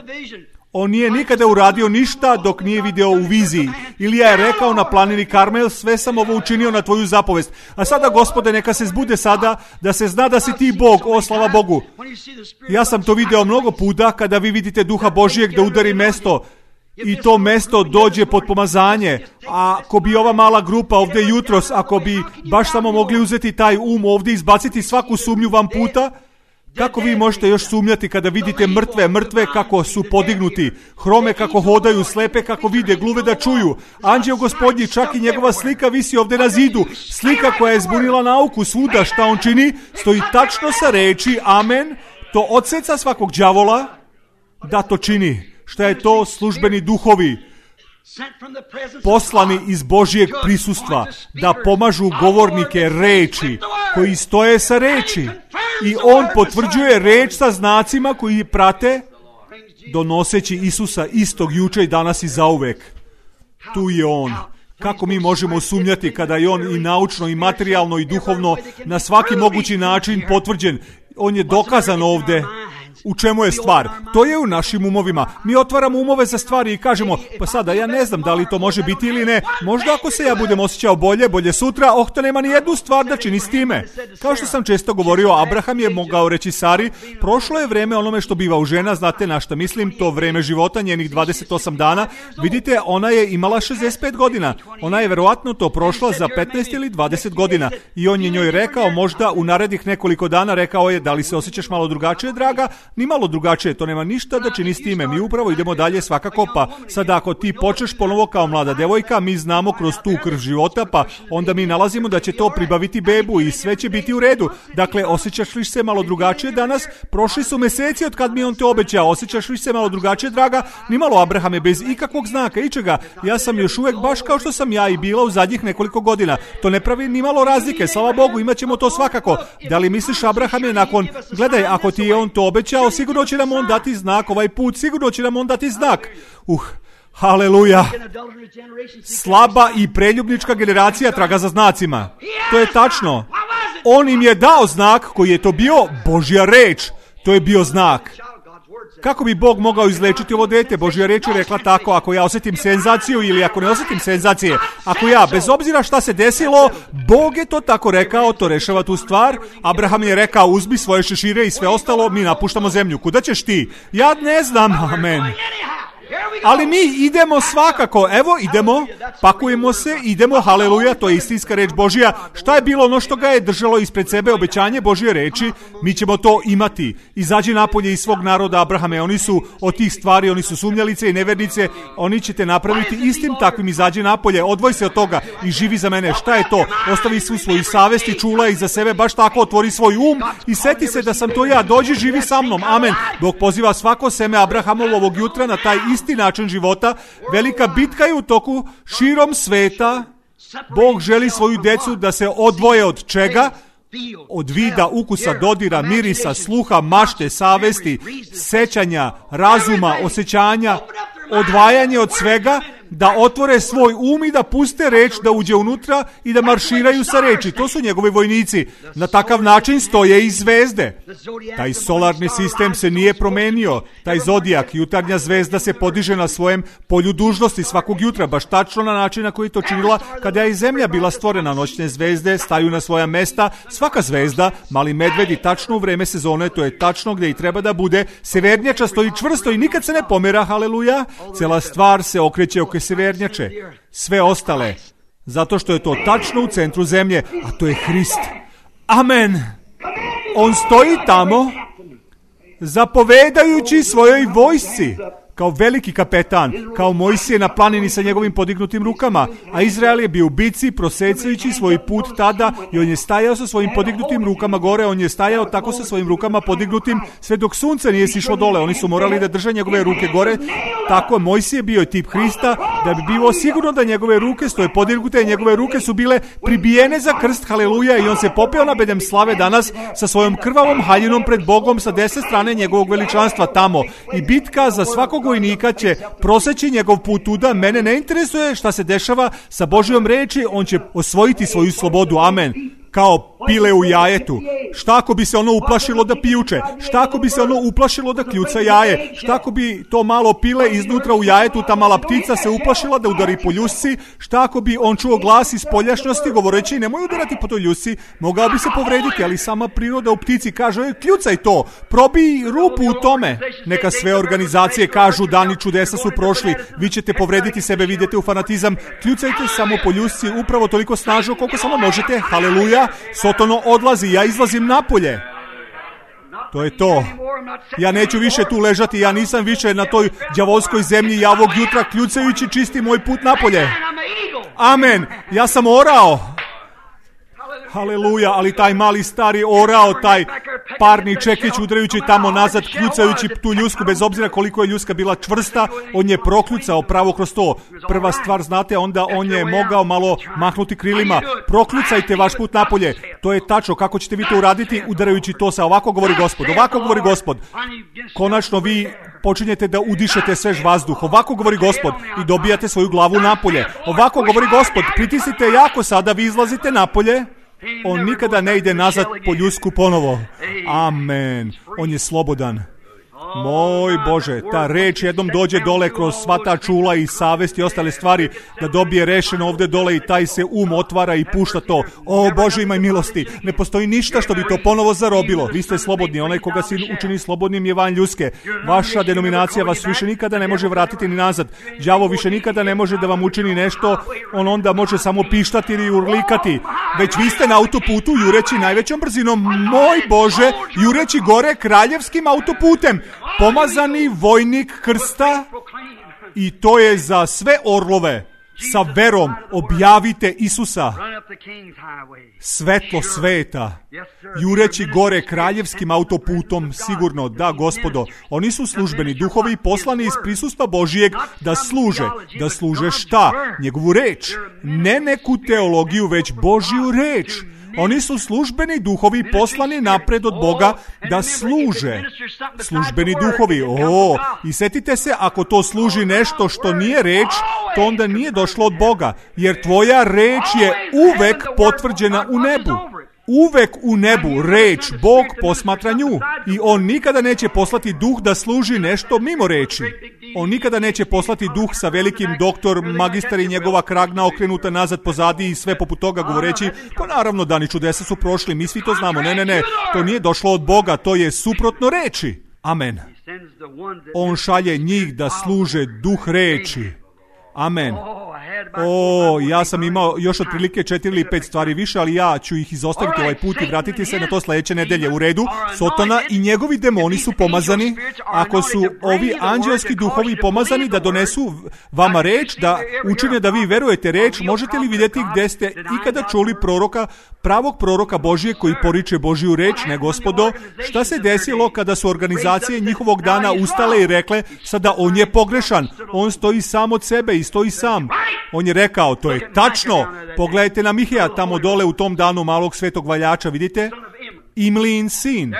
On nije nikada uradio ništa dok nije video u viziji. Ilija je rekao na planini Karmel, sve sam ovo učinio na tvoju zapovest. A sada, Gospode, neka se zbude sada da se zna da si ti Bog, slava Bogu. Ja sam to video mnogo puta kada vi vidite Duha Božijeg da udari mesto i to mesto dođe pod pomazanje. A ako bi ova mala grupa ovdje jutros, ako bi baš samo mogli uzeti taj ovdje, izbaciti svaku sumnju vam puta, Kako vi možete još sumnjati kada vidite mrtve kako su podignuti, hrome kako hodaju, slepe kako vide, gluve da čuju, anđeo gospodnji, čak i njegova slika visi ovdje na zidu, slika koja je zbunila nauku svuda, šta on čini, stoji tačno sa reči, amen, to odseca svakog đavola da to čini. Šta je to? Službeni duhovi, poslani iz Božjeg prisustva, da pomažu govornike reči, koji stoje sa reči. I on potvrđuje reč sa znacima koji prate, donoseći Isusa istog juče i danas i zauvek. Tu je on. Kako mi možemo sumnjati kada je on i naučno, i materijalno, i duhovno, na svaki mogući način potvrđen. On je dokazan ovdje. U čemu je stvar? To je u našim umovima. Mi otvaramo umove za stvari i kažemo, pa sada ja ne znam da li to može biti ili ne. Možda ako se ja budem osjećao bolje sutra, to nema ni jednu stvar da čini s time. Kao što sam često govorio, Abraham je mogao reći Sari, prošlo je vreme onome što biva u žena, znate na šta mislim, to vreme života, njenih 28 dana. Vidite, ona je imala 65 godina. Ona je verovatno to prošla za 15 ili 20 godina. I on je njoj rekao, možda u narednih nekoliko dana, rekao je, da li se osjećaš malo drugačije, draga? Ni malo drugačije, to nema ništa da čini s time. Mi upravo idemo dalje svakako, pa sada ako ti počneš ponovo kao mlada devojka, mi znamo kroz tu krv života, pa onda mi nalazimo da će to pribaviti bebu i sve će biti u redu. Dakle, osjećaš li se malo drugačije danas? Prošli su meseci od kad mi on te obećao. Osjećaš li se malo drugačije, draga? Nimalo, Abrahame, bez ikakvog znaka, ičega. Ja sam još uvek baš kao što sam ja i bila u zadnjih nekoliko godina. To ne pravi nimalo razlike, slava Bogu, imat ćemo to svakako. Da li misliš, Abrahame, nakon, gledaj, ako ti je on to obećao, sigurno će nam on dati znak ovaj put, sigurno će nam on dati znak. Haleluja. Slaba i preljubnička generacija traga za znacima. To je tačno. On im je dao znak koji je to bio Božja reč. To je bio znak. Kako bi Bog mogao izlečiti ovo dete? Božja reč je rekla tako, ako ja osjetim senzaciju ili ako ne osjetim senzacije, ako ja, bez obzira šta se desilo, Bog je to tako rekao, to rešava tu stvar. Abraham je rekao, uzmi svoje šešire i sve ostalo, mi napuštamo zemlju. Kuda ćeš ti? Ja ne znam, amen. Ali mi idemo svakako, evo idemo, pakujemo se, idemo, haleluja, to je istinska reč Božja. Šta je bilo ono što ga je držalo ispred sebe, obećanje Božje reči, mi ćemo to imati. Izađi napolje iz svog naroda, Abrahame, oni su od tih stvari, oni su sumnjalice i nevernice, oni će te napraviti istim takvim, izađi napolje, odvoj se od toga i živi za mene. Šta je to? Ostavi svu svoju savest i čula iza sebe, baš tako otvori svoj i seti se da sam to ja, dođi, živi sa mnom, amen. Bog poziva svako seme Abrahamovo ovog jutra na taj isti način života. Velika bitka je u toku širom sveta. Bog želi svoju decu da se odvoje od čega? Od vida, ukusa, dodira, mirisa, sluha, mašte, savesti, sećanja, razuma, osjećanja, odvajanje od svega, da otvore svoj i da puste reč, da uđe unutra i da marširaju sa reči. To su njegovi vojnici. Na takav način stoje i zvezde. Taj solarni sistem se nije promenio. Taj zodijak, jutarnja zvezda, se podiže na svojem polju dužnosti svakog jutra, baš tačno na način na koji to činila kada je i zemlja bila stvorena. Noćne zvezde staju na svoja mesta. Svaka zvezda, mali medvedi, tačno u vreme sezone, to je tačno gdje i treba da bude. Severnjača stoji čvrsto i nikad se ne pomera, haleluja. Cela stvar se okreće oko severnjače, sve ostale, zato što je to tačno u centru zemlje, a to je Hrist. Amen. On stoji tamo, zapovedajući svojoj vojsci, kao veliki kapetan, kao Mojsije na planini sa njegovim podignutim rukama, a Izrael je bio u bici, prosecajući svoj put tada, i on je stajao sa svojim podignutim rukama gore, on je stajao tako sa svojim rukama podignutim, sve dok sunce nije sišlo dole, oni su morali da drže njegove ruke gore. Tako Mojsije bio je tip Hrista, da bi bilo sigurno da njegove ruke stoje podignute, njegove ruke su bile pribijene za krst, haleluja, i on se popeo na bedem slave danas sa svojom krvavom haljinom pred Bogom sa desne strane njegovog veličanstva tamo, i bitka za svakog vojnika će proseći njegov put tuda. Mene ne interesuje šta se dešava sa Božjom reči, on će osvojiti svoju slobodu, amen. Kao pile u jajetu. Šta ako bi se ono uplašilo da pijuče? Šta ako bi se ono uplašilo da kljuca jaje? Šta ako bi to malo pile iznutra u jajetu, ta mala ptica se uplašila da udari po ljusci? Šta ako bi on čuo glas iz spoljašnjosti govoreći nemoj udarati po toj ljusci? Mogao bi se povrediti, ali sama priroda u ptici kaže kljucaj to, probij rupu u tome. Neka sve organizacije kažu dani čudesa su prošli, vi ćete povrediti sebe, vidite u fanatizam, kljucajte samo po ljusci upravo toliko snažno koliko samo možete, haleluja. Sotono odlazi, ja izlazim napolje. To je to. Ja neću više tu ležati, ja nisam više na toj đavolskoj zemlji, ja ovog jutra kljucajući čistim moj put napolje. Amen. Ja sam orao. Haleluja, ali taj mali stari orao, taj parni čekić udarajući tamo nazad, kljucajući tu ljusku, bez obzira koliko je ljuska bila čvrsta, on je prokljucao pravo kroz to. Prva stvar, znate, onda on je mogao malo mahnuti krilima. Prokljucajte vaš put napolje. To je tačno. Kako ćete vi to uraditi? Udarajući to sa ovako govori Gospod. Ovako govori Gospod. Konačno vi počinjete da udišete svež vazduh. Ovako govori Gospod i dobijate svoju glavu napolje. Ovako govori Gospod. Pritisnite jako sada, vi izlazite napolje. On nikada ne ide nazad po ljusku ponovo. Amen. On je slobodan. Moj Bože, ta reč jednom dođe dole kroz sva ta čula i savest i ostale stvari, da dobije rešeno ovdje dole i taj se otvara i pušta to. O Bože, imaj milosti. Ne postoji ništa što bi to ponovo zarobilo. Vi ste slobodni. Onaj koga si učini slobodnim je van ljuske. Vaša denominacija vas više nikada ne može vratiti ni nazad. Đavo više nikada ne može da vam učini nešto. On onda može samo pištati ili urlikati. Već vi ste na autoputu jureći najvećom brzinom. Moj Bože, jureći gore kraljevskim autoputem. Pomazani vojnik krsta, i to je za sve orlove. Sa verom objavite Isusa, svetlo sveta, jureći gore kraljevskim autoputom. Sigurno, da, Gospodo, oni su službeni duhovi poslani iz prisustva Božijeg da služe šta? Njegovu reč. Ne neku teologiju, već Božju reč. Oni su službeni duhovi poslani napred od Boga da služe. Službeni duhovi. I setite se, ako to služi nešto što nije reč, to onda nije došlo od Boga. Jer tvoja reč je uvek potvrđena u nebu. Uvek u nebu reč Bog posmatra nju. I on nikada neće poslati duh da služi nešto mimo reči. On nikada neće poslati duh sa velikim doktor, magistar i njegova kragna okrenuta nazad pozadi i sve poput toga govoreći, pa naravno dani čudesa su prošli, mi svi to znamo. Ne, to nije došlo od Boga, to je suprotno reči. Amen. On šalje njih da služe duh reči. Amen. Ja sam imao još otprilike 4 ili 5 stvari više, ali ja ću ih izostaviti ovaj put i vratiti se na to sljedeće nedelje. U redu, Sotona i njegovi demoni su pomazani. Ako su ovi anđelski duhovi pomazani da donesu vama reč, da učine da vi verujete reč, možete li vidjeti gdje ste ikada čuli proroka, pravog proroka Božije koji poriče Božju reč? Ne, Gospodo. Šta se desilo kada su organizacije njihovog dana ustale i rekle, sada on je pogrešan, on stoji sam od sebe i stoji sam. On je rekao, to je tačno. Pogledajte na Mihija tamo dole u tom danu malog svetog valjača, vidite? Imlijin sin.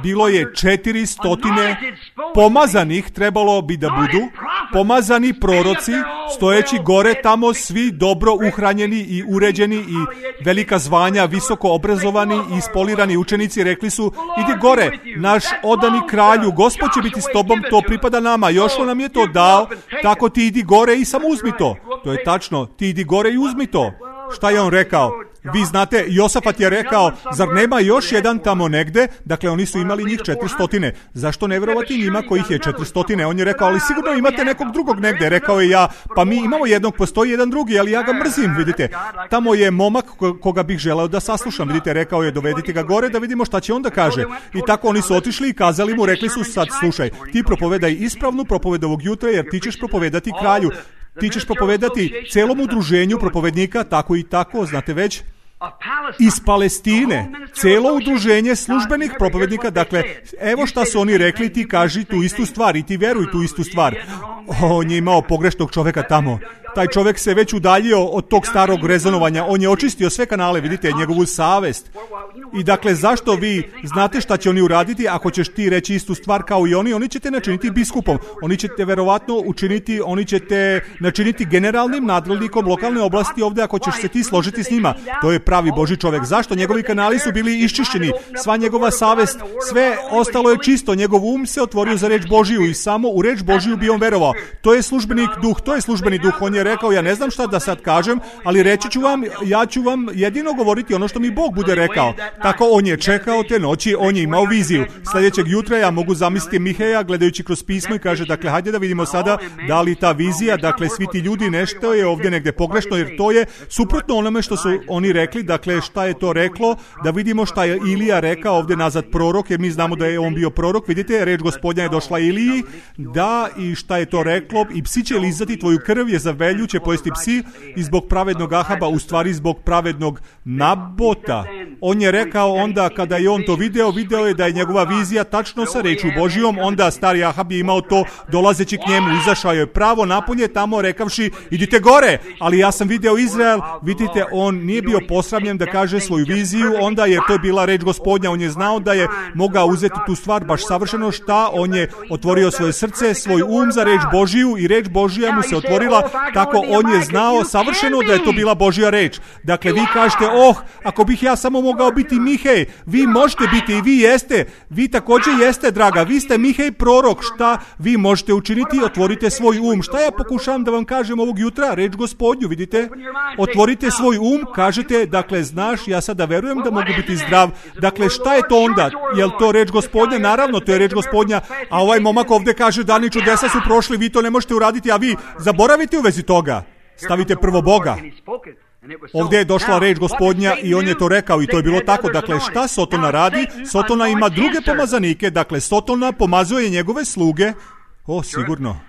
Bilo je 400 pomazanih, trebalo bi da budu, pomazani proroci, stojeći gore tamo, svi dobro uhranjeni i uređeni i velika zvanja, visoko obrazovani i ispolirani učenici, rekli su, idi gore, naš odani kralju, Gospod će biti s tobom, to pripada nama, Jošua nam je to dao, tako ti idi gore i samo uzmi to. To je tačno, ti idi gore i uzmi to. Šta je on rekao? Vi znate, Josafat je rekao, zar nema još jedan tamo negde? Dakle, oni su imali njih 400. Zašto ne vjerovati njima kojih je 400? On je rekao, ali sigurno imate nekog drugog negde. Rekao je, pa mi imamo jednog, postoji jedan drugi, ali ja ga mrzim, vidite. Tamo je momak koga bih želeo da saslušam, vidite, rekao je, dovedite ga gore da vidimo šta će onda kaže. I tako oni su otišli i kazali mu, rekli su, sad slušaj, ti propovedaj ispravnu propovedu ovog jutra, jer ti ćeš propovedati kralju. Ti ćeš propovedati celom udruženju propovednika, tako i tako, znate već, iz Palestine, celo udruženje službenih propovednika. Dakle, evo šta su oni rekli, ti kaži tu istu stvar i ti veruj tu istu stvar. On je imao pogrešnog čoveka tamo. Taj čovjek se već udaljio od tog starog rezonovanja. On je očistio sve kanale, vidite, njegovu savest. I dakle, zašto vi znate šta će oni uraditi? Ako ćeš ti reći istu stvar kao i oni će te načiniti biskupom. Oni će te verovatno učiniti, oni će te načiniti generalnim nadležnikom lokalne oblasti ovdje ako ćeš se ti složiti s njima. To je pravi Božji čovjek. Zašto? Njegovi kanali su bili iščišćeni. Sva njegova savest, sve ostalo je čisto. Njegov um se otvorio za reč Božiju i samo u reč Božiju bi on verovao. To je službeni duh, On je rekao, ja ne znam šta da sad kažem, ali reći ću vam, ja ću vam jedino govoriti ono što mi Bog bude rekao. Tako on je čekao te noći, on je imao viziju. Sljedećeg jutra ja mogu zamisliti Miheja gledajući kroz pismo i kaže, dakle, hajde da vidimo sada da li ta vizija, dakle, svi ti ljudi, nešto je ovdje negdje pogrešno, jer to je suprotno onome što su oni rekli, dakle, šta je to reklo, da vidimo šta je Ilija rekao ovdje nazad prorok, jer mi znamo da je on bio prorok. Vidite, reč Gospodnja je došla Iliji, da, i šta je to reklo, i psi će lizati tvoju krv, je za velju će pojesti psi, i zbog pravednog Ahaba, u stvari zbog pravednog Nabota. On je rekao onda kada je on to video je da je njegova vizija tačno sa rečju Božijom, onda stari Ahab je imao to, dolazeći k njemu, izašao je pravo napolje tamo rekavši, idite gore, ali ja sam video Izrael. Vidite, on nije bio posramljen da kaže svoju viziju, onda je to bila reč Gospodnja, on je znao da je mogao uzeti tu stvar baš savršeno, šta, on je otvorio svoje srce, svoj um za reč Božiju i reč Božija mu se otvorila, tako on je znao savršeno da je to bila Božja reč. Dakle, vi kažete, ako bih ja samo mogao biti Mihej, vi možete biti i vi jeste, vi također jeste, draga, vi ste Mihej prorok, šta vi možete učiniti? Otvorite svoj um. Šta ja pokušavam da vam kažem ovog jutra? Reč Gospodnju, vidite? Otvorite svoj um, kažete, dakle, znaš, ja sada verujem da mogu biti zdrav. Dakle, šta je to onda? Je li to reč Gospodnja? Naravno, to je reč Gospodnja, a ovaj momak ovdje kaže, dani čudesa su prošli, vi to ne možete uraditi, a vi zaboravite u vezi toga. Stavite prvo Boga. Ovdje je došla reč Gospodnja i on je to rekao i to je bilo tako. Dakle, šta Sotona radi? Sotona ima druge pomazanike, dakle, Sotona pomazuje njegove sluge. Sigurno.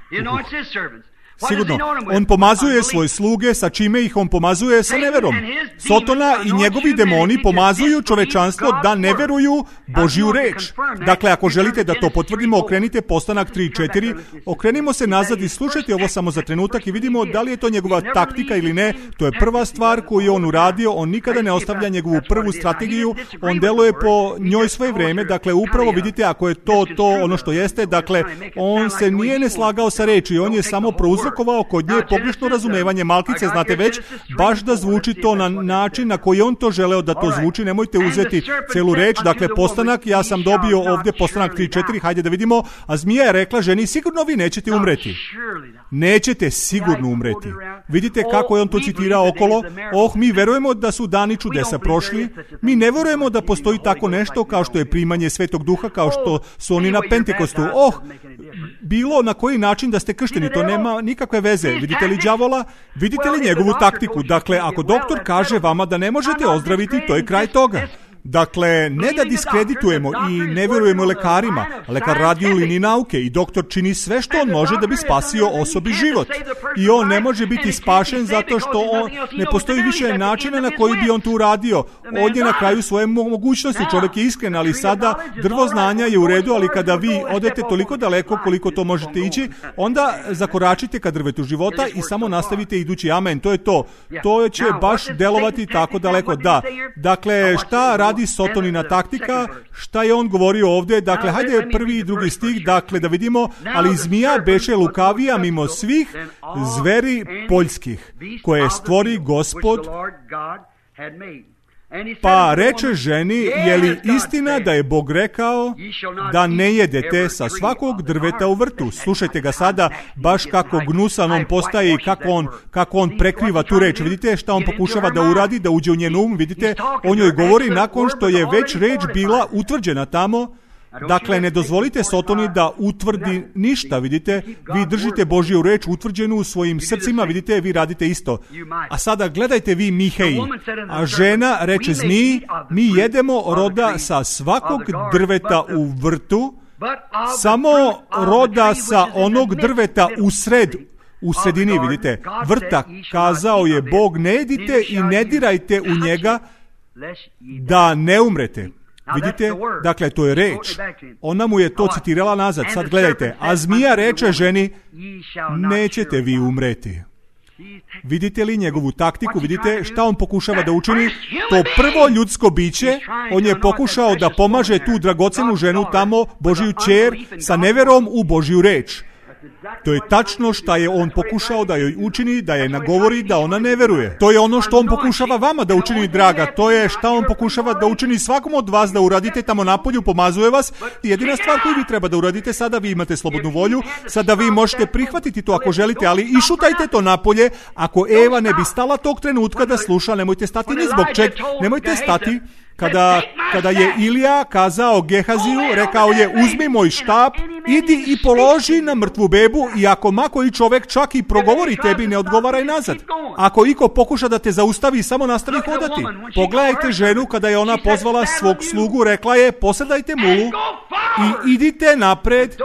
Sigurno, on pomazuje svoje sluge, sa čime ih on pomazuje? Sa neverom. Sotona i njegovi demoni pomazuju čovečanstvo da ne veruju Božju reč. Dakle, ako želite da to potvrdimo, okrenite Postanak 3:4, okrenimo se nazad i slušajte ovo samo za trenutak i vidimo da li je to njegova taktika ili ne. To je prva stvar koju je on uradio, on nikada ne ostavlja njegovu prvu strategiju, on deluje po njoj svoje vrijeme, dakle, upravo vidite, ako je to ono što jeste, dakle, on se nije ne slagao sa reči, on je samo prouzrokovao kod nje pogrešno razumevanje malkice, znate već, baš da zvuči to na način na koji on to želeo da to zvuči, nemojte uzeti celu reč, dakle, Postanak, ja sam dobio ovdje Postanak 3:4, hajde da vidimo, a zmija je rekla ženi, sigurno vi nećete umreti. Nećete sigurno umreti. Vidite kako je on to citirao okolo, mi verujemo da su dani čudesa prošli, mi ne verujemo da postoji tako nešto kao što je primanje Svetog Duha, kao što su oni na Pentekostu. Bilo na koji način da ste kršteni, to nema nikakve veze. Vidite li đavola? Vidite li njegovu taktiku? Dakle, ako doktor kaže vama da ne možete ozdraviti, to je kraj toga. Dakle, ne da diskreditujemo i ne vjerujemo lekarima. Lekar radi u liniji nauke i doktor čini sve što on može da bi spasio osobi život. I on ne može biti spašen zato što ne postoji više načina na koji bi on to uradio. On je na kraju svoje mogućnosti. Čovjek je iskren, ali sada drvo znanja je u redu, ali kada vi odete toliko daleko koliko to možete ići, onda zakoračite ka drvetu života i samo nastavite idući. Amen. To je to. To će baš delovati tako daleko. Da. Dakle, šta radi Sotonina taktika, šta je on govorio ovdje? Dakle, hajde prvi i drugi stih, dakle, da vidimo, ali zmija beše lukavija mimo svih zveri poljskih, koje stvori Gospod. Pa reče ženi, je li istina da je Bog rekao da ne jedete sa svakog drveta u vrtu? Slušajte ga sada, baš kako gnusan on postaje i kako on prekriva tu reč. Vidite šta on pokušava da uradi, da uđe u njen um, vidite, on joj govori nakon što je već reč bila utvrđena tamo. Dakle, ne dozvolite Sotoni da utvrdi ništa, vidite, vi držite Božju reč utvrđenu u svojim srcima, vidite, vi radite isto. A sada gledajte vi Miheji, a žena reče zmiji, mi jedemo roda sa svakog drveta u vrtu, samo roda sa onog drveta u sredini, vidite, vrta, kazao je Bog, ne jedite i ne dirajte u njega da ne umrete. Vidite, dakle, to je reč. Ona mu je to citirala nazad. Sad gledajte, a zmija reče ženi, nećete vi umreti. Vidite li njegovu taktiku? Vidite šta on pokušava da učini? To prvo ljudsko biće, on je pokušao da pomaže tu dragocenu ženu tamo, Božiju ćer, sa neverom u Božju reč. To je tačno šta je on pokušao da joj učini, da je nagovori da ona ne veruje. To je ono što on pokušava vama da učini, draga. To je šta on pokušava da učini svakom od vas da uradite tamo napolju, pomazuje vas. Jedina stvar koju vi treba da uradite, sada vi imate slobodnu volju, sada vi možete prihvatiti to ako želite, ali išutajte to napolje. Ako Eva ne bi stala tog trenutka da sluša, nemojte stati ni zbog čeg, nemojte stati. Kada je Ilija kazao Gehaziju, rekao je uzmi moj štap, idi i položi na mrtvu bebu i ako ma koji čovek čak i progovori tebi, ne odgovaraj nazad. Ako iko pokuša da te zaustavi, samo nastavi hodati. Pogledajte ženu kada je ona pozvala svog slugu, rekla je posredajte mulu i idite napred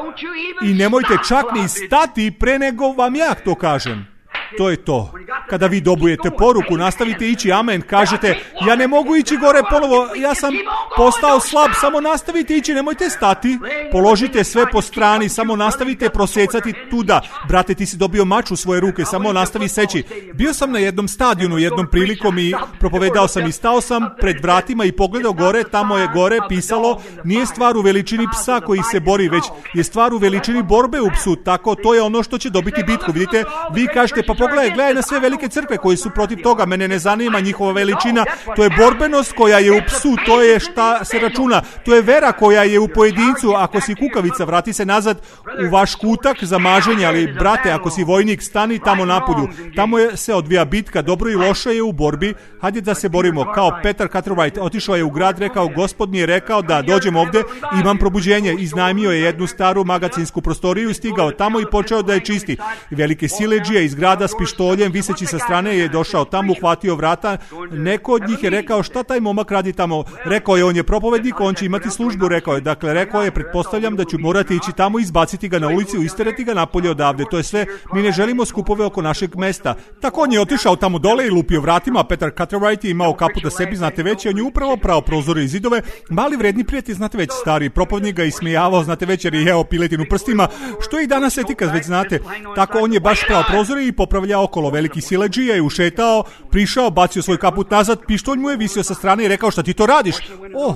i nemojte čak ni stati pre nego vam ja to kažem. To je to. Kada vi dobujete poruku, nastavite ići, amen, kažete, ja ne mogu ići gore ponovo, ja sam postao slab, samo nastavite ići, nemojte stati, položite sve po strani, samo nastavite prosecati tuda. Brate, ti si dobio mač u svoje ruke, samo nastavi seći. Bio sam na jednom stadionu, jednom prilikom i propovedao sam i stao sam pred vratima i pogledao gore, tamo je gore pisalo, nije stvar u veličini psa koji se bori, već je stvar u veličini borbe u psu, tako to je ono što će dobiti bitku. Vidite, vi kažete, pa gledaj na sve velike crkve koji su protiv toga, mene ne zanima njihova veličina, to je borbenost koja je u psu, to je šta se računa, to je vera koja je u pojedincu. Ako si kukavica, vrati se nazad u vaš kutak za maženje, ali brate, ako si vojnik, stani tamo napolju, tamo se odvija bitka, dobro i loše je u borbi, hajde da se borimo. Kao Petar Cartwright, otišao je u grad, rekao, Gospod mi je rekao da dođem ovde, imam probuđenje, iznajmio je jednu staru magacinsku prostoriju, stigao tamo i počeo da je čisti. Velike siledžije iz grada s pištoljem viseći sa strane je došao tamo, uhvatio vrata. Neko od njih je rekao, šta taj momak radi tamo? Rekao je, on je propovednik, on će imati službu, rekao je. Dakle, rekao je, pretpostavljam da ću morati ići tamo, izbaciti ga na ulici, isterati ga napolje odavde. To je sve, mi ne želimo skupove oko našeg mesta. Tako on je otišao tamo dole i lupio vratima. Petar Cartwright je imao kapu da sebi, znate već, on je upravo prao prozore i zidove. Mali vredni prijatelj, znate već, stari propovednik ga ismijavao, znate već, jer je jeo piletinu prstima, što je i danas etika, već znate. Tako on je baš prao prozore i popravljao okolo. Veliki siledžija je ušetao, prišao, bacio svoj kaput nazad, pištolj mu je visio sa strane i rekao, šta ti to radiš?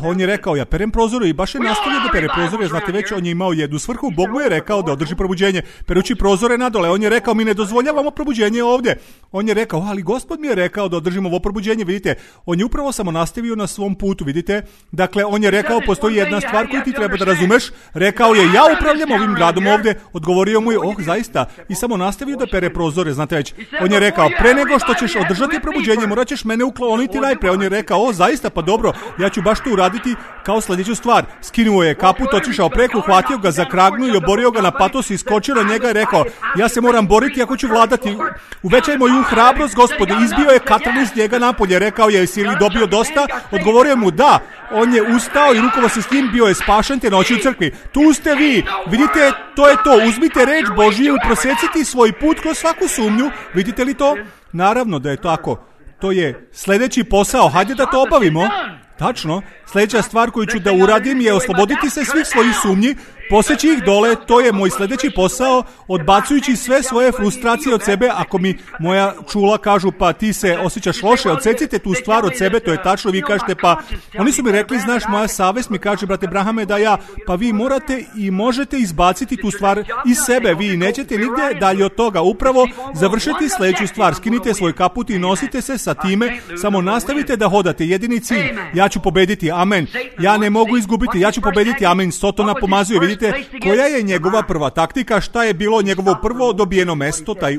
On je rekao, ja perem prozore, i baš je nastavio da pere prozore, znate već, on je imao jednu svrhu, Bog mu je rekao da održi probuđenje, perući prozore nadole. On je rekao, mi ne dozvoljavamo probuđenje ovde. On je rekao, ali Gospod mi je rekao da održimo ovo probuđenje, vidite, on je upravo samo nastavio na svom putu, vidite. Dakle, on je rekao, postoji jedna stvar koju ti treba da razumeš. Rekao je, ja upravljam ovim gradom ovde. Odgovorio mu je, zaista, i samo nastavio da pere prozore, znate već. On je rekao, pre nego što ćeš održati probuđenje, morat ćeš mene ukloniti najpre. On je rekao, zaista, pa dobro, ja ću baš to uraditi kao sljedeću stvar. Skinuo je kaput, otišao preko, uhvatio ga za kragnu i oborio ga na patos, iskočio na njega i rekao, ja se moram boriti ako ću vladati. Uvećaj moju hrabrost, Gospode. Izbio je Katarinu iz njega napolje. Rekao je, jesi li dobio dosta? Odgovorio mu, da. On je ustao i rukovao se s njim, bio je spašen te noći u crkvi. Tu ste vi, vidite, to je to. Uzmite reč Božiju, proseciti svoj put kroz svaku sumnju. Vidite li to? Naravno da je tako. To je sljedeći posao. Hajde da to obavimo. Tačno. Sljedeća stvar koju ću da uradim je osloboditi se svih svojih sumnji, poseći ih dole, to je moj sljedeći posao, odbacujući sve svoje frustracije od sebe. Ako mi moja čula kažu, pa ti se osjećaš loše, odsecite tu stvar od sebe, to je tačno, vi kažete, pa oni su mi rekli, znaš, moja savest mi kaže, brate Brahame, da ja, pa vi morate i možete izbaciti tu stvar iz sebe, vi nećete nigde dalje od toga, upravo završiti sljedeću stvar, skinite svoj kaput i nosite se sa time, samo nastavite da hodate, jedini cilj, ja ću pobediti, amen, ja ne mogu izgubiti, ja ću pobediti, amen, Sotona pomazuje, vidite. Koja je njegova prva taktika? Šta je bilo njegovo prvo dobijeno mesto, taj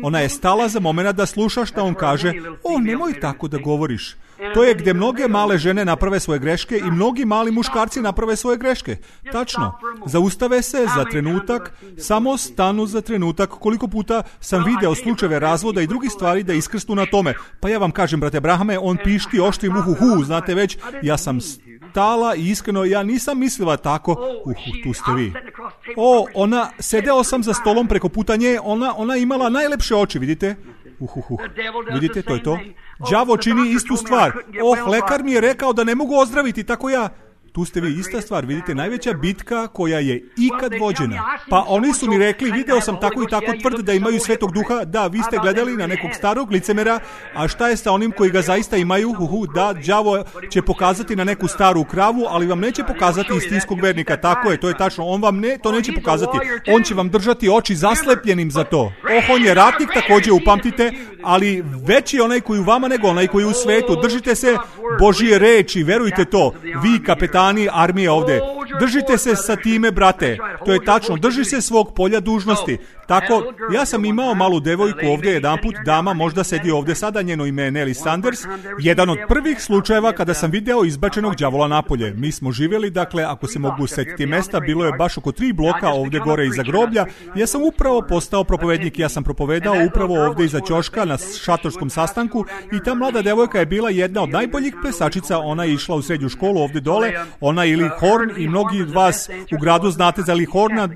Ona je stala za moment da sluša šta on kaže. Nemoj tako da govoriš. To je gdje mnoge male žene naprave svoje greške i mnogi mali muškarci naprave svoje greške. Tačno. Zaustave se za trenutak, samo stanu za trenutak. Koliko puta sam video slučajeve razvoda i drugih stvari da iskrsnu na tome. Pa ja vam kažem, brate Brahame, on pišti oštrim uhuhu, znate već, ja sam stala i iskreno, ja nisam mislila tako. Tu ste vi. Sedeo sam za stolom preko puta nje, ona imala najlepše oči, vidite? Vidite, to je to. Đavo čini istu stvar. Lekar mi je rekao da ne mogu ozdraviti, tako ja. tu ste vi ista stvar, vidite, najveća bitka koja je ikad vođena. Pa oni su mi rekli, video sam tako i tako tvrd da imaju Svetog Duha, da, vi ste gledali na nekog starog licemera, a šta je sa onim koji ga zaista imaju? Da, đavo će pokazati na neku staru kravu, ali vam neće pokazati istinskog vernika, tako je, to je tačno, on vam to neće pokazati, on će vam držati oči zaslepljenim za to. On je ratnik, također upamtite, ali veći je onaj koji u vama nego onaj koji u svetu. Držite se Božije reči, verujte to, vi kapetani armije ovde, držite se sa time, brate, to je tačno, drži se svog polja dužnosti. Tako, ja sam imao malu devojku ovdje jedanput, dama možda sedi ovdje sada, njeno ime je Nelly Sanders, jedan od prvih slučajeva kada sam video izbačenog đavola napolje. Mi smo živjeli, dakle, ako se mogu setiti mesta, bilo je baš oko 3 bloka ovdje gore iza groblja. Ja sam upravo postao propovednik, ja sam propovedao upravo ovdje iza ćoška na šatorskom sastanku i ta mlada devojka je bila jedna od najboljih plesačica, ona je išla u srednju školu ovdje dole, ona je Lee Horn i mnogi od vas u gradu znate za Lee Horna,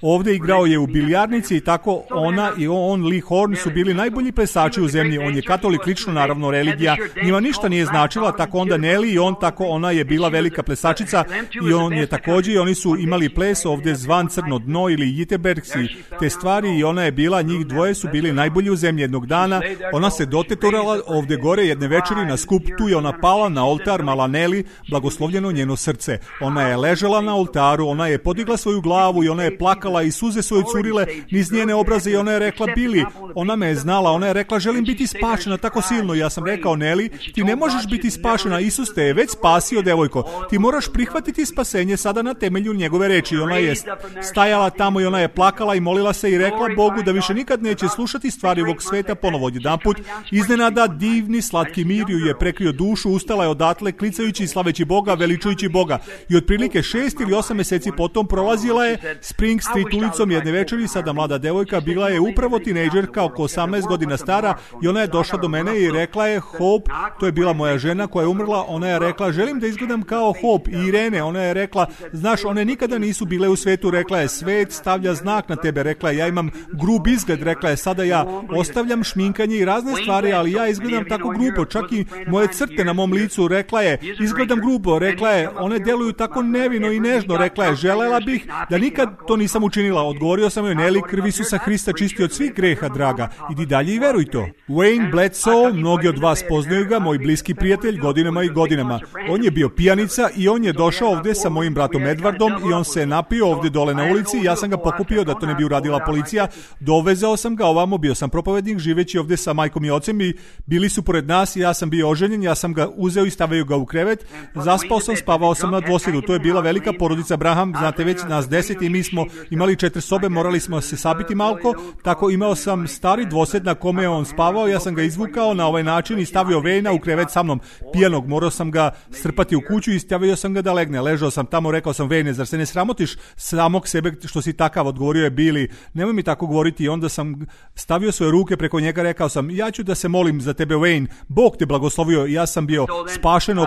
ovdje igrao je u bilijarnici i tako ona i on, Lee Horn, su bili najbolji plesači u zemlji. On je katolik, lično, naravno, religija njima ništa nije značila, tako onda Nelly i on, tako ona je bila velika plesačica i on je također, i oni su imali ples ovdje zvan Crno dno ili Jitebergs i te stvari i ona je bila, njih dvoje su bili najbolji u zemlji. Jednog dana ona se dotetorala ovdje gore jedne večeri na skup, tu je ona pala na oltar, mala Nelly, blagoslovljeno njeno srce. Ona je ležela na oltaru, ona je podigla svoju glavu i ona je plakala i suze svoje curile niz njene obraze i ona je rekla, Billy, ona me je znala, ona je rekla, želim biti spašena tako silno. Ja sam rekao, Nelly, ti ne možeš biti spašena, Isus te je već spasio, devojko, ti moraš prihvatiti spasenje sada na temelju njegove reči. Ona je stajala tamo i ona je plakala i molila se i rekla Bogu da više nikad neće slušati stvari ovog sveta ponovo. Jedanput iznenada divni slatki mir ju je prekrio dušu, ustala je odatle klicajući i slaveći Boga, veličujući Boga i otprilike 6 ili 8 mjeseci potom prolazila je Spring Street ulicom jedne večeri. Sada mlada devojka, bila je upravo tinejdžerka, oko 18 godina stara, i ona je došla do mene i rekla je, Hope, to je bila moja žena koja je umrla, ona je rekla, želim da izgledam kao Hope. I Irene, ona je rekla, znaš, one nikada nisu bile u svetu, rekla je, svet stavlja znak na tebe, rekla je, ja imam grub izgled, rekla je, sada ja ostavljam šminkanje i razne stvari, ali ja izgledam tako grubo, čak i moje crte na mom licu, rekla je, izgledam grubo, rekla je, one deluju tako nevino i nežno, rekla je, želela bih da nikad to nisam učinila. Odgovorio sam joj, Nelly, krv Isusa Hrista čisti od svih greha, draga, idi dalje i veruj to. Wayne Bledsoe, mnogi od vas poznaju ga, moj bliski prijatelj godinama i godinama. On je bio pijanica i on je došao ovdje sa mojim bratom Edwardom i on se napio ovdje dole na ulici. Ja sam ga pokupio da to ne bi uradila policija. Dovezao sam ga ovamo, bio sam propovednik živeći ovdje sa majkom i ocem i bili su pored nas i ja sam bio oženjen, ja sam ga uzeo i stavio ga u krevet. Zaspao sam, spavao sam na dvosjedu. To je bila velika porodica Braham, znate već nas 10 i mi smo imali 4 sobe, morali smo se sabiti malko, tako imao sam stari dvosjed na kome je on spavao, ja sam ga izvukao na ovaj način i stavio Wayna u krevet sa mnom, pijanog, morao sam ga strpati u kuću i stavio sam ga da legne. Ležao sam tamo, rekao sam, Wayne, zar se ne sramotiš samog sebe što si takav? Odgovorio je Billy, nemoj mi tako govoriti. I onda sam stavio svoje ruke preko njega, rekao sam, ja ću da se molim za tebe, Wayne, Bog te blagoslovio. Ja sam bio spašen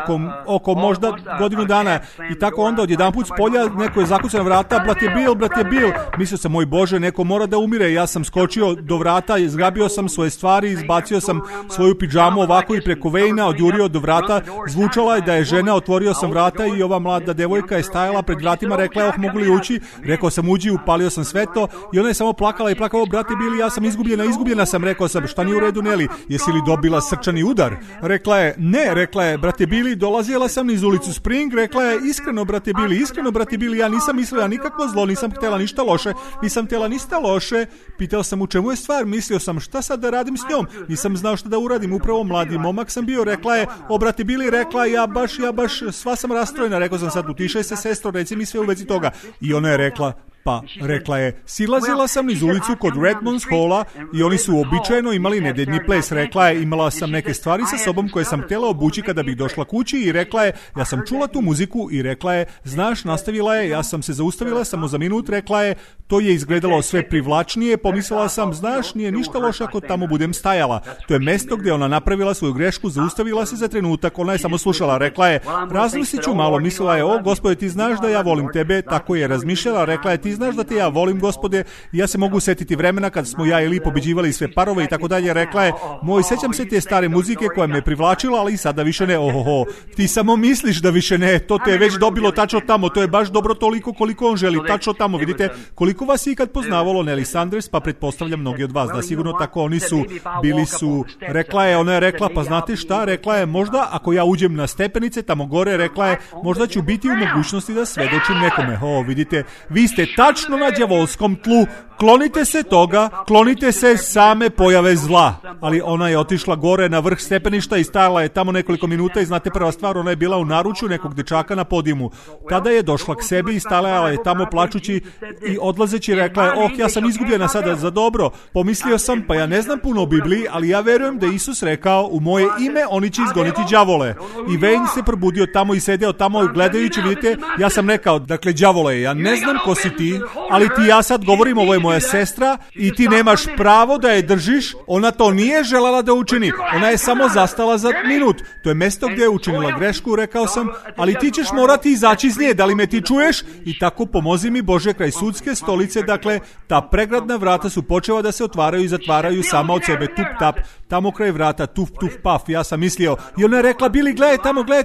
oko možda godinu dana i tako onda odjedanput s polja neko je zakucao na vrata, brat je Bill. Mislio sam, moj Bože, neko mora da umire. Ja sam skočio do vrata, izgrabio sam svoje stvari, izbacio sam svoju pidžamu ovako i preko Wayna odjurio do vrata. Zvučala je da je žena, otvorio sam vrata i ova mlada devojka je stajala pred vratima, rekla je, mogu li ući? Rekao sam, uđi, upalio sam svetlo i ona je samo plakala i plakala, brate Billy, ja sam izgubljena sam. Rekao sam, šta nije u redu, Nelly, jesi li dobila srčani udar? Rekla je, ne, rekla je, brate Billy, dolazila sam niz ulicu Spring, rekla je, iskreno, brate Billy, ja nisam mislila nikakvo zlo, nisam htjela ništa loše. Pitao sam, u čemu je stvar? Mislio sam, šta sad da radim s njom? Nisam znao šta da uradim, upravo mladi momak sam bio. Rekla je, o brate Billy, rekla, ja baš sva sam rastrojena. Rekao sam, sad utišaj se, sestro, reci mi sve u vezi toga. I ona je rekla, pa, rekla je, silazila sam niz ulicu kod Redmonds Halla i oni su uobičajeno imali nedeljni ples. Rekla je, imala sam neke stvari sa sobom koje sam htjela obući kada bih došla kući i rekla je, ja sam čula tu muziku i rekla je, znaš, nastavila je, ja sam se zaustavila samo za minut, rekla je, to je izgledalo sve privlačnije, pomislila sam, znaš, nije ništa loše ako tamo budem stajala. To je mesto gdje ona napravila svoju grešku, zaustavila se za trenutak, ona je samo slušala, rekla je, razmislit ću malo, mislila je, o Gospode, ti znaš da ja volim tebe, tako je razmišljala, rekla je, ti znaš da te ja volim, Gospode. Ja se mogu setiti vremena kad smo ja i Li pobeđivali sve parove i tako dalje. Rekla je, moj, sećam se te stare muzike koja me privlačila, ali sada više ne. Ohoho, ti samo misliš da više ne, to te je već dobilo tačno tamo, to je baš dobro toliko koliko on želi, tačno tamo. Vidite, koliko vas je ikad poznavalo Nelly Sanders, pa pretpostavljam mnogi od vas da sigurno tako oni su, bili su. Ona je rekla, pa znate šta, rekla je, možda ako ja uđem na stepenice tamo gore, rekla je, možda ću biti u mogućnosti da svedočim nekome. Vidite, vi ste tačno na đavolskom tlu, klonite se toga, klonite se same pojave zla. Ali ona je otišla gore na vrh stepeništa i stajala je tamo nekoliko minuta i znate prva stvar, ona je bila u naručju nekog dečaka na podijumu. Tada je došla k sebi i stajala je tamo plačući i odlazeći rekla je, ja sam izgubljena sada za dobro. Pomislio sam, pa ja ne znam puno o Bibliji, ali ja verujem da Isus rekao, u moje ime oni će izgoniti đavole. I Wayne se probudio tamo i sedeo tamo gledajući, vidite, ja sam rekao, dakle, đavole, ja ne znam ko si ti, ali ti ja sad govorim, ovo je moja sestra i ti nemaš pravo da je držiš, ona to nije željela da učini, ona je samo zastala za minut, to je mjesto gdje je učinila grešku, rekao sam, ali ti ćeš morati izaći iz nje, da li me ti čuješ? I tako pomozi mi Bože kraj sudske stolice, dakle, ta pregradna vrata su počela da se otvaraju i zatvaraju sama od sebe, tup tap, tamo kraj vrata, tuf tuf paf, ja sam mislio, i ona je rekla, Bili, gledaj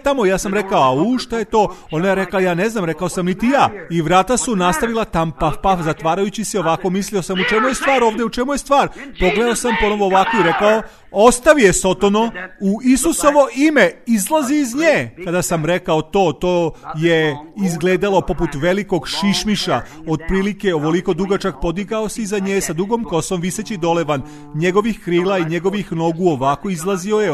tamo, ja sam rekao, šta je to? Ona je rekla, ja ne znam, rekao sam niti ja, i vrata su nastavila tam paf paf, zatvarajući se ovako, mislio sam, u čemu je stvar ovdje, u čemu je stvar? Pogledao sam ponovo ovako i rekao, ostavi je Sotono, u Isusovo ime, izlazi iz nje. Kada sam rekao to je izgledalo poput velikog šišmiša, otprilike ovoliko dugačak, podigao se iza nje sa dugom kosom viseći dole van njegovih krila i njegovih nogu, ovako izlazio je,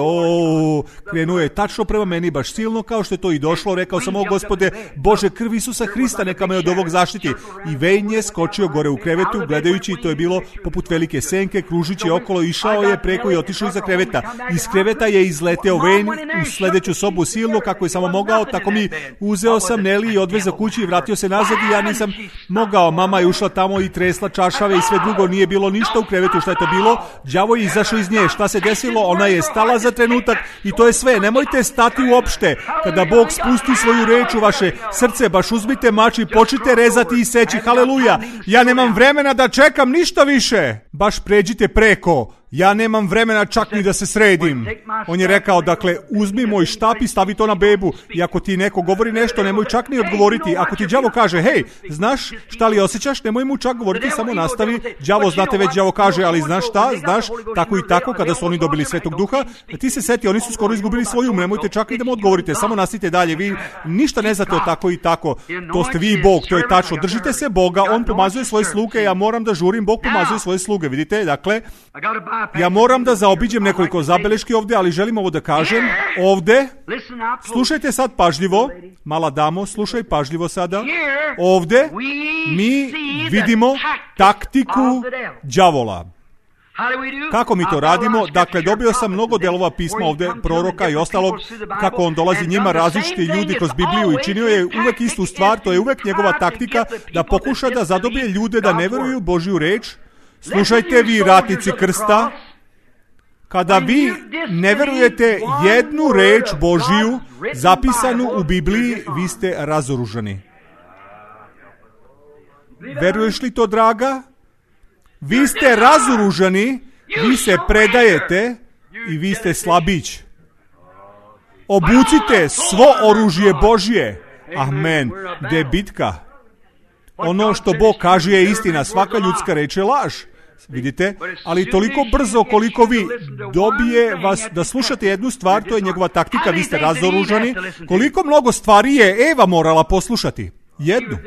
krenuo je tačno prema meni, baš silno kao što je to i došlo, rekao sam, Gospode, Bože, krv Isusa Hrista, neka me od ovog zaštiti. I Wayne je skočio gore u krevetu, gledajući, to je bilo poput velike senke, kružići okolo, išao je preko i otišao iza kreveta. Iz kreveta je izleteo Wayne u sljedeću sobu silno kako je samo mogao, tako mi uzeo sam Nelly i odvezao kući i vratio se nazad i ja nisam mogao. Mama je ušla tamo i tresla čašave i sve drugo, nije bilo ništa u krevetu. Šta je to bilo? Đavo je izašao iz nje. Šta se desilo? Ona je stala za trenutak i to je sve. Nemojte stati uopšte. Kada Bog spusti svoju reč u vaše srce, baš uzmite mač i počnite rezati i seći. Haleluja! Ja nemam vremena da čekam ništa više. Baš pređite preko. Ja nemam vremena čak ni da se sredim. On je rekao, dakle, uzmi moj štap i stavi to na bebu. I ako ti neko govori nešto, nemoj čak ni odgovoriti. Ako ti đavo kaže, hej, znaš šta li osjećaš, nemoj mu čak govoriti, samo nastavi. Đavo, znate već, đavo kaže, ali znaš šta, znaš, tako i tako, kada su oni dobili Svetog Duha, ti se seti, oni su skoro izgubili svoj um, nemojte čak i da mu odgovorite, samo nastavite dalje, vi ništa ne znate o tako i tako. To ste vi i Bog, to je tačno. Držite se Boga, on pomazuje svoje sluge, ja moram da žurim, Bog pomazuje svoje sluge, vidite, dakle, ja moram da zaobiđem nekoliko zabeleški ovdje, ali želim ovo da kažem. Ovdje, slušajte sad pažljivo, mala damo, slušaj pažljivo sada. Ovdje mi vidimo taktiku đavola. Kako mi to radimo? Dakle, dobio sam mnogo delova pisma ovdje, proroka i ostalog, kako on dolazi njima, različiti ljudi kroz Bibliju i činio je uvek istu stvar, to je uvek njegova taktika, da pokuša da zadobije ljude da ne veruju u Božju reč. Slušajte vi, ratnici krsta, kada vi ne verujete jednu reč Božiju zapisanu u Bibliji, vi ste razoružani. Veruješ li to, draga? Vi ste razoružani, vi se predajete i vi ste slabić. Obucite svo oružje Božje. Amen. Gde je bitka? Ono što Bog kaže je istina, svaka ljudska reč je laž. Vidite, ali toliko brzo koliko vi dobije vas da slušate jednu stvar, to je njegova taktika, vi ste razoružani, koliko mnogo stvari je Eva morala poslušati. Jednu.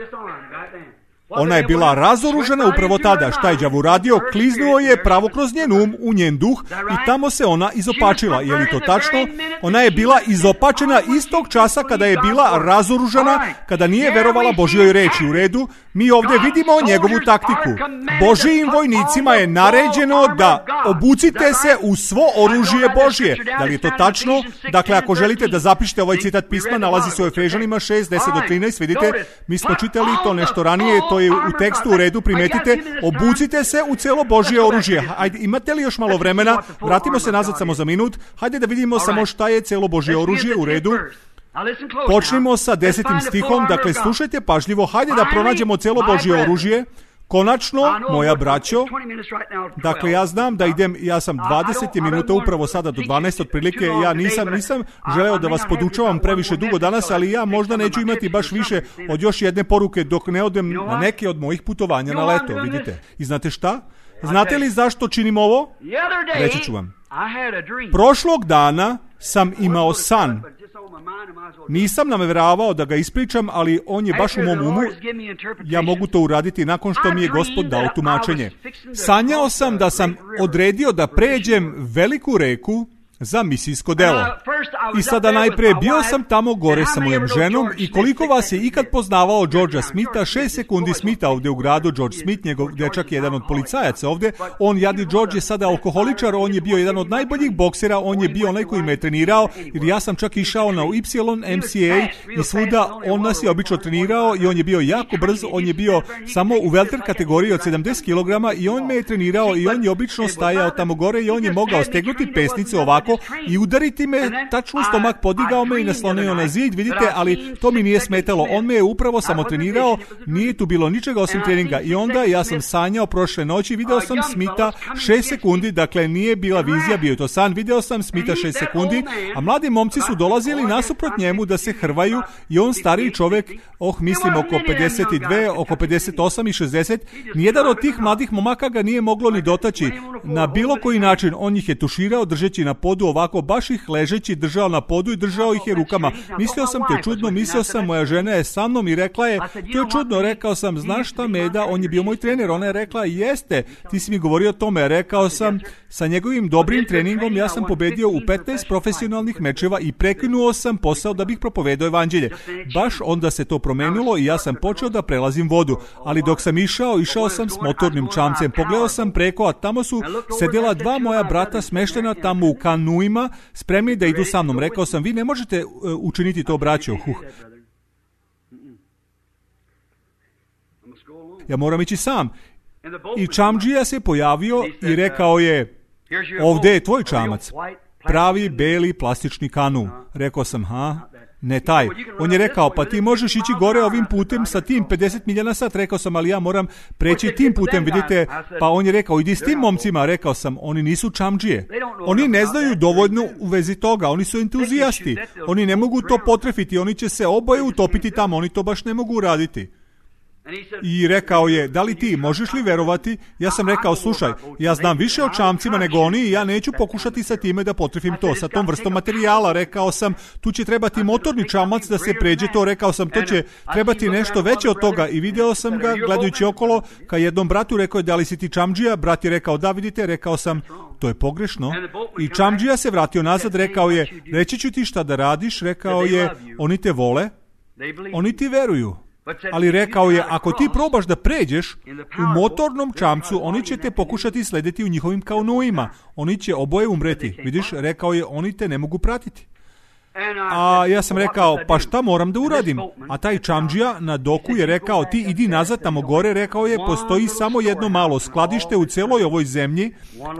Ona je bila razoružena upravo tada. Šta je đavo uradio? Kliznuo je pravo kroz njen um, u njen duh i tamo se ona izopačila. Je li to tačno? Ona je bila izopačena istog časa kada je bila razoružana, kada nije verovala Božjoj reči. U redu, mi ovdje vidimo njegovu taktiku. Božijim vojnicima je naređeno da obucite se u svo oružje Božje. Da li je to tačno? Dakle, ako želite da zapišete ovaj citat pisma, nalazi se u Efežanima 6, 10 do 13. Vidite, mi smo čitali to nešto ranije, to je u tekstu, u redu, primetite, obucite se u celo Božje oružje. Ajde, imate li još malo vremena? Vratimo se nazad samo za minut. Hajde da vidimo samo šta je celo Božje oružje, u redu. Počnimo sa 10. stihom, dakle slušajte pažljivo, hajde da pronađemo celo Božje oružje. Konačno, moja braćo, dakle ja znam da idem, ja sam 20 minuta upravo sada do 12 otprilike, ja nisam želeo da vas podučavam previše dugo danas, ali ja možda neću imati baš više od još jedne poruke dok ne odem na neke od mojih putovanja na leto, vidite. I znate šta? Znate li zašto činim ovo? Reći ću vam. Prošlog dana sam imao san. Nisam namjeravao da ga ispričam, ali on je baš u mom umu. Ja mogu to uraditi nakon što mi je Gospod dao tumačenje. Sanjao sam da sam odredio da pređem veliku reku za misijsko delo. I sada najprije bio sam tamo gore sa mojom ženom i koliko vas je ikad poznavao Georgea Smitha, 6 sekundi Smitha ovdje u gradu, George Smith, njegov dečak je jedan od policajaca ovdje, on jadni George je sada alkoholičar, on je bio jedan od najboljih boksera, on je bio onaj koji me je trenirao, jer ja sam čak išao na YMCA i svuda on nas je obično trenirao i on je bio jako brz, on je bio samo u welter kategoriji od 70 kg i on me je trenirao i on je obično stajao tamo gore i on je mogao stegnuti pesnice ovako i udariti me, tačno u stomak, podigao me i naslonio na zid, vidite, ali to mi nije smetalo. On me je upravo samo trenirao, nije tu bilo ničega osim treninga. I onda ja sam sanjao prošle noći, video sam Smitha 6 sekundi, dakle nije bila vizija, bio je to san, video sam Smitha 6 sekundi, a mladi momci su dolazili nasuprot njemu da se hrvaju i on stariji čovjek, mislim oko 52, oko 58 i 60, nijedan od tih mladih momaka ga nije moglo ni dotaći. Na bilo koji način on ih je tuširao držeći na podu ovako, baš ih ležeći držao na podu i držao ih je rukama. Mislio sam, to je čudno, mislio sam, moja žena je sa mnom i rekla je, to je čudno, rekao sam, znaš šta Meda, on je bio moj trener, ona je rekla, jeste, ti si mi govorio o tome, rekao sam, sa njegovim dobrim treningom ja sam pobedio u 15 profesionalnih mečeva i prekinuo sam posao da bih propovedao evanđelje. Baš onda se to promenilo i ja sam počeo da prelazim vodu, ali dok sam išao sam s motornim čamcem, pogledao sam preko, a tamo su sedjela dva moja brata smeštena tamo u kanuima, spremni da idu sa mnom. Rekao sam, vi ne možete učiniti to, braćo. Ja moram ići sam. I čamdžija se pojavio i rekao je, ovdje je tvoj čamac. Pravi, beli, plastični kanu. Rekao sam, ne taj. On je rekao, pa ti možeš ići gore ovim putem sa tim 50 milja na sat. Rekao sam, ali ja moram preći tim putem, vidite. Pa on je rekao, idi s tim momcima. Rekao sam, oni nisu čamdžije. Oni ne znaju dovoljno u vezi toga. Oni su entuzijasti. Oni ne mogu to potrefiti. Oni će se oboje utopiti tamo. Oni to baš ne mogu uraditi. I rekao je, da li ti možeš li verovati? Ja sam rekao, slušaj, ja znam više o čamcima nego oni i ja neću pokušati sa time da potrefim to, sa tom vrstom materijala. Rekao sam, tu će trebati motorni čamac da se pređe to. Rekao sam, to će trebati nešto veće od toga. I video sam ga gledajući okolo ka jednom bratu, rekao je, da li si ti čamdžija? Brat je rekao, da, vidite. Rekao sam, to je pogrešno. I čamdžija se vratio nazad, rekao je, reći ću ti šta da radiš. Rekao je, oni te vole, oni ti veruju. Ali rekao je, ako ti probaš da pređeš u motornom čamcu, oni će te pokušati slediti u njihovim kanuima. Oni će oboje umreti. Vidiš, rekao je, oni te ne mogu pratiti. A ja sam rekao, pa šta moram da uradim? A taj čamdžija na doku je rekao, ti idi nazad tamo gore. Rekao je, postoji samo jedno malo skladište u celoj ovoj zemlji,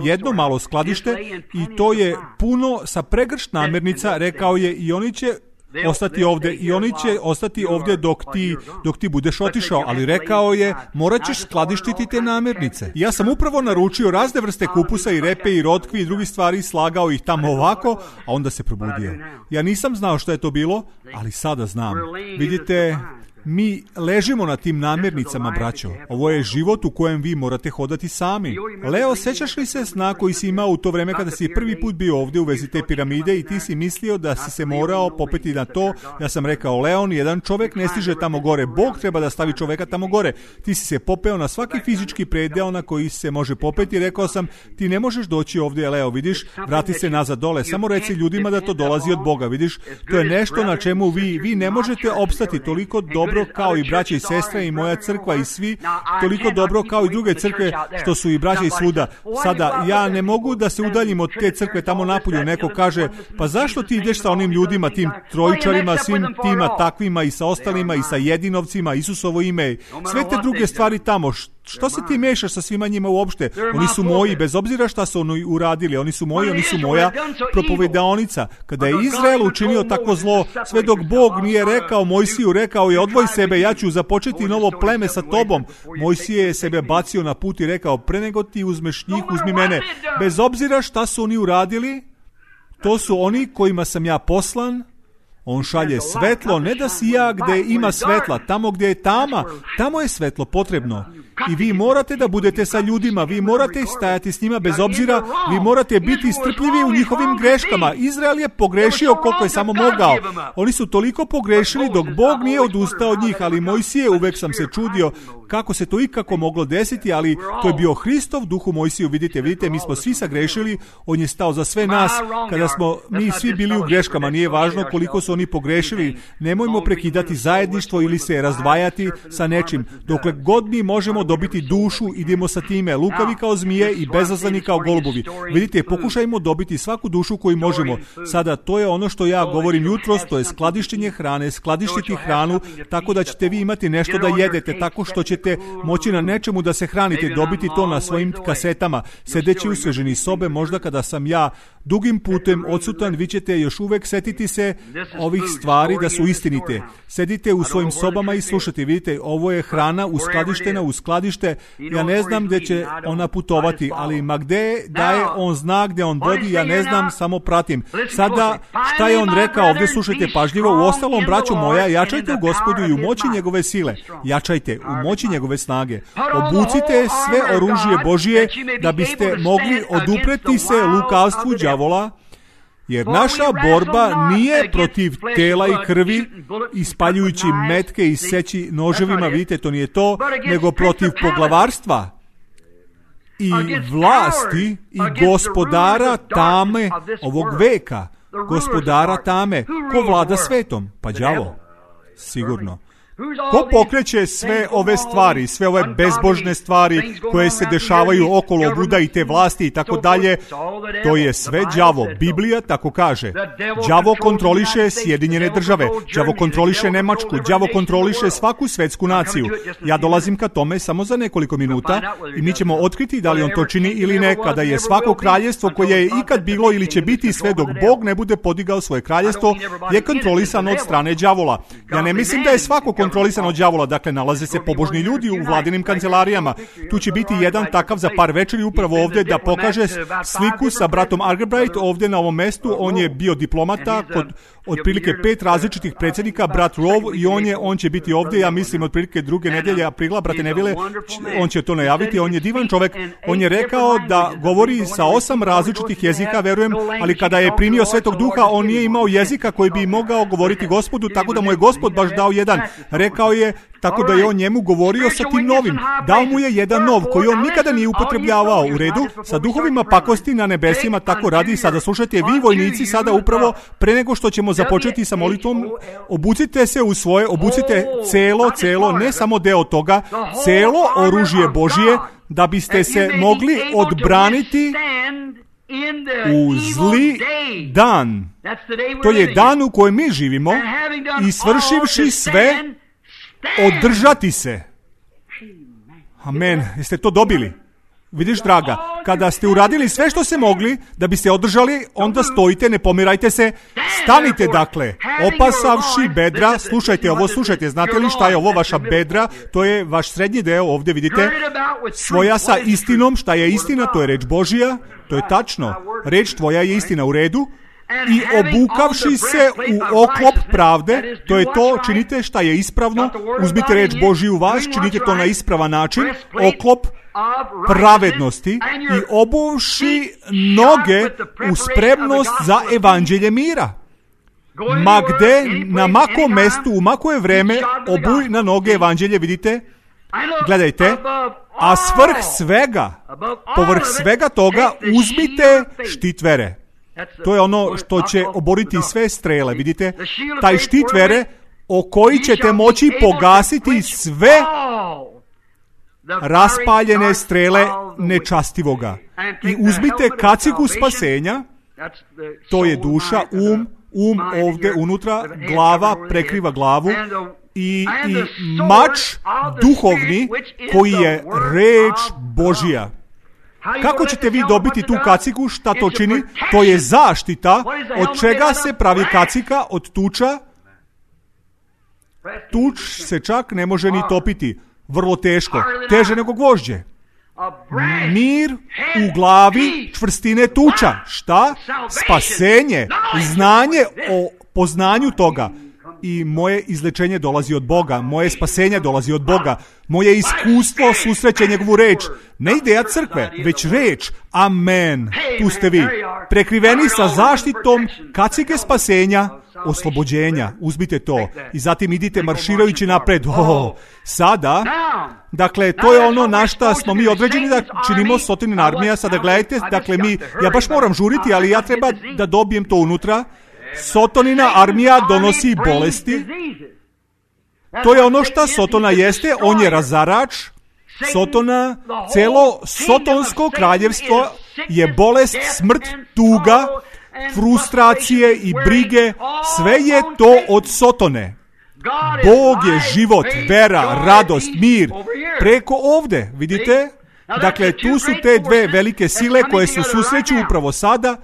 jedno malo skladište i to je puno sa pregršt namirnica. Rekao je, i oni će ostati ovdje i oni će ostati ovdje dok ti budeš otišao, ali rekao je, morat ćeš skladištiti te namirnice. Ja sam upravo naručio razne vrste kupusa i repe i rotkvi i drugih stvari, slagao ih tamo ovako, a onda se probudio. Ja nisam znao što je to bilo, ali sada znam. Vidite, mi ležimo na tim namirnicama, braćo. Ovo je život u kojem vi morate hodati sami. Leo, sećaš li se sna koji si imao u to vreme kada si prvi put bio ovdje u vezi te piramide i ti si mislio da si se morao popeti na to? Ja sam rekao, Leon, jedan čovjek ne stiže tamo gore. Bog treba da stavi čovjeka tamo gore. Ti si se popeo na svaki fizički predeo na koji se može popeti. Rekao sam, ti ne možeš doći ovdje, Leo, vidiš, vrati se nazad dole. Samo reci ljudima da to dolazi od Boga, vidiš. To je nešto na čemu vi ne možete opstati toliko dobro kao i braće i sestre i moja crkva i svi, toliko dobro kao i druge crkve što su i braće i svuda. Sada, ja ne mogu da se udaljim od te crkve tamo napolju. Neko kaže, pa zašto ti ideš sa onim ljudima, tim trojičarima, svim tima takvima i sa ostalima i sa jedinovcima, Isusovo ime, sve te druge stvari tamo, Što se ti mešaš sa svima njima uopšte? Oni su moji, bez obzira šta su oni uradili. Oni su moji, oni su moja propovedaonica. Kada je Izrael učinio tako zlo, sve dok Bog nije rekao Mojsiju, rekao je odvoj sebe, ja ću započeti novo pleme sa tobom. Mojsije je sebe bacio na put i rekao, pre nego ti uzmeš njih, uzmi mene. Bez obzira šta su oni uradili, to su oni kojima sam ja poslan. On šalje svetlo, ne da si ja gdje ima svetla, tamo gdje je tama, tamo je svetlo potrebno. I vi morate da budete sa ljudima, vi morate stajati s njima bez obzira, vi morate biti strpljivi u njihovim greškama. Izrael je pogrešio koliko je samo mogao. Oni su toliko pogrešili dok Bog nije odustao od njih, ali Mojsije, uvek sam se čudio kako se to ikako moglo desiti, ali to je bio Hristov duh u Mojsiju. Vidite, mi smo svi sagrešili, on je stao za sve nas, kada smo mi svi bili u greškama, nije važno koliko su oni pogrešili, nemojmo prekidati zajedništvo ili se razdvajati sa nečim. Dokle god mi možemo dobiti dušu, idemo sa time, lukavi kao zmije i bezazleni kao golubovi. Vidite, pokušajmo dobiti svaku dušu koju možemo. Sada, to je ono što ja govorim jutros, to je skladištenje hrane, skladištiti hranu, tako da ćete vi imati nešto da jedete, tako što ćete moći na nečemu da se hranite, dobiti to na svojim kasetama. Sedeći u svežini sobe, možda kada sam ja dugim putem odsutan, vi ćete još uvek setiti se ovih stvari da su istinite. Sedite u svojim sobama i slušate. Vidite, ovo je hrana uskladištena u skladište. Ja ne znam gde će ona putovati, ali ma gde daje on znak, gde on vodi, ja ne znam, samo pratim. Sada, šta je on rekao ovdje, slušajte pažljivo. U ostalom, braćo moja, jačajte u Gospodu i u moći njegove sile. Jačajte u moći njegove snage. Obucite sve oružje Božije da biste mogli odupreti se lukavstvu đavola, jer naša borba nije protiv tela i krvi, ispaljujući metke i seći noževima, vidite, to nije to, nego protiv poglavarstva i vlasti i gospodara tame ovog veka. Gospodara tame. Ko vlada svetom? Pa đavo. Sigurno. Ko pokreće sve ove stvari, sve ove bezbožne stvari koje se dešavaju okolo Buda i te vlasti i tako dalje, to je sve đavo. Biblija tako kaže. Đavo kontroliše Sjedinjene države, đavo kontroliše Nemačku, đavo kontroliše svaku svetsku naciju. Ja dolazim ka tome samo za nekoliko minuta i mi ćemo otkriti da li on to čini ili ne, kada je svako kraljestvo koje je ikad bilo ili će biti sve dok Bog ne bude podigao svoje kraljestvo, je kontrolisano od strane đavola. Ja ne mislim da je svako kontrolisan od đavola, dakle nalaze se pobožni ljudi u vladinim kancelarijama. Tu će biti jedan takav za par večeri upravo ovdje da pokaže sliku sa bratom Argerbright ovdje na ovom mestu. On je bio diplomata kod otprilike 5 različitih predsjednika, brat Rove, i on će biti ovdje, ja mislim, otprilike 2. nedelje aprila, brate Neville, on će to najaviti. On je divan čovjek, on je rekao da govori sa 8 različitih jezika, verujem, ali kada je primio Svetog Duha, on nije imao jezika koji bi mogao govoriti Gospodu, tako da mu je Gospod baš dao jedan. Rekao je, tako da je on njemu govorio sa tim novim. Dao mu je jedan nov koji on nikada nije upotrebljavao. U redu, sa duhovima pakosti na nebesima tako radi. Sada slušajte, vi vojnici, sada upravo pre nego što ćemo započeti sa molitvom, obucite se u svoje, obucite celo, ne samo deo toga, celo oružje Božije, da biste se mogli odbraniti u zli dan. To je dan u kojem mi živimo i svršivši sve, održati se. Amen. Jeste to dobili? Vidiš, draga, kada ste uradili sve što se mogli da bi se održali, onda stojite, ne pomirajte se, stanite dakle, opasavši bedra. Slušajte ovo, slušajte, znate li šta je ovo vaša bedra? To je vaš srednji deo, ovdje vidite, svoja sa istinom. Šta je istina? To je reč Božija, to je tačno. Reč tvoja je istina, u redu. I obukavši se u oklop pravde, to je to, činite šta je ispravno, uzmite reč Božiju u vas, činite to na ispravan način, oklop pravednosti, i obuvši noge u spremnost za evanđelje mira. Ma gde, na makom mestu, u mako je vreme, obuj na noge evanđelje, vidite, gledajte, a povrh svega toga, uzmite štit vere. To je ono što će oboriti sve strele, vidite? Taj štit vere o koji ćete moći pogasiti sve raspaljene strele nečastivoga. I uzmite kacigu spasenja, to je duša, um ovdje unutra, glava prekriva glavu, i mač duhovni koji je reč Božja. Kako ćete vi dobiti tu kacigu? Šta to čini? To je zaštita. Od čega se pravi kacika? Od tuča. Tuč se čak ne može ni topiti. Vrlo teško. Teže nego gvožđe. Mir u glavi čvrstine tuča. Šta? Spasenje. Znanje o poznanju toga. I moje izlečenje dolazi od Boga, moje spasenje dolazi od Boga, moje iskustvo susreće njegovu reč. Ne ideja crkve, već reč. Amen. Tu ste vi. Prekriveni sa zaštitom kacige spasenja, oslobođenja. Uzmite to. I zatim idite marširajući napred. Sada, dakle, to je ono na šta smo mi određeni da činimo Sotonin armija. Sada gledajte, dakle, ja baš moram žuriti, ali ja treba da dobijem to unutra. Sotonina armija donosi bolesti. To je ono što Sotona jeste. On je razarač. Sotona, celo sotonsko kraljevstvo je bolest, smrt, tuga, frustracije i brige. Sve je to od Sotone. Bog je život, vera, radost, mir. Preko ovde, vidite? Dakle, tu su te dve velike sile koje se susreću upravo sada.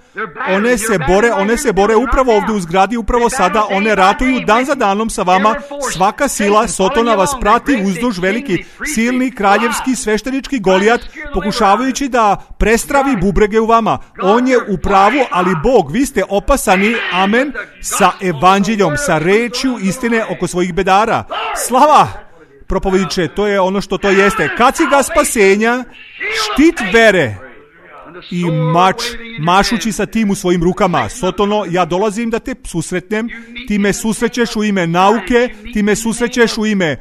One se bore upravo ovdje u zgradi, upravo sada. One ratuju dan za danom sa vama. Svaka sila Sotona vas prati uzduž veliki, silni, kraljevski, sveštenički Golijat, pokušavajući da prestravi bubrege u vama. On je u pravu, ali Bog, vi ste opasani, amen, sa evanđeljom, sa rečju istine oko svojih bedara. Slava! Propovediče, to je ono što to jeste. Kaciga spasenja, štit vere i mač, mašući sa tim u svojim rukama. Sotono, ja dolazim da te susretnem, ti me susrećeš u ime nauke, ti me susrećeš u ime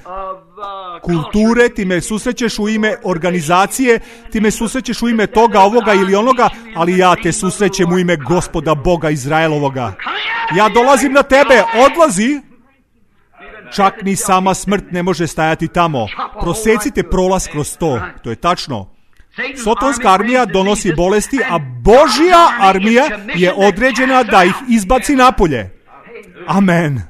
kulture, ti me susrećeš u ime organizacije, ti me susrećeš u ime toga, ovoga ili onoga, ali ja te susrećem u ime Gospoda Boga Izraelovoga. Ja dolazim na tebe, odlazi. Čak ni sama smrt ne može stajati tamo. Prosecite prolaz kroz to. To je tačno. Sotonska armija donosi bolesti, a Božja armija je određena da ih izbaci napolje. Amen.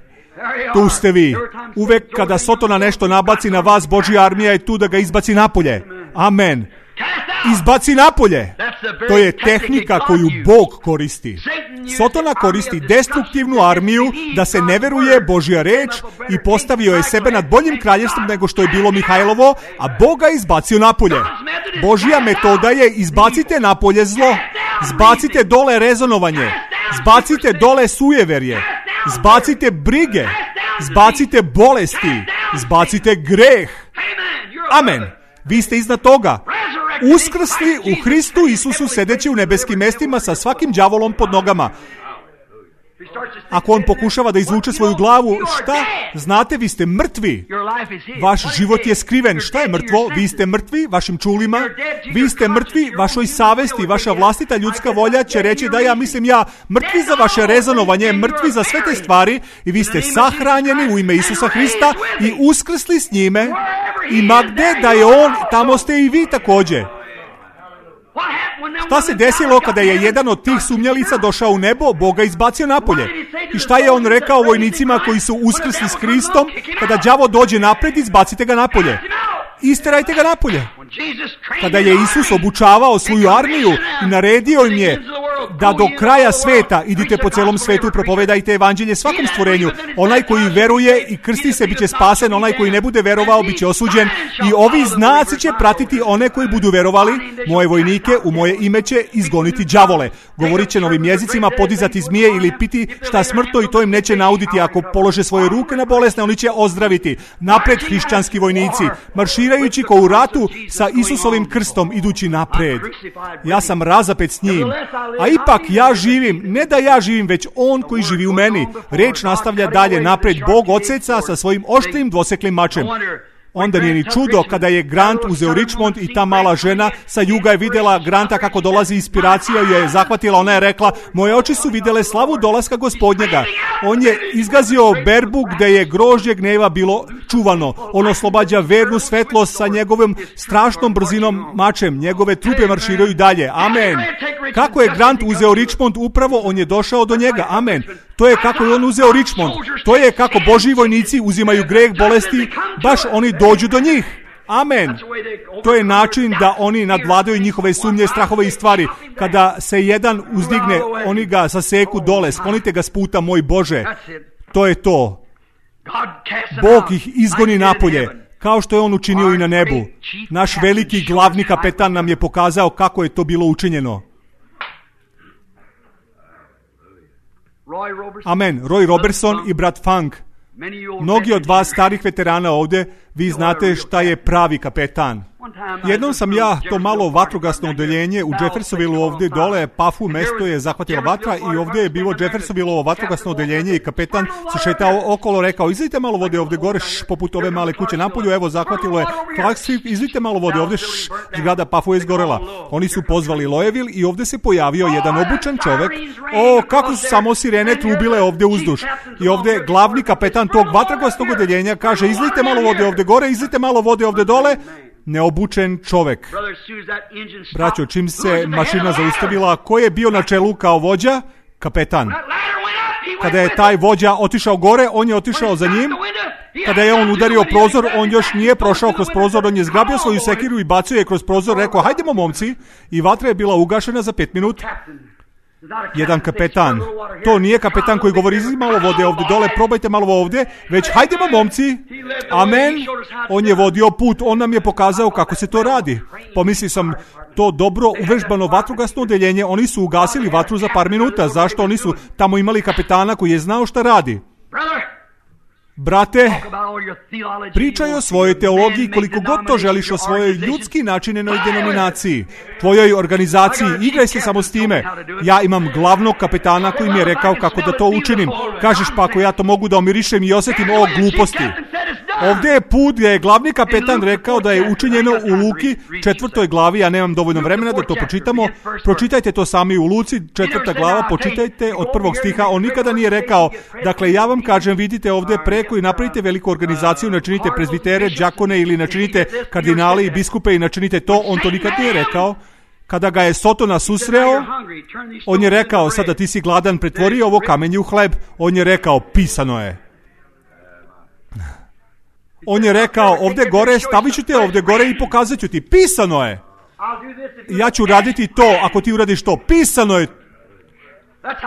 Tu ste vi. Uvek kada Sotona nešto nabaci na vas, Božja armija je tu da ga izbaci napolje. Amen. Izbaci napolje. To je tehnika koju Bog koristi. Sotona koristi destruktivnu armiju da se ne veruje Božja reč i postavio je sebe nad boljim kraljevstvom nego što je bilo Mihajlovo, a Bog ga izbacio napolje. Božja metoda je izbacite napolje zlo, zbacite dole rezonovanje, zbacite dole sujeverje, zbacite brige, zbacite bolesti, zbacite greh. Amen. Vi ste iznad toga. Uskrsli u Hristu Isusu sedeći u nebeskim mestima sa svakim đavolom pod nogama. Ako on pokušava da izvuče svoju glavu, šta? Znate, vi ste mrtvi. Vaš život je skriven. Šta je mrtvo? Vi ste mrtvi vašim čulima. Vi ste mrtvi vašoj savesti. Vaša vlastita ljudska volja će reći da ja mrtvi za vaše rezonovanje, mrtvi za sve te stvari i vi ste sahranjeni u ime Isusa Hrista i uskrsli s njime. I ma gde da je on, tamo ste i vi također. Šta se desilo kada je jedan od tih sumnjalica došao u nebo, Boga izbacio napolje? I šta je on rekao vojnicima koji su uskrsli s Hristom? Kada đavo dođe napred, izbacite ga napolje. Isterajte ga napolje. Kada je Isus obučavao svoju armiju i naredio im je da do kraja sveta idite po celom svetu, propovedajte evanđelje svakom stvorenju. Onaj koji veruje i krsti se biće spasen, onaj koji ne bude verovao biće osuđen. I ovi znaci će pratiti one koji budu verovali. Moje vojnike u moje ime će izgoniti đavole. Govorit će novim jezicima, podizati zmije ili piti šta smrtno i to im neće nauditi. Ako polože svoje ruke na bolesne, oni će ozdraviti. Napred hrišćanski vojnici, marširajući ko u ratu sa Isusovim krstom, idući napred. Ja sam razapet s njim. A ipak ja živim, ne da ja živim, već on koji živi u meni. Reč nastavlja dalje napred. Bog odseca sa svojim oštrim dvoseklim mačem. Onda nije ni čudo kada je Grant uzeo Richmond i ta mala žena sa juga je vidjela Granta kako dolazi inspiracija i je zahvatila. Ona je rekla, moje oči su vidjele slavu dolaska Gospodnjega. On je izgazio berbu gdje je grožđe gneva bilo čuvano. On oslobađa vernu svetlost sa njegovim strašnom brzinom mačem. Njegove trupe marširaju dalje. Amen. Kako je Grant uzeo Richmond, upravo on je došao do njega. Amen. To je kako je on uzeo Richmond. To je kako Božji vojnici uzimaju greh, bolesti, baš oni dođu do njih. Amen. To je način da oni nadvladaju njihove sumnje, strahove i stvari. Kada se jedan uzdigne, oni ga saseku dole. Sklonite ga s puta, moj Bože. To je to. Bog ih izgoni napolje, kao što je on učinio i na nebu. Naš veliki glavni kapetan nam je pokazao kako je to bilo učinjeno. Amen. Roy Robertson i brat Funk. Mnogi od vas starih veterana ovdje, vi znate šta je pravi kapetan. Jednom sam ja to malo vatrogasno odeljenje u Jeffersonville ovdje dole, Pafu mesto je zahvatila vatra i ovdje je bilo Jeffersonville vatrogasno odeljenje i kapetan se šetao okolo, rekao, izlite malo vode ovdje gore, poput ove male kuće napolju, evo zahvatilo je Clarksville, izlite malo vode ovdje, zgrada Pafu je izgorela. Oni su pozvali Loyeville i ovdje se pojavio jedan obučen čovjek. Kako su samo sirene trubile ovdje uzduž. I ovdje glavni kapetan tog vatrogasnog odeljenja kaže, izlite malo vode ovdje gore, izlite malo vode ovdje dole. Neobučen čovjek. Braćo, čim se mašina zaustavila, ko je bio na čelu kao vođa? Kapetan. Kada je taj vođa otišao gore, on je otišao za njim. Kada je on udario prozor, on još nije prošao kroz prozor, on je zgrabio svoju sekiru i bacio je kroz prozor, rekao, hajdemo momci, i vatra je bila ugašena za 5 minuta. Jedan kapetan. To nije kapetan koji govori, izli malo vode ovdje dole, probajte malo ovdje, već hajdemo momci. Amen. On je vodio put, on nam je pokazao kako se to radi. Pomislio sam, to dobro uvežbano vatrogasno odeljenje, oni su ugasili vatru za par minuta. Zašto? Oni su tamo imali kapetana koji je znao šta radi. Brate, pričaj o svojoj teologiji koliko god to želiš, o svojoj ljudski načinjenoj denominaciji, tvojoj organizaciji, igraj se samo s time. Ja imam glavnog kapetana koji mi je rekao kako da to učinim. Kažeš, pa ako ja to mogu da omirišem i osjetim ovo gluposti. Ovdje je put gdje je glavni kapetan rekao da je učinjeno u Luki 4. glavi, ja nemam dovoljno vremena da to pročitamo. Pročitajte to sami u Luci, 4. glava, pročitajte od 1. stiha. On nikada nije rekao, dakle ja vam kažem, vidite ovdje preko i napravite veliku organizaciju, načinite prezbitere, đakone ili načinite kardinale i biskupe i načinite to. On to nikad nije rekao. Kada ga je Sotona susreo, on je rekao, sada ti si gladan, pretvori ovo kamenje u hleb. On je rekao, pisano je. On je rekao, ovdje gore, stavit ću te ovdje gore i pokazat ću ti. Pisano je. Ja ću raditi to, ako ti uradiš to. Pisano je.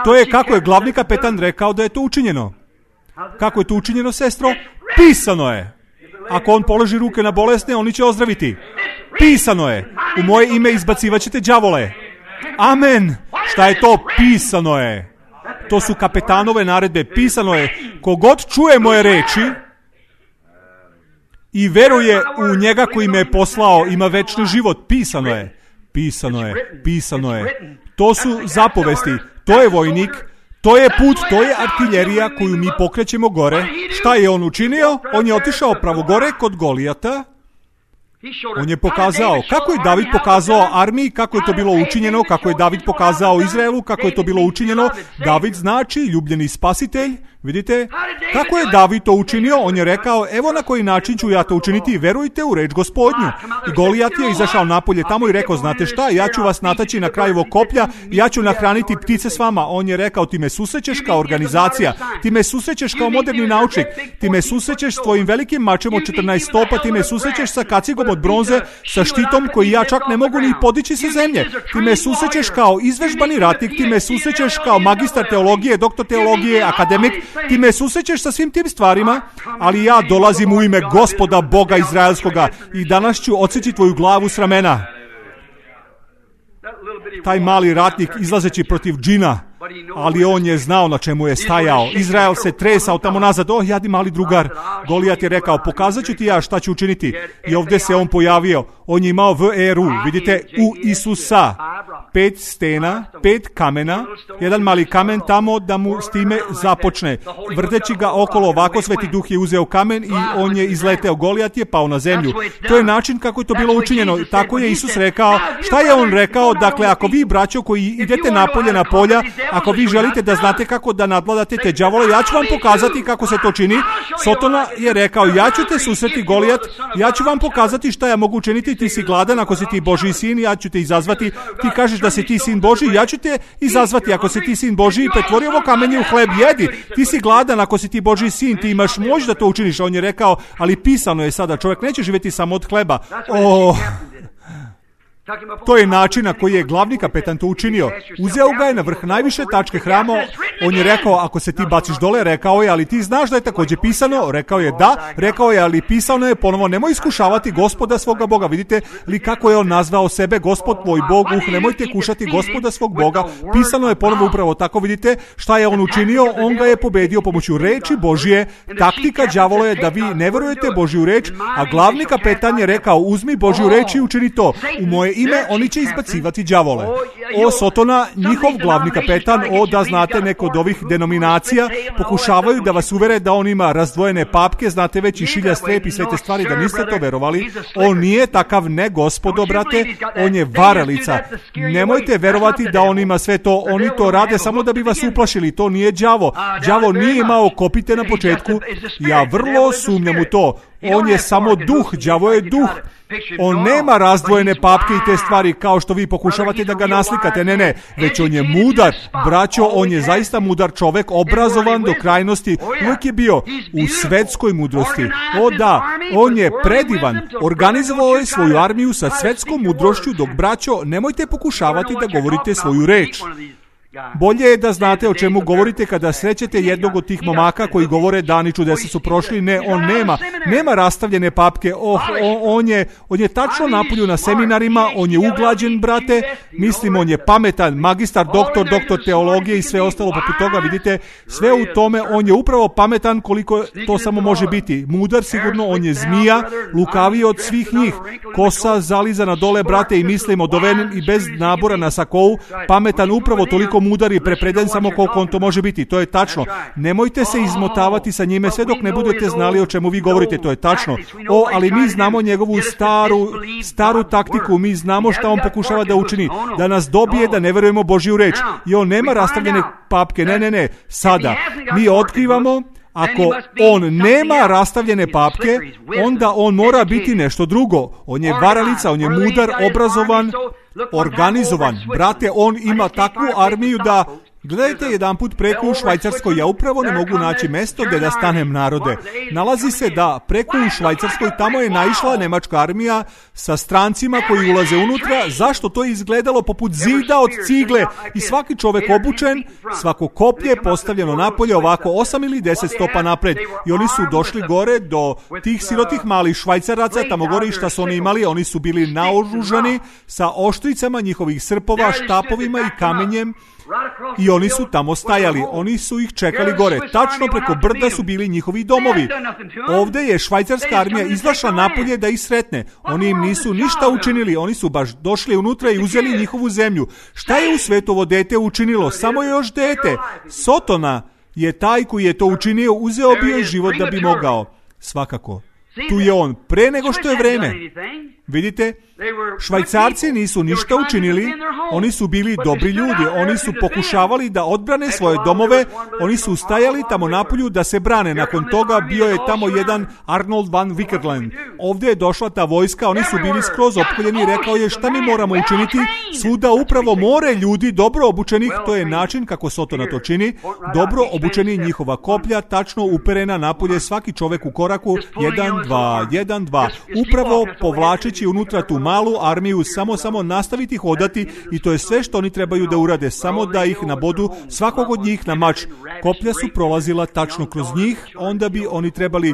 To je kako je glavni kapetan rekao da je to učinjeno. Kako je to učinjeno, sestro? Pisano je. Ako on položi ruke na bolesne, oni će ozdraviti. Pisano je. U moje ime izbacivat ćete đavole. Amen. Šta je to? Pisano je. To su kapetanove naredbe. Pisano je. Kogod čuje moje reči i veruje u njega koji me je poslao, ima večni život. Pisano je. Pisano je. Pisano je. To su zapovesti. To je vojnik. To je put, to je artiljerija koju mi pokrećemo gore. Šta je on učinio? On je otišao pravo gore kod Golijata. On je pokazao, kako je David pokazao armiji, kako je to bilo učinjeno, kako je David pokazao Izraelu, kako je to bilo učinjeno. David znači ljubljeni spasitelj. Vidite, kako je David to učinio? On je rekao, evo na koji način ću ja to učiniti, verujte u reč Gospodnju. I Golijat je izašao napolje tamo i rekao, znate šta, ja ću vas nataći na kraj ovog koplja, ja ću nahraniti ptice s vama. On je rekao, ti me susrećeš kao organizacija, ti me susrećeš kao moderni naučnik, ti me susrećeš s tvojim velikim mačem od 14 stopa, ti me susrećeš sa kacigom od bronze, sa štitom koji ja čak ne mogu ni podići sa zemlje. Ti me susrećeš kao izvežbani ratnik, ti me susrećeš kao magistar teologije, doktor teologije, akademik, ti me susrećeš sa svim tim stvarima, ali ja dolazim u ime Gospoda Boga Izraelskoga i danas ću odseći tvoju glavu s ramena. Taj mali ratnik izlazeći protiv džina, ali on je znao na čemu je stajao. Izrael se tresao tamo nazad. Jadi mali drugar. Golijat je rekao, pokazat ću ti ja šta ću učiniti. I ovdje se on pojavio. On je imao veru, vidite, u Isusa. 5 stena, 5 kamena, jedan mali kamen tamo da mu s time započne. Vrteći ga okolo ovako, Sveti Duh je uzeo kamen i on je izleteo. Golijat je pao na zemlju. To je način kako je to bilo učinjeno. Tako je Isus rekao. Šta je on rekao? Dakle, ako vi, braćo, koji idete napolje na polja, ako vi želite da znate kako da nadvladate te đavole, ja ću vam pokazati kako se to čini. Sotona je rekao, ja ću te susreti Golijat, ja ću vam pokazati šta ja mogu učiniti, ti si gladan ako si ti Božji sin, ja ću te izazvati, ti kažeš da si ti sin Božji, ja ću te izazvati ako si ti sin Božji i pretvori ovo kamenje u hleb, jedi, ti si gladan ako si ti Božji sin, ti imaš moć da to učiniš. On je rekao, ali pisano je sada, čovjek neće živjeti samo od hleba. To je način na koji je glavni kapetan to učinio. Uzeo ga je na vrh najviše tačke hrama. On je rekao, ako se ti baciš dole, rekao je, ali ti znaš da je također pisano? Rekao je, da. Rekao je, ali pisano je ponovo, nemoj iskušavati Gospoda svoga Boga. Vidite li kako je on nazvao sebe, Gospod tvoj Bog? Nemojte kušati Gospoda svog Boga. Pisano je ponovo upravo tako. Vidite šta je on učinio? On ga je pobedio pomoću reči Božje. Taktika đavola je da vi ne verujete Božju reč, a glavni kapetan je rekao, uzmi Božju reč i učini to. U moje ime oni će izbacivati đavole. Sotona, njihov glavni kapetan, da znate, neko od ovih denominacija pokušavaju da vas uvere da on ima razdvojene papke, znate već i šilja strep i sve te stvari, da niste to verovali. On nije takav, ne gospodo, brate, on je varalica. Nemojte verovati da on ima sve to, oni to rade samo da bi vas uplašili, to nije đavo. Đavo nije imao kopite na početku, ja vrlo sumnjam u to. On je samo duh, đavo je duh. On nema razdvojene papke i te stvari kao što vi pokušavate da ga naslikate, ne, već on je mudar, braćo, on je zaista mudar čovek, obrazovan do krajnosti, uvijek je bio u svetskoj mudrosti. Da, on je predivan, organizovao je svoju armiju sa svetskom mudrošću, dok, braćo, nemojte pokušavati da govorite svoju reč. Bolje je da znate o čemu govorite kada srećete jednog od tih momaka koji govore dani čudesa su prošli. Ne, on nema rastavljene papke. On je tačno napolju na seminarima, on je uglađen, brate, mislim, on je pametan, magistar, doktor teologije i sve ostalo poput toga, vidite, sve u tome, on je upravo pametan koliko to samo može biti. Mudar sigurno, on je zmija, lukaviji od svih njih, kosa zalizana dole, brate, i mislim odoven i bez nabora na sakou, pametan, upravo toliko mudar i prepreden samo koliko on to može biti. To je tačno. Nemojte se izmotavati sa njime sve dok ne budete znali o čemu vi govorite. To je tačno. Ali mi znamo njegovu staru taktiku. Mi znamo šta on pokušava da učini. Da nas dobije da ne verujemo Božju reč. I on nema rastavljene papke. Ne. Sada mi otkrivamo, ako on nema rastavljene papke, onda on mora biti nešto drugo. On je varalica, on je mudar, obrazovan, organizovan. Brate, on ima takvu armiju da... Gledajte jedanput preko u Švajcarskoj, ja upravo ne mogu naći mesto gdje da stanem, narode. Nalazi se da preko u Švajcarskoj tamo je naišla nemačka armija sa strancima koji ulaze unutra. Zašto? To je izgledalo poput zida od cigle i svaki čovjek obučen, svako koplje postavljeno napolje ovako 8 ili 10 stopa napred. I oni su došli gore do tih sirotih malih Švajcaraca, tamo gore i šta su oni imali, oni su bili naoružani sa oštricama njihovih srpova, štapovima i kamenjem. I oni su tamo stajali, oni su ih čekali gore, tačno preko brda su bili njihovi domovi. Ovdje je švajcarska armija izašla napolje da ih sretne, oni im nisu ništa učinili, oni su baš došli unutra i uzeli njihovu zemlju. Šta je u svetu ovo dete učinilo? Samo je još dete. Sotona je taj koji je to učinio, uzeo bio je život da bi mogao. Svakako, tu je on, pre nego što je vreme. Vidite, Švajcarci nisu ništa učinili, oni su bili dobri ljudi, oni su pokušavali da odbrane svoje domove, oni su stajali tamo napolju da se brane. Nakon toga bio je tamo jedan Arnold van Wickerland. Ovdje je došla ta vojska, oni su bili skroz opkoljeni, rekao je šta mi moramo učiniti, svuda upravo more ljudi dobro obučenih, to je način kako Sotona to čini, dobro obučeni, njihova koplja tačno uperena napolje, svaki čovjek u koraku, 1-2, upravo povlačeći unutra tu malu armiju, samo nastaviti hodati i to je sve što oni trebaju da urade, samo da ih nabodu svakog od njih na mač. Koplja su prolazila tačno kroz njih, onda bi oni trebali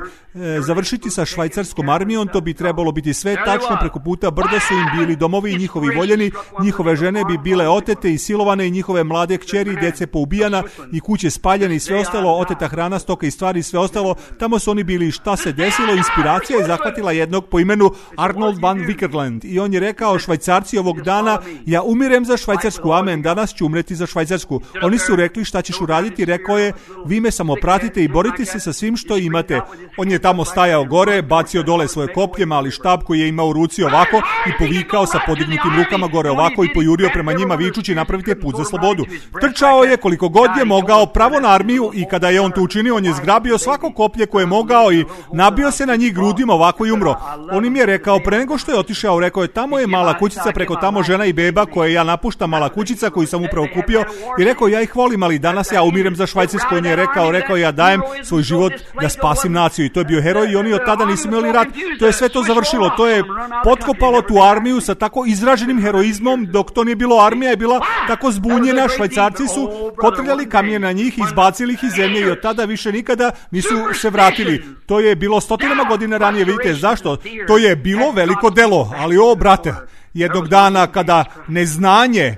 završiti sa švajcarskom armijom, to bi trebalo biti sve tačno preko puta brda su im bili domovi i njihovi voljeni, njihove žene bi bile otete i silovane i njihove mlade kćeri i djece poubijana i kuće spaljene i sve ostalo, oteta hrana, stoka i stvari i sve ostalo. Tamo su oni bili. Šta se desilo? Inspiracija je zahvatila jednog po imenu Arnold van Vickerland i on je rekao, Švajcarci ovog dana, ja umirem za Švajcarsku, amen, danas ću umreti za Švajcarsku. Oni su rekli, šta ćeš uraditi? Rekao je, vi me samo pratite i borite se sa svim što imate. On je tamo stajao gore, bacio dole svoje koplje, mali štab koji je imao u ruci ovako i povikao sa podignutim rukama gore ovako i pojurio prema njima vičući, napravite put za slobodu. Trčao je koliko god je mogao pravo na armiju i kada je on to učinio, on je zgrabio svako koplje koje je mogao i nabio se na njih grudima ovako i umro. On im je rekao, pre nego što je otišao, rekao je, tamo je mala kućica, preko tamo žena i beba koje ja napuštam, mala kućica koju sam upravo kupio i rekao, ja ih volim, ali danas ja umirem za Švajcarsku. On je rekao, ja dajem svoj život da spasim naciju i to je bio heroj i oni od tada nisu imali rat. To je sve to završilo, to je potkopalo tu armiju sa tako izraženim heroizmom, dok to nije bilo, armija je bila tako zbunjena, Švajcarci su potrljali kamijen na njih, izbacili ih iz zemlje i od tada više nikada nisu se vratili. To je bilo stotinama godina ranije, vidite zašto? To je bilo veliko delo, ali o brate, jednog dana kada neznanje,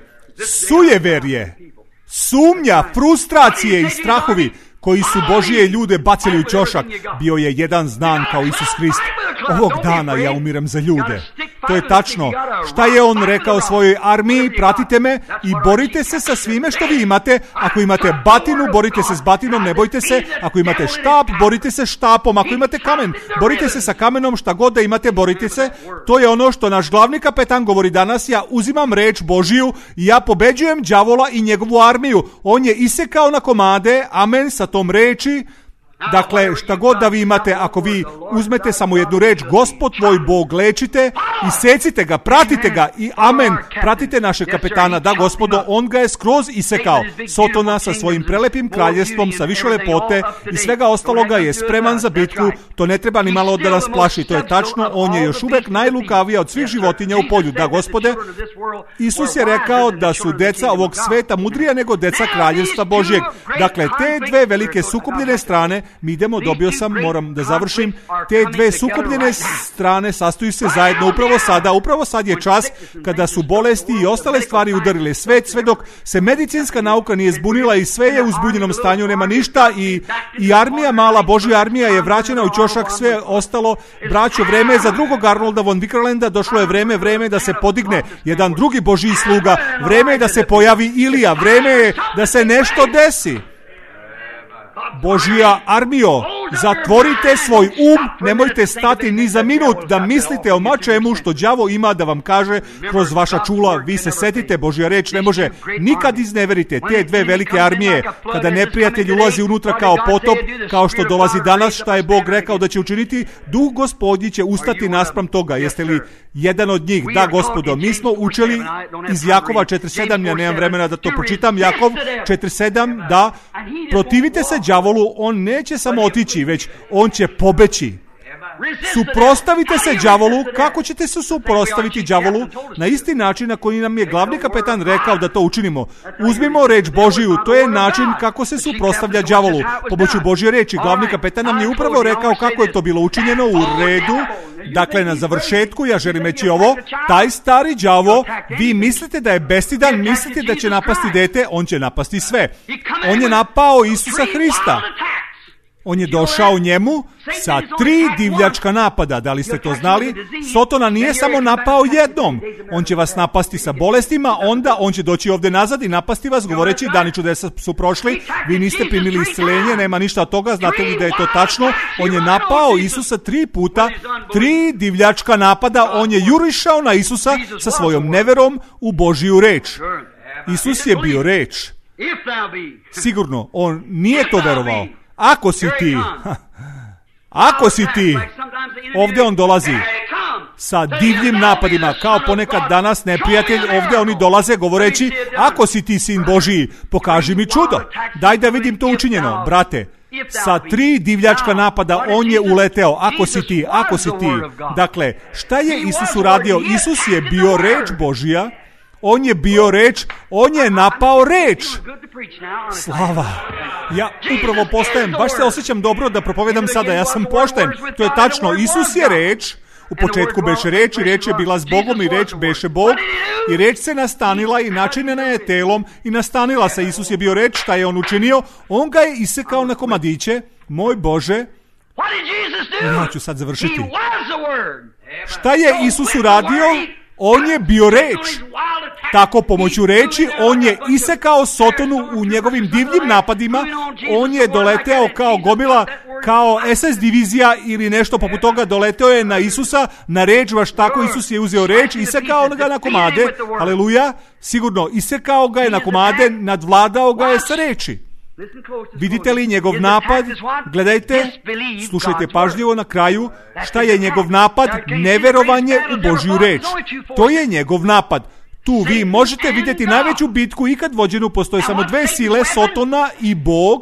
sujeverje, sumnja, frustracije i strahovi koji su Božije ljude bacili u ćošak, bio je jedan znan kao Isus Hrist. Ovog dana ja umirem za ljude. To je tačno. Šta je on rekao svojoj armiji? Pratite me i borite se sa svime što vi imate. Ako imate batinu, borite se s batinom, ne bojte se. Ako imate štap, borite se štapom. Ako imate kamen, borite se sa kamenom, šta god da imate, borite se. To je ono što naš glavni kapetan govori danas. Ja uzimam reč Božiju i ja pobeđujem đavola i njegovu armiju. On je isekao na komade, amen, sa tom reči. Dakle, šta god da vi imate, ako vi uzmete samo jednu reč, Gospod tvoj Bog lečite, isecite ga, pratite ga i amen, pratite našeg kapetana, da Gospodo, on ga je skroz isekao. Sotona sa svojim prelepim kraljevstvom, sa više lepote i svega ostaloga je spreman za bitku, to ne treba ni malo da nas plaši, to je tačno, on je još uvek najlukaviji od svih životinja u polju, da Gospode. Isus je rekao da su deca ovog sveta mudrija nego deca kraljevstva Božjeg. Dakle, te dve velike sukobljene strane, mi idemo, moram da završim, te dve sukobljene strane sastoju se zajedno upravo sad je čas kada su bolesti i ostale stvari udarile svet, sve dok se medicinska nauka nije zbunila i sve je u zbunjenom stanju, nema ništa i armija, mala Božja armija je vraćena u ćošak, sve ostalo, braćo, vreme je za drugog Arnolda von Vickerlanda, došlo je vreme da se podigne jedan drugi Božji sluga, vreme je da se pojavi Ilija, vreme je da se nešto desi. Božja armijo, zatvorite svoj nemojte stati ni za minut da mislite o mačemu što đavo ima da vam kaže kroz vaša čula. Vi se setite, Božja reč ne može nikad izneverite te dve velike armije. Kada neprijatelj ulazi unutra kao potop, kao što dolazi danas, šta je Bog rekao da će učiniti, Duh Gospodnji će ustati naspram toga. Jeste li jedan od njih? Da, Gospodo, mi smo učili iz Jakova 4.7, ja nemam vremena da to pročitam, Jakov 4.7, da protivite se đavolu, on neće samo otići, već on će pobeći. Suprostavite se đavolu. Kako ćete se suprostaviti đavolu? Na isti način na koji nam je glavni kapetan rekao da to učinimo. Uzmimo reč Božiju, to je način kako se suprostavlja đavolu. Pomoću Božje reči, glavni kapetan nam je upravo rekao kako je to bilo učinjeno u redu. Dakle, na završetku ja želim reći ovo, taj stari đavo, vi mislite da je bestidan, mislite da će napasti dete, on će napasti sve. On je napao Isusa Hrista. On je došao njemu sa 3 divljačka napada. Da li ste to znali? Sotona nije samo napao jednom. On će vas napasti sa bolestima, onda on će doći ovdje nazad i napasti vas govoreći dani čudesa su prošli, vi niste primili isceljenje, nema ništa od toga, znate li da je to tačno? On je napao Isusa 3 puta, 3 divljačka napada, on je jurišao na Isusa sa svojom neverom u Božju reč. Isus je bio reč. Sigurno, on nije to verovao. Ako si ti, ovdje on dolazi sa divljim napadima, kao ponekad danas neprijatelj, ovdje oni dolaze govoreći, ako si ti sin Božiji, pokaži mi čudo, daj da vidim to učinjeno, brate. Sa 3 divljačka napada on je uleteo, ako si ti. Dakle, šta je Isus uradio? Isus je bio reč Božija, on je bio reč, on je napao reč. Slava. Ja upravo postajem, baš se osjećam dobro da propovedam sada, ja sam pošten. To je tačno, Isus je reč. U početku beše reč i reč je bila s Bogom i reč beše Bog i reč se nastanila i načinjena je telom i nastanila se. Isus je bio reč, šta je on učinio? On ga je isekao na komadiće. Moj Bože, Ja ću sad završiti. Šta je Isus uradio? On je bio reč. Tako pomoću reči on je isekao Sotonu u njegovim divljim napadima. On je doleteo kao gomila, kao SS divizija ili nešto poput toga, doleteo je na Isusa, na reč, baš tako Isus je uzeo reč, isekao ga na komade, aleluja, sigurno, isekao ga je na komade, nadvladao ga je sa reči. Vidite li njegov napad? Gledajte, slušajte pažljivo na kraju, šta je njegov napad? Neverovanje u Božju reč. To je njegov napad. Tu vi možete vidjeti najveću bitku ikad vođenu, postoje samo dve sile, Sotona i Bog.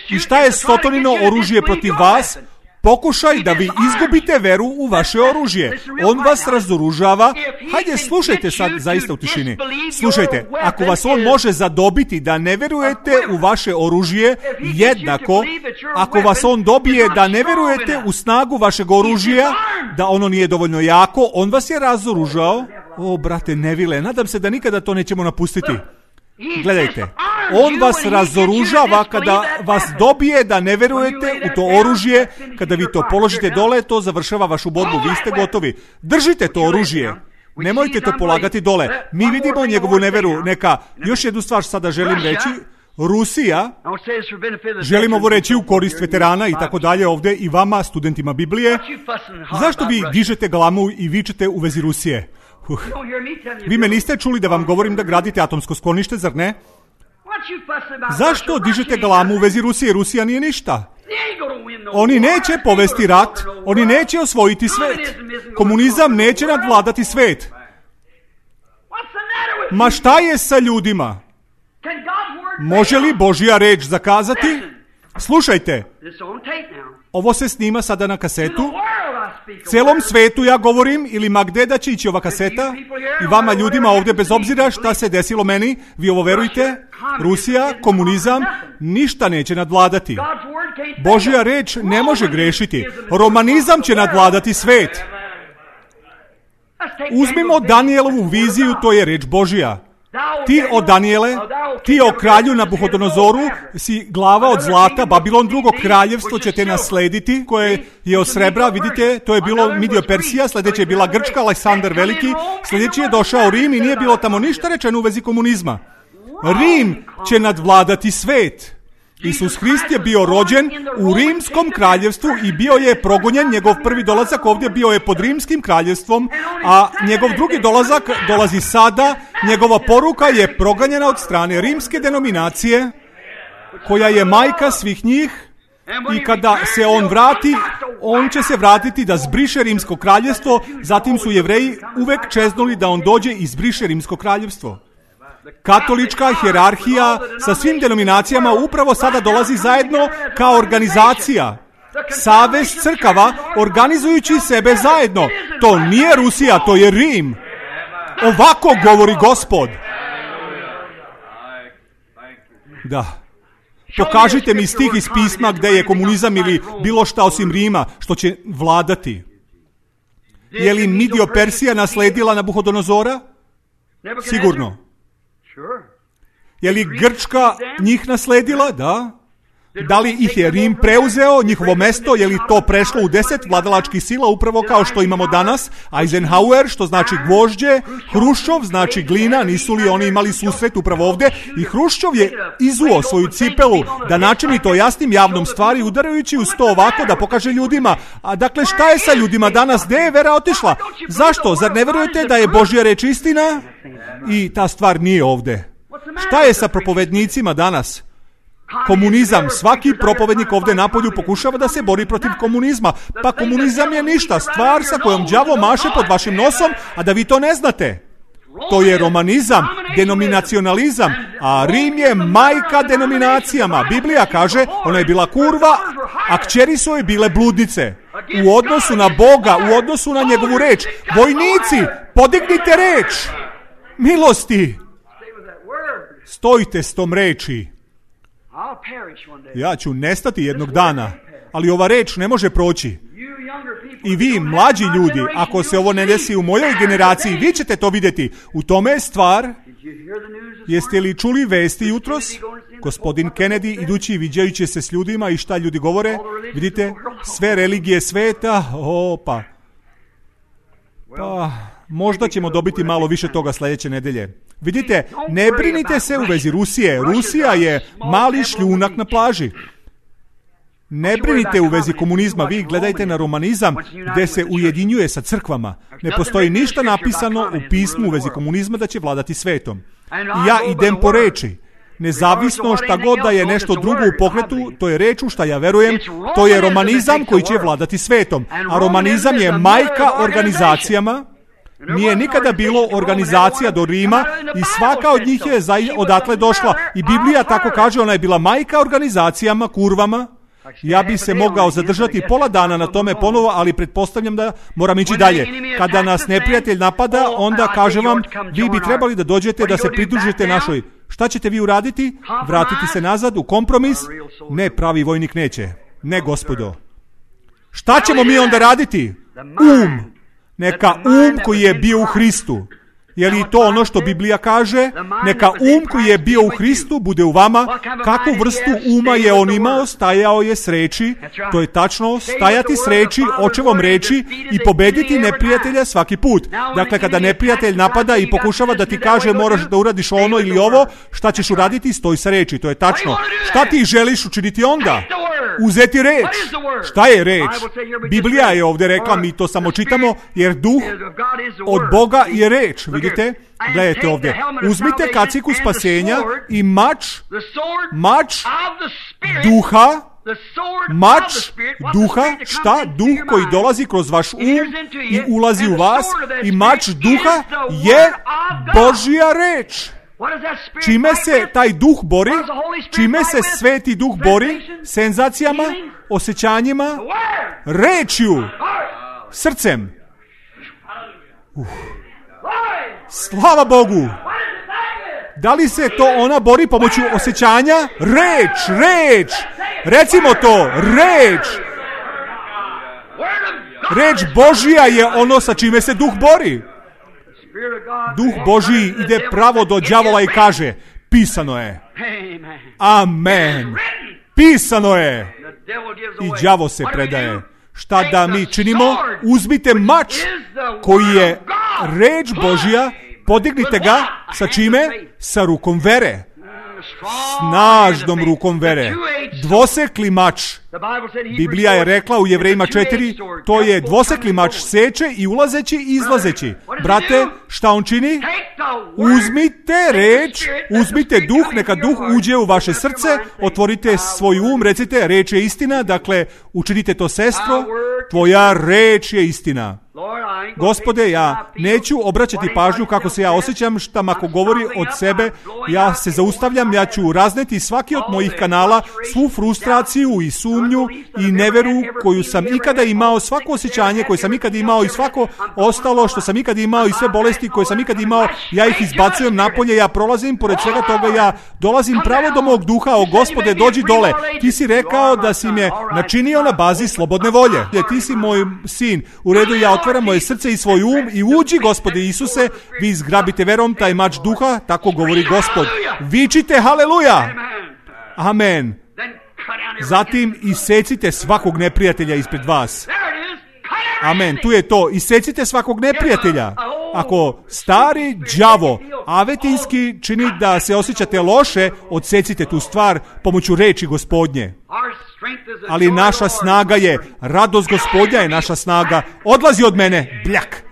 I šta je Sotonino oružje protiv vas? Pokušaj da vi izgubite veru u vaše oružje. On vas razoružava. Hajde, slušajte sad zaista u tišini. Slušajte, ako vas on može zadobiti da ne verujete u vaše oružje, jednako, ako vas on dobije da ne verujete u snagu vašeg oružja, da ono nije dovoljno jako, on vas je razoružao. O, brate Nevile, nadam se da nikada to nećemo napustiti. Gledajte, on vas razoružava kada vas dobije da ne verujete u to oružje, kada vi to položite dole, to završava vašu borbu, vi ste gotovi. Držite to oružje, nemojte to polagati dole. Mi vidimo njegovu neveru. Neka, još jednu stvar sada želim reći, Rusija, želim ovo reći u korist veterana i tako dalje ovdje i vama, studentima Biblije, zašto vi dižete glamu i vičete u vezi Rusije? Vi me niste čuli da vam govorim da gradite atomsko sklonište, zar ne? Zašto dižete glamu u vezi Rusije? Rusija nije ništa. Oni neće povesti rat, oni neće osvojiti svet. Komunizam neće nadvladati svet. Ma šta je sa ljudima? Može li Božja reč zakazati? Slušajte, ovo se snima sada na kasetu. Celom svetu ja govorim, ili ma gde da će ići ova kaseta, i vama ljudima ovdje, bez obzira šta se desilo meni, vi ovo verujte, Rusija, komunizam, ništa neće nadvladati. Božja reč ne može grešiti. Romanizam će nadvladati svet. Uzmimo Danielovu viziju, to je reč Božja. Ti o Daniele, ti o kralju Nabuhodonozoru, si glava od zlata, Babilon, drugo kraljevstvo će te naslediti, koje je od srebra, vidite, to je bilo Midio Persija, sljedeće je bila Grčka, Aleksandar Veliki, sljedeći je došao Rim i nije bilo tamo ništa rečeno u vezi komunizma. Rim će nadvladati svet. Isus Hrist je bio rođen u rimskom kraljevstvu i bio je progonjen. Njegov prvi dolazak ovdje bio je pod rimskim kraljevstvom, a njegov drugi dolazak dolazi sada. Njegova poruka je proganjena od strane rimske denominacije, koja je majka svih njih, i kada se on vrati, on će se vratiti da zbriše rimsko kraljevstvo. Zatim su Jevreji uvek čeznuli da on dođe i zbriše rimsko kraljevstvo. Katolička hijerarhija sa svim denominacijama upravo sada dolazi zajedno kao organizacija. Savez crkava organizujući sebe zajedno. To nije Rusija, to je Rim. Ovako govori Gospod. Da. Pokažite mi stih iz pisma gdje je komunizam ili bilo šta osim Rima što će vladati. Je li Midio Persija nasledila Nabuhodonozora? Sigurno. Je li Grčka njih nasledila? Da. Da li ih je Rim preuzeo, njihovo mesto? Je li to prešlo u 10 vladalačkih sila, upravo kao što imamo danas? Eisenhower, što znači gvožđe, Hruščov znači glina, nisu li oni imali susret upravo ovdje? I Hruščov je izuo svoju cipelu da načini to jasnim javnom stvari, udarajući uz to ovako da pokaže ljudima. A dakle, šta je sa ljudima danas? Gde je vera otišla? Zašto? Zar ne verujete da je Božja reč istina? I ta stvar nije ovdje. Šta je sa propovednicima danas? Komunizam. Svaki propovednik ovdje napolju pokušava da se bori protiv komunizma. Pa komunizam je ništa, stvar sa kojom đavo maše pod vašim nosom, a da vi to ne znate. To je romanizam, denominacionalizam, a Rim je majka denominacijama. Biblija kaže, ona je bila kurva, a kćeri su joj bile bludnice. U odnosu na Boga, u odnosu na njegovu reč. Vojnici, podignite reč! Milosti! Stojite s tom reči. Ja ću nestati jednog dana, ali ova reč ne može proći. I vi, mlađi ljudi, ako se ovo ne desi u mojoj generaciji, vi ćete to vidjeti. U tome je stvar. Jeste li čuli vesti jutros? Gospodin Kennedy, idući i viđajući se s ljudima i šta ljudi govore, vidite, sve religije sveta, pa možda ćemo dobiti malo više toga sljedeće nedelje. Vidite, ne brinite se u vezi Rusije. Rusija je mali šljunak na plaži. Ne brinite u vezi komunizma, vi gledajte na romanizam gdje se ujedinjuje sa crkvama. Ne postoji ništa napisano u pismu u vezi komunizma da će vladati svetom. I ja idem po reči. Nezavisno šta god da je nešto drugo u pokretu, to je reč u šta ja verujem, to je romanizam koji će vladati svetom. A romanizam je majka organizacijama. Nije nikada bilo organizacija do Rima i svaka od njih je odatle došla. I Biblija tako kaže, ona je bila majka organizacijama, kurvama. Ja bi se mogao zadržati pola dana na tome ponovo, ali pretpostavljam da moram ići dalje. Kada nas neprijatelj napada, onda kažem vam, vi bi trebali da dođete da se pridružite našoj. Šta ćete vi uraditi? Vratiti se nazad u kompromis? Ne, pravi vojnik neće. Ne, gospodo. Šta ćemo mi onda raditi? Neka koji je bio u Hristu. Je li to ono što Biblija kaže? Neka koji je bio u Hristu bude u vama. Kakvu vrstu uma je on imao? Stajao je s reči. To je tačno. Stajati s reči, očevom reči i pobediti neprijatelja svaki put. Dakle, kada neprijatelj napada i pokušava da ti kaže moraš da uradiš ono ili ovo, šta ćeš uraditi? Stoj sa reči. To je tačno. Šta ti želiš učiniti onda? Uzeti reč. Šta je reč? Biblija je ovdje rekla, mi to samo čitamo, jer duh od Boga je reč. Vidite? Gledajte ovdje. Uzmite kaciku spasenja i mač duha, šta? Duh koji dolazi kroz vaš i ulazi u vas i mač duha je Božja reč. Čime se taj duh bori? Čime se sveti duh bori? Senzacijama? Osjećanjima? Rečju? Srcem? Slava Bogu! Da li se to ona bori pomoću osjećanja? Reč! Recimo to, reč! Reč Božija je ono sa čime se duh bori. Duh Božiji ide pravo do đavola i kaže, pisano je. Amen. Pisano je. I đavo se predaje. Šta da mi činimo? Uzmite mač koji je reč Božja, podignite ga sa čime? Sa rukom vere. Snažnom rukom vere. Dvosekli mač. Biblija je rekla u Jevrejima 4, to je dvosekli mač, seče i ulazeći i izlazeći. Brate, šta on čini? Uzmite reč, uzmite duh, neka duh uđe u vaše srce, otvorite svoj recite, reč je istina, dakle, učinite to, sestro, tvoja reč je istina. Gospode, ja neću obraćati pažnju kako se ja osjećam, šta ako govori od sebe, ja se zaustavljam, ja ću razneti svaki od mojih kanala, svu frustraciju i sumnju i neveru koju sam ikada imao, svako osjećanje koje sam ikada imao i svako ostalo što sam ikada imao i sve bolesti koje sam ikada imao, ja ih izbacujem napolje, ja prolazim pored svega toga, ja dolazim pravo do mog duha, o Gospode, dođi dole. Ti si rekao da si me načinio na bazi slobodne volje. Ti si moj sin, u redu, ja otvaram moje srce i svoj i uđi, Gospode Isuse, vi izgrabite verom taj mač duha, tako govori Gospod. Vičite haleluja! Amen. Zatim isecite svakog neprijatelja ispred vas. Amen, tu je to. Isecite svakog neprijatelja. Ako stari đavo avetinski čini da se osjećate loše, odsecite tu stvar pomoću reči Gospodnje. Ali naša snaga je, radost Gospodnja je naša snaga. Odlazi od mene, bljak.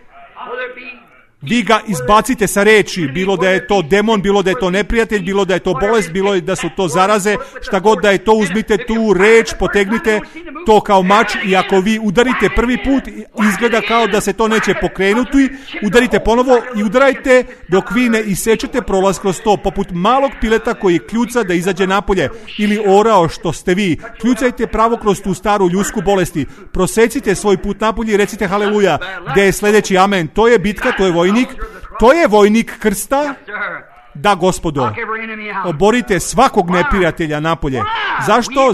Vi ga izbacite sa reči, bilo da je to demon, bilo da je to neprijatelj, bilo da je to bolest, bilo da su to zaraze, šta god da je to, uzmite tu reč, potegnite to kao mač i ako vi udarite prvi put, izgleda kao da se to neće pokrenuti, udarite ponovo i udarajte dok vi ne isečete prolaz kroz to, poput malog pileta koji kljuca da izađe napolje, ili orao što ste vi, kljucajte pravo kroz tu staru ljudsku bolesti, prosecite svoj put napolje i recite haleluja, gdje je sljedeći amen, to je bitka, to je vojnik, to je vojnik krsta. Da, Gospodo, oborite svakog neprijatelja napolje.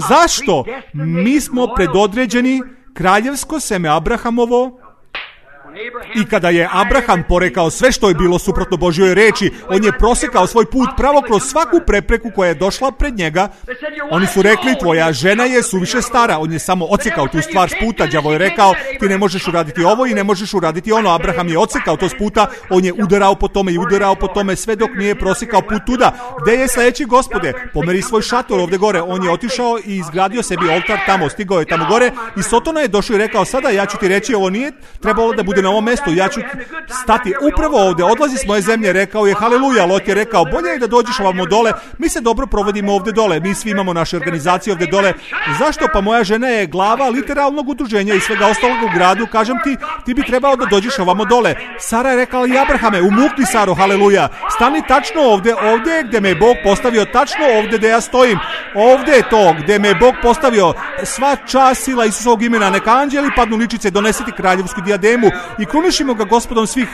Zašto? Mi smo predodređeni, kraljevsko seme Abrahamovo, I kada je Abraham porekao sve što je bilo suprotno Božjoj reči, on je prosekao svoj put pravo kroz svaku prepreku koja je došla pred njega. Oni su rekli, tvoja žena je suviše stara. On je samo odsekao tu stvar s puta. Đavo je rekao, ti ne možeš uraditi ovo i ne možeš uraditi ono. Abraham je odsekao to s puta, on je udarao po tome i udarao po tome sve dok nije prosekao put tuda. Gde je sledeći, Gospode? Pomeri svoj šator ovde gore. On je otišao i izgradio sebi oltar tamo, stigao je tamo gore i Sotona je došao i rekao, sada ja ću ti reći, ovo nije trebalo da bude na ovom mestu, ja ću stati upravo ovde, odlazi s moje zemlje. Rekao je, haleluja. Lot je rekao, bolje je da dođeš ovamo dole, mi se dobro provodimo ovde dole, mi svi imamo naše organizacije ovde dole. Zašto? Pa moja žena je glava literalnog udruženja i svega ostalog u gradu, kažem ti, ti bi trebao da dođeš ovamo dole. Sara je rekla, i Abrahame, umukni Saro, haleluja, stani tačno ovde, ovde gde me je Bog postavio, tačno ovde gde ja stojim, ovde je to gde me je Bog postavio. Sva čast, sila Isusovog imena, neka anđeli padnu ličice, donesiti kraljevsku dijademu i krunišimo ga Gospodom svih.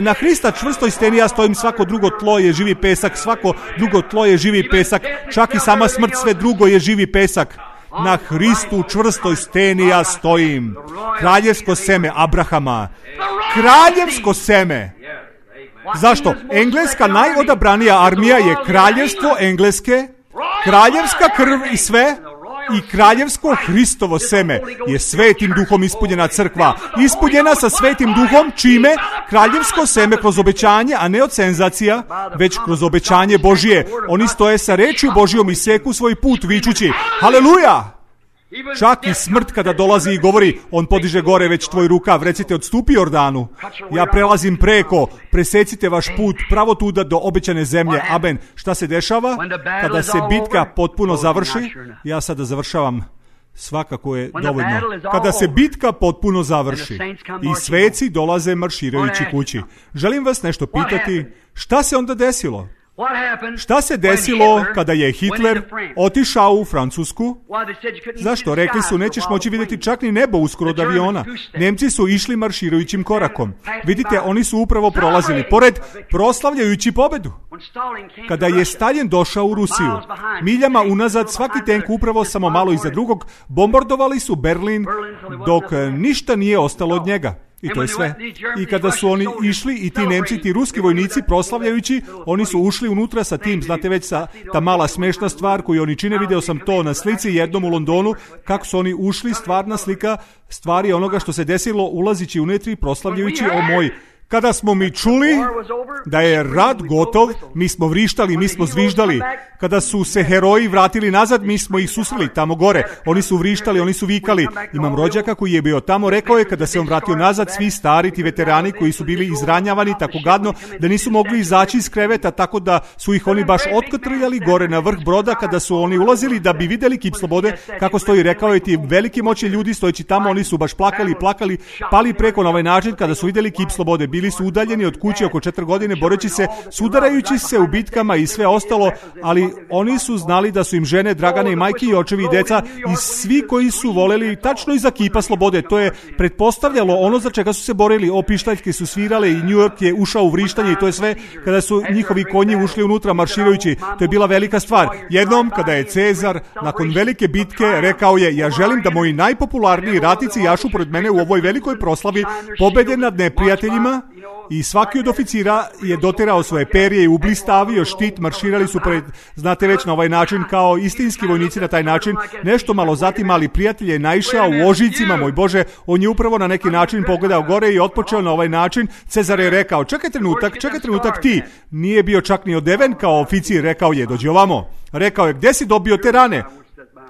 Na Hrista čvrstoj steni ja stojim, svako drugo tlo je živi pesak, svako drugo tlo je živi pesak, čak i sama smrt, sve drugo je živi pesak. Na Hristu čvrstoj steni ja stojim. Kraljevsko seme Abrahama. Kraljevsko seme. Zašto? Engleska najodabranija armija je kraljevstvo Engleske, kraljevska krv i sve, i kraljevsko Hristovo seme je svetim duhom ispunjena crkva. Ispunjena sa svetim duhom, čime? Kraljevsko seme kroz obećanje, a ne od senzacija, već kroz obećanje Božije. Oni stoje sa rečju Božijom i seku svoj put vičući, haleluja! Čak i smrt kada dolazi i govori, on podiže gore već tvoj rukav, recite, odstupi Jordanu, ja prelazim preko, presecite vaš put pravo tuda do obećane zemlje. Amen. Šta se dešava? Kada se bitka potpuno završi, ja sada završavam, svakako je dovoljno. Kada se bitka potpuno završi i sveci dolaze marširajući kući, želim vas nešto pitati, šta se onda desilo? Šta se desilo kada je Hitler otišao u Francusku? Zašto? Rekli su, nećeš moći vidjeti čak ni nebo uskoro od aviona. Nemci su išli marširajućim korakom. Vidite, oni su upravo prolazili pored, proslavljajući pobedu. Kada je Stalin došao u Rusiju, miljama unazad, svaki tenk upravo samo malo iza drugog, bombardovali su Berlin dok ništa nije ostalo od njega. I to je sve. I kada su oni išli, i ti Nemci, ti ruski vojnici, proslavljajući, oni su ušli unutra sa tim, znate već, sa ta mala smešna stvar koju oni čine, video sam to na slici jednom u Londonu, kako su oni ušli, stvarna slika stvari onoga što se desilo, ulazići unetri, proslavljajući, o moj. Kada smo mi čuli da je rat gotov, mi smo vrištali, mi smo zviždali. Kada su se heroji vratili nazad, mi smo ih susreli tamo gore. Oni su vrištali, oni su vikali. Imam rođaka koji je bio tamo, rekao je kada se on vratio nazad, svi stari ti veterani koji su bili izranjavani tako gadno da nisu mogli izaći iz kreveta, tako da su ih oni baš otkotrljali gore na vrh broda kada su oni ulazili da bi videli kip slobode, kako stoji, rekao je, ti veliki moćni ljudi stojeći tamo, oni su baš plakali, pali preko na ovaj način kada su videli kip slobode. Bili su udaljeni od kuće oko 4 godine, boreći se, sudarajući se u bitkama i sve ostalo, ali oni su znali da su im žene, dragane i majke i očevi i deca i svi koji su voleli tačno iza kipa slobode. To je pretpostavljalo ono za čega su se borili. Pištaljke su svirale i New York je ušao u vrištanje i to je sve kada su njihovi konji ušli unutra marširajući. To je bila velika stvar. Jednom kada je Cezar nakon velike bitke rekao je, ja želim da moji najpopularniji ratnici jašu pored mene u ovoj velikoj proslavi pobede nad neprijateljima, i svaki od oficira je doterao svoje perje i ublistavio štit, marširali su pred, znate već, na ovaj način kao istinski vojnici na taj način. Nešto malo zatim mali prijatelj je naišao u ožiljcima, moj Bože, on je upravo na neki način pogledao gore i otpočeo na ovaj način. Cezar je rekao, čekaj trenutak ti. Nije bio čak ni odeven kao oficir, rekao je, dođi ovamo. Rekao je, gdje si dobio te rane?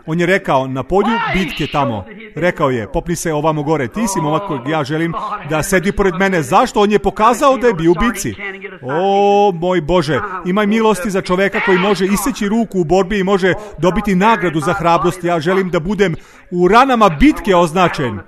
On je rekao, na polju bitke tamo. Rekao je, popni se ovamo gore, ti si momak kojeg ja želim da sedi pored mene. Zašto? On je pokazao da je bio u bitci. O, moj Bože, imaj milosti za čoveka koji može iseći ruku u borbi i može dobiti nagradu za hrabrost. Ja želim da budem u ranama bitke označen.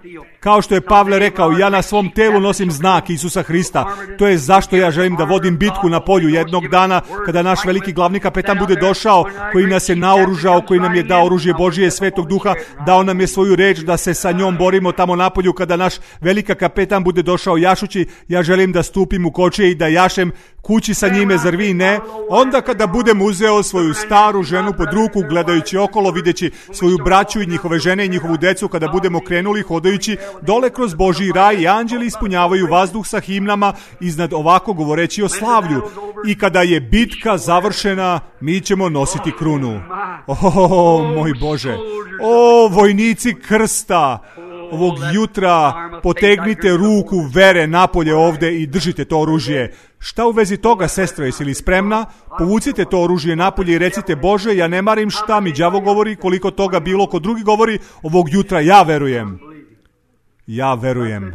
Kao što je Pavle rekao, ja na svom telu nosim znak Isusa Hrista. To je zašto ja želim da vodim bitku na polju jednog dana, kada naš veliki glavni kapetan bude došao, koji nas je naoružao, koji nam je dao oružje Božije, Svetog Duha, dao nam je svoju reč da se sa njom borimo tamo napolju kada naš velika kapetan bude došao jašući, ja želim da stupim u kočije i da jašem kući sa njime, zar vi ne? Onda kada budem uzeo svoju staru ženu pod ruku, gledajući okolo, videći svoju braću i njihove žene i njihovu decu, kada budemo krenuli hodajući dole kroz Božji raj i anđeli ispunjavaju vazduh sa himnama iznad ovako govoreći o slavlju. I kada je bitka završena, mi ćemo nositi krunu. Moj Bože, vojnici krsta, ovog jutra potegnite ruku vere napolje ovde i držite to oružje. Šta u vezi toga, sestra, jesi li spremna? Povucite to oružje napolje i recite, Bože, ja ne marim šta mi đavo govori, koliko toga bilo ko drugi govori, ovog jutra ja verujem. Ja verujem.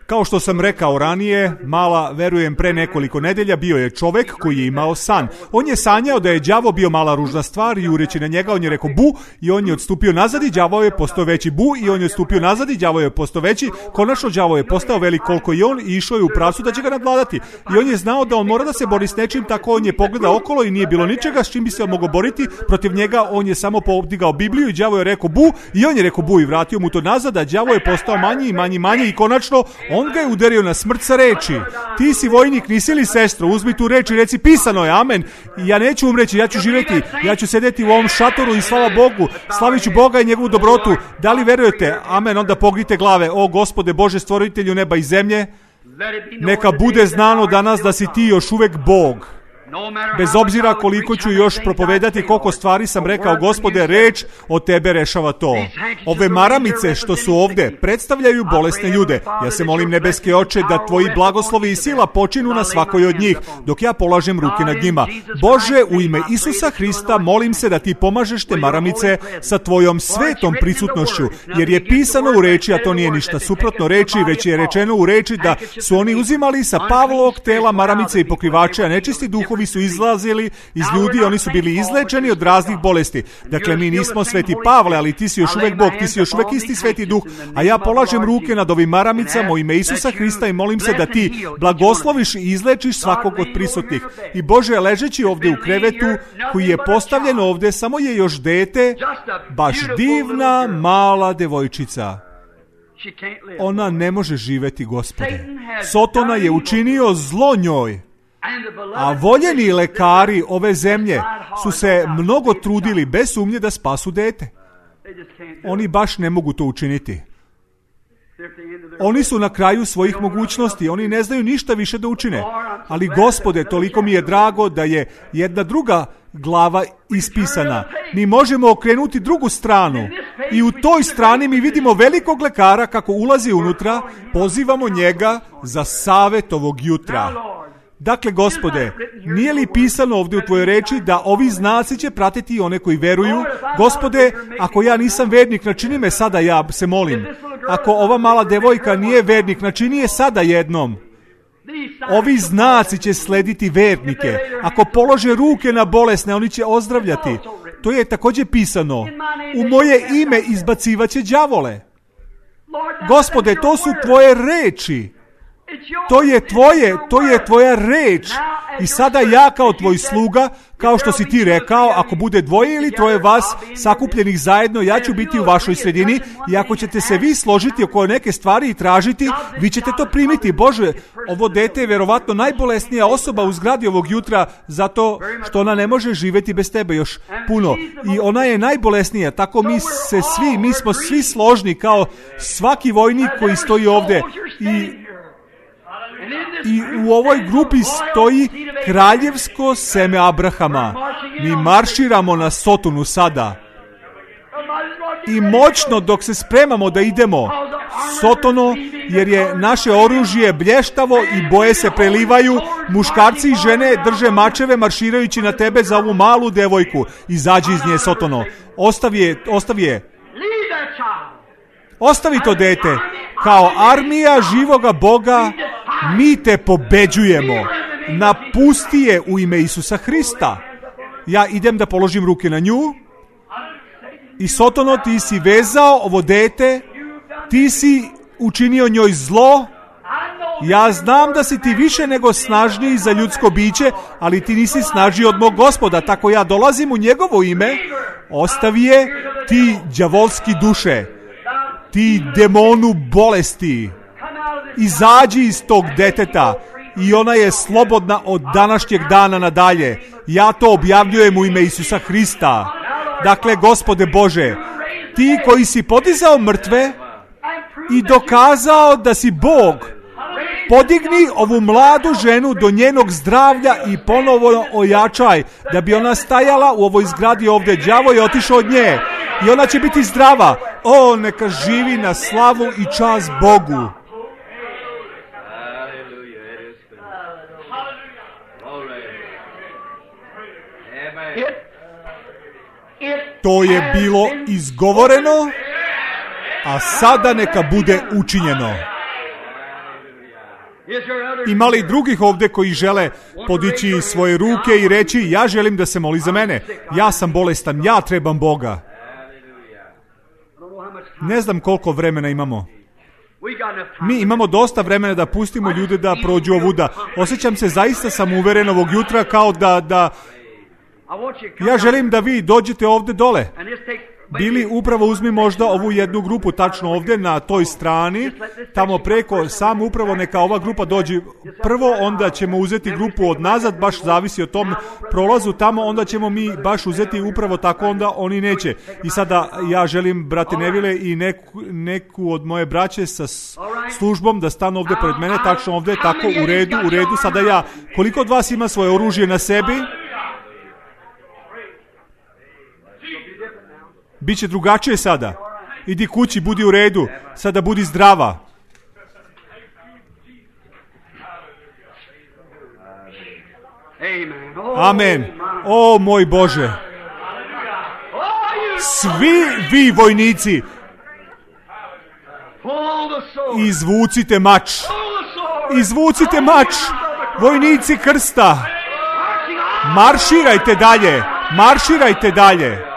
Kao što sam rekao ranije, mala, verujem, pre nekoliko nedelja bio je čovek koji je imao san. On je sanjao da je đavo bio mala ružna stvar i ureći na njega on je rekao bu i on je odstupio nazad i đavo je postao veći bu i on je odstupio nazad i đavo je postao veći. Konačno đavo je postao velik koliko i on i išao je u pravcu da će ga nadvladati. I on je znao da on mora da se bori s nečim, tako on je pogledao okolo i nije bilo ničega s čim bi se on mogao boriti protiv njega. On je samo podigao Bibliju i đavo je rekao bu i on je rekao bu i vratio mu to nazad, a đavo je postao manji i manji i konačno on ga je udario na smrt sa reči. Ti si vojnik, nisi li sestro? Uzmi tu reč i reci pisano je, amen. I ja neću umreći, ja ću živjeti, ja ću sedeti u ovom šatoru i slava Bogu, slavit ću Boga i njegovu dobrotu. Da li verujete? Amen. Onda pognite glave. O Gospode Bože, stvoritelju neba i zemlje, neka bude znano danas da si ti još uvek Bog. Bez obzira koliko ću još propovedati, koliko stvari sam rekao, Gospode, reč od tebe rešava to. Ove maramice što su ovde predstavljaju bolesne ljude. Ja se molim, nebeske oče, da tvoji blagoslovi i sila počinu na svakoj od njih, dok ja polažem ruke nad njima. Bože, u ime Isusa Hrista, molim se da ti pomažeš te maramice sa tvojom svetom prisutnošću, jer je pisano u reči, a to nije ništa suprotno reči, već je rečeno u reči da su oni uzimali sa Pavlovog tela maramice i pokrivače, a nečisti duhovi su izlazili iz ljudi, oni su bili izlečeni od raznih bolesti. Dakle, mi nismo sveti Pavle, ali ti si još uvek Bog, ti si još uvek isti sveti duh, a ja polažem ruke nad ovim maramicama u ime Isusa Hrista i molim se da ti blagosloviš i izlečiš svakog od prisutnih. I Bože, ležeći ovde u krevetu koji je postavljen ovde, samo je još dete, baš divna mala devojčica. Ona ne može živeti, Gospode. Sotona je učinio zlo njoj. A voljeni lekari ove zemlje su se mnogo trudili bez sumnje da spasu dete. Oni baš ne mogu to učiniti. Oni su na kraju svojih mogućnosti, oni ne znaju ništa više da učine. Ali Gospode, toliko mi je drago da je jedna druga glava ispisana. Mi možemo okrenuti drugu stranu i u toj strani mi vidimo velikog lekara kako ulazi unutra, pozivamo njega za savet ovog jutra. Dakle, Gospode, nije li pisano ovdje u tvojoj reči da ovi znaci će pratiti one koji veruju? Gospode, ako ja nisam vernik, načini me sada, ja se molim. Ako ova mala devojka nije vernik, načini je sada jednom. Ovi znaci će slediti vernike. Ako polože ruke na bolesne, oni će ozdravljati. To je također pisano. U moje ime izbacivaće đavole. Gospode, to su tvoje reči. To je tvoja reč. I sada ja kao tvoj sluga, kao što si ti rekao, ako bude dvoje ili troje vas sakupljenih zajedno, ja ću biti u vašoj sredini i ako ćete se vi složiti oko neke stvari i tražiti, vi ćete to primiti. Bože, ovo dete je verovatno najbolesnija osoba u zgradi ovog jutra zato što ona ne može živjeti bez tebe još puno. I ona je najbolesnija, tako mi smo svi složni kao svaki vojnik koji stoji ovde i u ovoj grupi stoji kraljevsko seme Abrahama. Mi marširamo na Sotonu sada. I moćno dok se spremamo da idemo Sotono, jer je naše oružje blještavo i boje se prelivaju, muškarci i žene drže mačeve marširajući na tebe za ovu malu devojku. Izađi iz nje, Sotono. Ostavi je. Ostavi to dete. Kao armija živoga Boga mi te pobeđujemo. Napusti je u ime Isusa Hrista. Ja idem da položim ruke na nju. I Sotono, ti si vezao ovo dete. Ti si učinio njoj zlo. Ja znam da si ti više nego snažniji za ljudsko biće, ali ti nisi snažniji od mog Gospoda. Tako ja dolazim u njegovo ime. Ostavi je, ti đavolski duše. ti demonu bolesti, izađi iz tog deteta i ona je slobodna od današnjeg dana nadalje. Ja to objavljujem u ime Isusa Hrista. Dakle, Gospode Bože, ti koji si podizao mrtve i dokazao da si Bog, podigni ovu mladu ženu do njenog zdravlja i ponovo ojačaj, da bi ona stajala u ovoj zgradi ovdje. Đavo je otišao od nje i ona će biti zdrava. O, neka živi na slavu i čast Bogu. To je bilo izgovoreno, a sada neka bude učinjeno. Ima li drugih ovdje koji žele podići svoje ruke i reći, ja želim da se moli za mene, ja sam bolestan, ja trebam Boga. Ne znam koliko vremena imamo. Mi imamo dosta vremena da pustimo ljude da prođu ovuda. Osjećam se zaista samouveren ovog jutra kao da ja želim da vi dođete ovdje dole. Bili upravo uzmi možda ovu jednu grupu tačno ovdje na toj strani, tamo preko, samo upravo neka ova grupa dođe prvo, onda ćemo uzeti grupu od nazad, baš zavisi o tom prolazu tamo, onda ćemo mi baš uzeti upravo tako, onda oni neće. I sada ja želim, brate Nevile, i neku od moje braće sa službom da stanu ovdje pred mene, tačno ovdje, tako, u redu, sada ja. Koliko od vas ima svoje oružje na sebi? Biće drugačije sada. Idi kući, budi u redu. Sada budi zdrava. Amen. O moj Bože. Svi vi vojnici, izvucite mač. Izvucite mač. Vojnici krsta. Marširajte dalje. Marširajte dalje.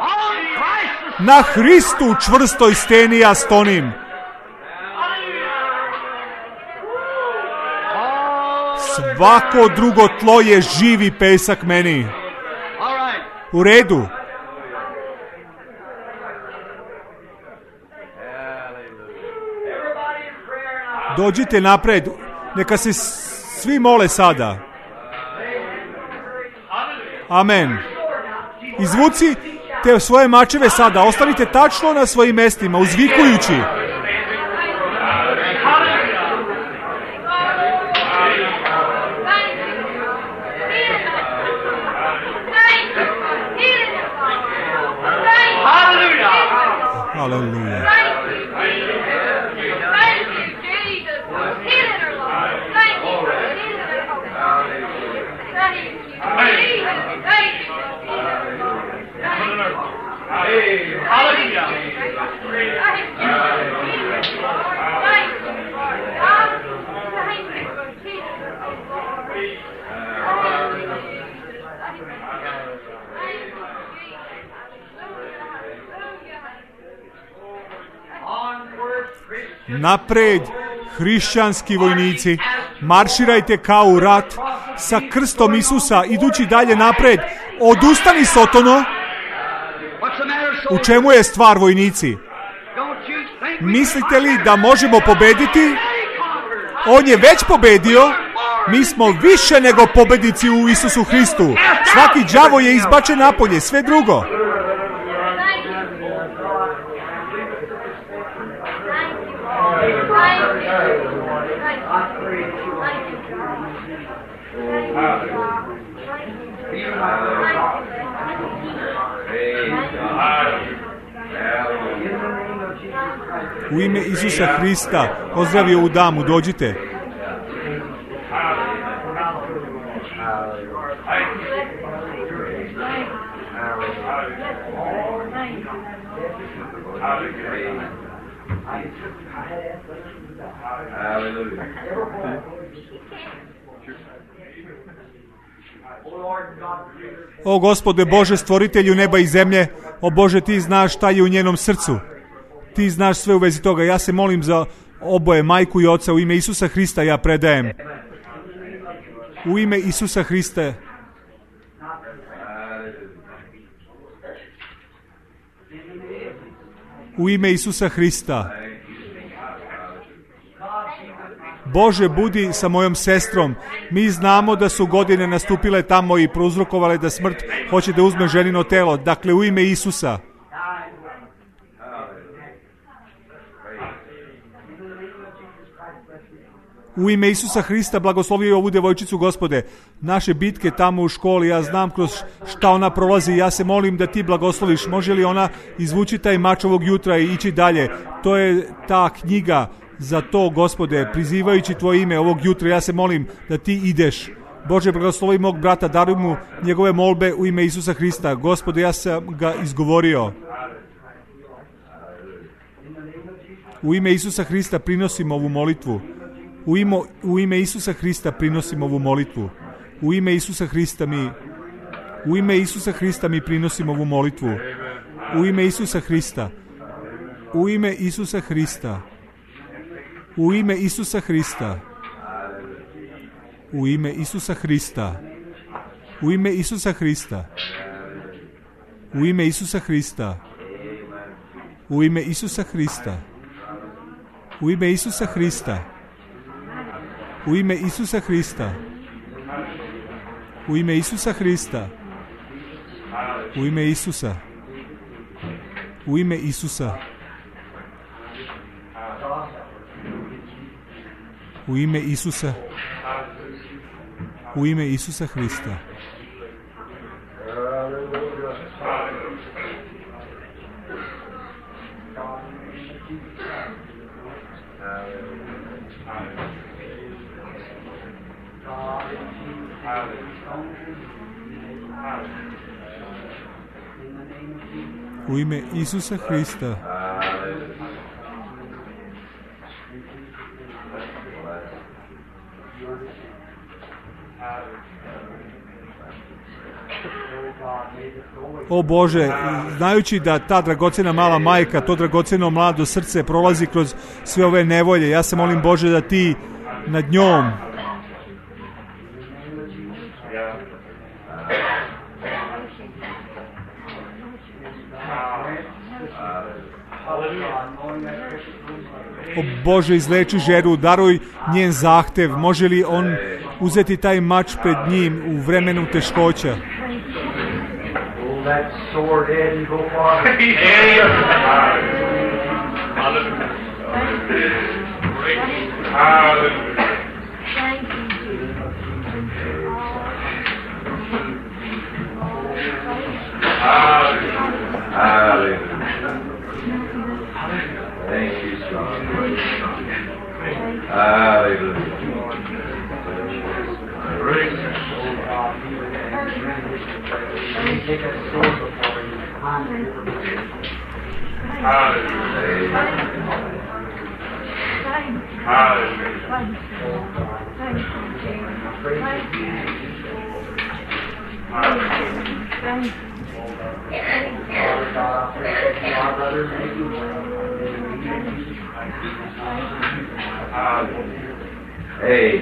Na Hristu čvrstoj steni ja stonim. Svako drugo tlo je živi pesak meni. U redu. Dođite napred. Neka se svi mole sada. Amen. Izvuci te svoje mačeve sada, ostanite tačno na svojim mjestima, uzvikujući. Haleluja. Napred, hrišćanski vojnici, marširajte kao u rat sa krstom Isusa, idući dalje napred. Odustani, Sotono. U čemu je stvar, vojnici? Mislite li da možemo pobediti? On je već pobedio. Mi smo više nego pobednici u Isusu Hristu. Svaki đavo je izbačen napolje, sve drugo. U ime Isusa Hrista pozdravio ovu damu, dođite. O Gospode Bože, stvoritelju neba i zemlje, o Bože, ti znaš šta je u njenom srcu. Ti znaš sve u vezi toga. Ja se molim za oboje, majku i oca, u ime Isusa Hrista ja predajem. U ime Isusa Hrista. U ime Isusa Hrista. Bože, budi sa mojom sestrom. Mi znamo da su godine nastupile tamo i prouzrokovale da smrt hoće da uzme ženino telo. Dakle, u ime Isusa. U ime Isusa Hrista blagoslovi ovu djevojčicu, Gospode. Naše bitke tamo u školi, ja znam kroz šta ona prolazi, ja se molim da ti blagosloviš. Može li ona izvući taj mač ovog jutra i ići dalje? To je ta knjiga za to, Gospode, prizivajući tvoje ime ovog jutra, ja se molim da ti ideš. Bože, blagoslovi mog brata, daruj mu njegove molbe u ime Isusa Hrista. Gospode, ja sam ga izgovorio. U ime Isusa Hrista prinosim ovu molitvu. U ime Isusa Hrista prinosim ovu molitvu. U ime Isusa Hrista mi prinosim ovu molitvu. U ime Isusa Hrista. U ime Isusa Hrista. U ime Isusa Hrista. U ime Isusa Hrista. U ime Isusa Hrista. U ime Isusa Hrista. U ime Isusa Hrista. U ime Isusa Hrista. U ime Isusa Hrista. U ime Isusa Hrista. U ime Isusa. U ime Isusa. U ime Isusa. U ime Isusa Hrista. U ime Isusa Hrista. O Bože, znajući da ta dragocjena mala majka, to dragocjeno mlado srce prolazi kroz sve ove nevolje, ja se molim, Bože, da ti nad njom o Bože, izleči ženu, daruj njen zahtev. Može li on uzeti taj mač pred njim u vremenu teškoća? Thank you, son. Hallelujah. Hey.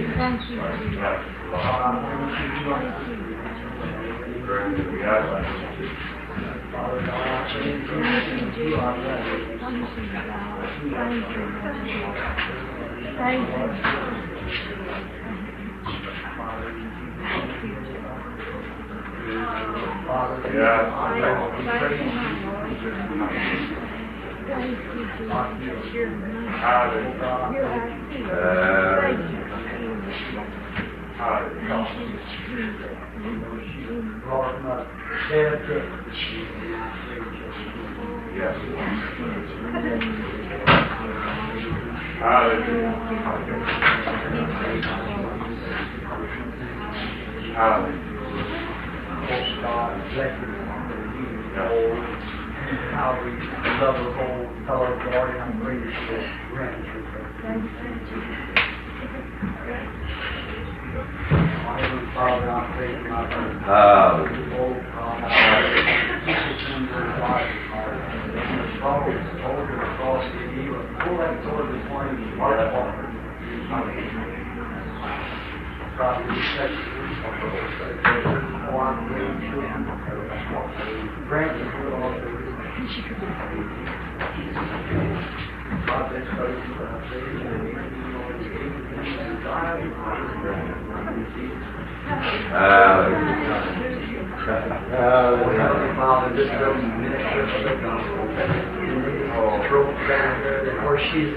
Father, this doesn't minister for the gospel. Throat cancer, where she's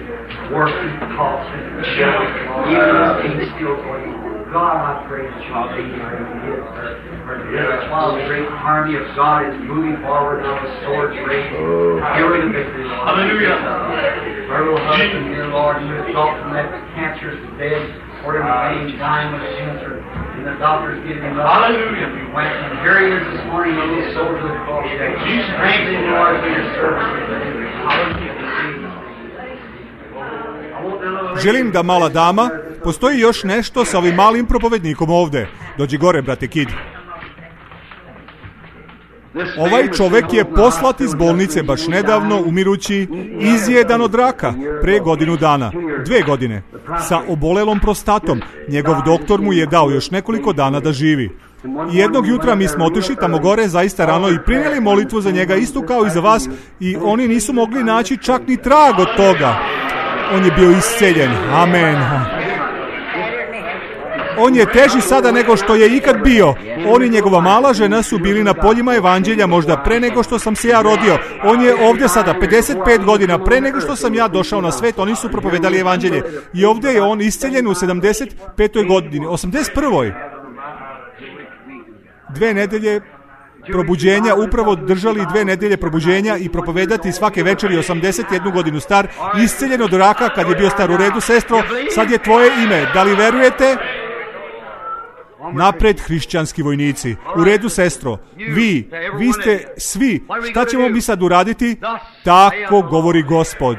working, coughing, even though things still going on. God, I pray that you'll take her and give her. While the great army of God is moving forward now with swords raised, healing the victory. Hallelujah. Her little husband, dear Lord, you exalt from that cancerous bed, or in pain, dying with cancer. And the doctor's giving him up. Hallelujah. We went, and here he is this morning, a little soldier of the cross. Strengthen, Lord, for your service. Želim da mala dama, postoji još nešto sa ovim malim propovednikom ovde. Dođi gore, brate Kid. Ovaj čovek je poslat iz bolnice baš nedavno, umirući, izjedan od raka, pre godinu dana, 2 godine, sa obolelom prostatom. Njegov doktor mu je dao još nekoliko dana da živi. I jednog jutra mi smo otišli tamo gore zaista rano i prinijeli molitvu za njega, isto kao i za vas, i oni nisu mogli naći čak ni trag od toga. On je bio isceljen. Amen. On je teži sada nego što je ikad bio. On i njegova mala žena su bili na poljima evanđelja možda pre nego što sam se ja rodio. On je ovdje sada 55 godina pre nego što sam ja došao na svet. Oni su propovedali evanđelje. I ovdje je on isceljen u 75. godini. 81. 2 nedelje probuđenja, upravo držali 2 nedelje probuđenja i propovedati svake večeri, 81 godinu star, isceljen od raka kad je bio star. U redu, sestro, sad je tvoje ime. Da li verujete? Napred, hrišćanski vojnici. U redu, sestro. Vi ste svi. Šta ćemo mi sad uraditi? Tako govori Gospod.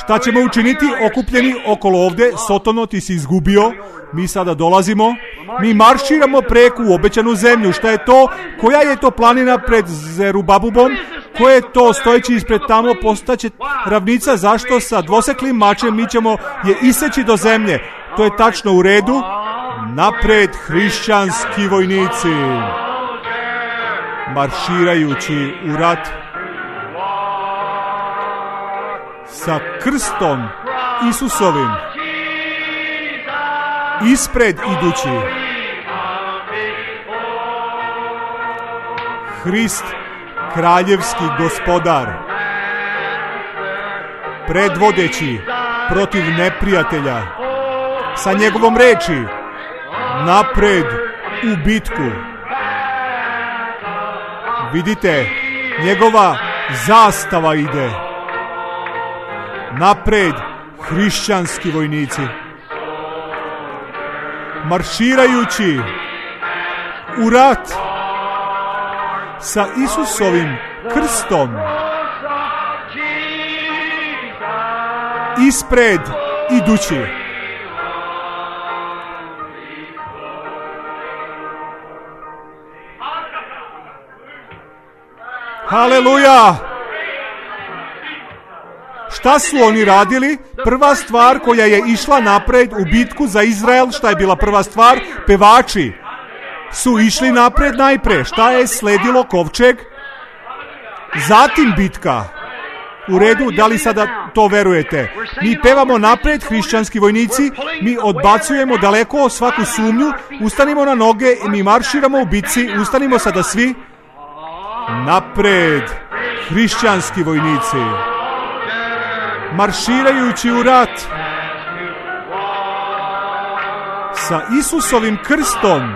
Šta ćemo učiniti okupljeni okolo ovde? Sotono, ti si izgubio. Mi sada dolazimo. Mi marširamo preko u obećanu zemlju. Šta je to? Koja je to planina pred Zerubabubom? Ko je to stojeći ispred tamo? Postaće ravnica. Zašto? Sa dvoseklim mačem mi ćemo je iseći do zemlje. To je tačno, u redu. Napred, hrišćanski vojnici, marširajući u rat sa krstom Isusovim, ispred idući. Hrist, kraljevski gospodar, predvodeći protiv neprijatelja, sa njegovom reči, napred u bitku. Vidite, njegova zastava ide. Napred, hrišćanski vojnici, marširajući u rat sa Isusovim krstom, ispred idući. Haleluja! Šta su oni radili? Prva stvar koja je išla napred u bitku za Izrael, šta je bila prva stvar? Pevači su išli napred najpre. Šta je sledilo? Kovčeg. Zatim bitka. U redu, da li sada to verujete? Mi pevamo napred, hrišćanski vojnici, mi odbacujemo daleko svaku sumnju, ustanimo na noge i mi marširamo u bitci, ustanimo sada svi. Napred, hrišćanski vojnici, marširajući u rat sa Isusovim krstom,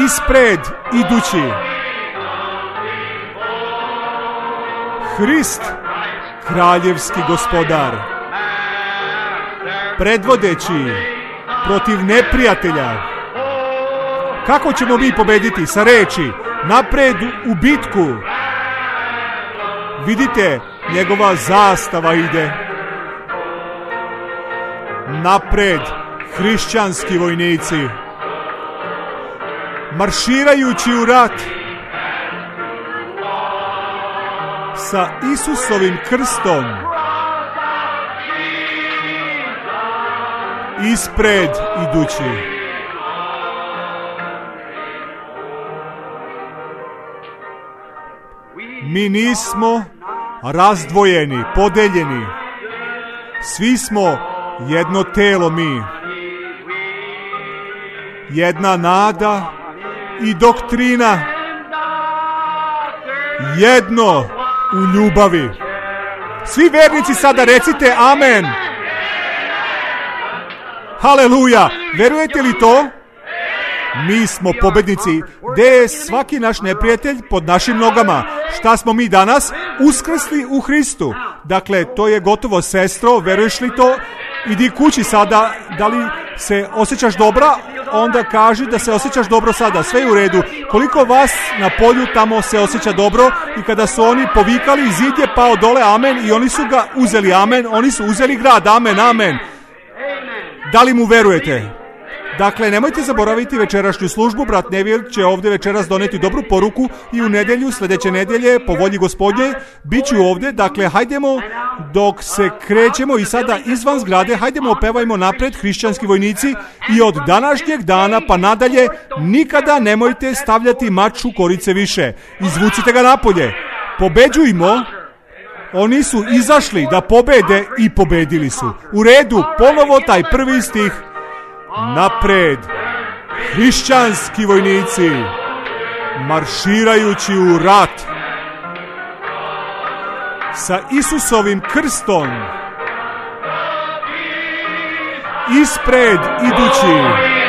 ispred idući. Hrist, kraljevski gospodar, predvodeći protiv neprijatelja. Kako ćemo mi pobediti? Sa reči, napred u bitku. Vidite, njegova zastava ide. Napred, hrišćanski vojnici, marširajući u rat sa Isusovim krstom, ispred idući. Mi nismo razdvojeni, podeljeni. Svi smo jedno telo mi. Jedna nada i doktrina. Jedno u ljubavi. Svi vernici sada recite amen. Haleluja. Verujete li to? Mi smo pobednici. Gde je svaki naš neprijatelj? Pod našim nogama. Šta smo mi danas? Uskrsli u Hristu. Dakle, to je gotovo, sestro. Veruješ li to? Idi kući sada. Da li se osjećaš dobra? Onda kaži da se osjećaš dobro sada. Sve je u redu. Koliko vas na polju tamo se osjeća dobro? I kada su oni povikali, zid je pao dole, amen. I oni su ga uzeli, amen. Oni su uzeli grad, amen, amen. Da li mu verujete? Dakle, nemojte zaboraviti večerašnju službu. Brat Neville će ovdje večeras doneti dobru poruku i u nedjelju, sljedeće nedjelje, po volji Gospodnje, bit ću ovdje. Dakle, hajdemo dok se krećemo i sada izvan zgrade, hajdemo opevajmo napred, hrišćanski vojnici, i od današnjeg dana pa nadalje nikada nemojte stavljati mač u korice više. Izvucite ga napolje. Pobeđujmo. Oni su izašli da pobede i pobedili su. U redu, ponovo taj prvi stih. Napred, hrišćanski vojnici, marširajući u rat, sa Isusovim krstom, ispred idući.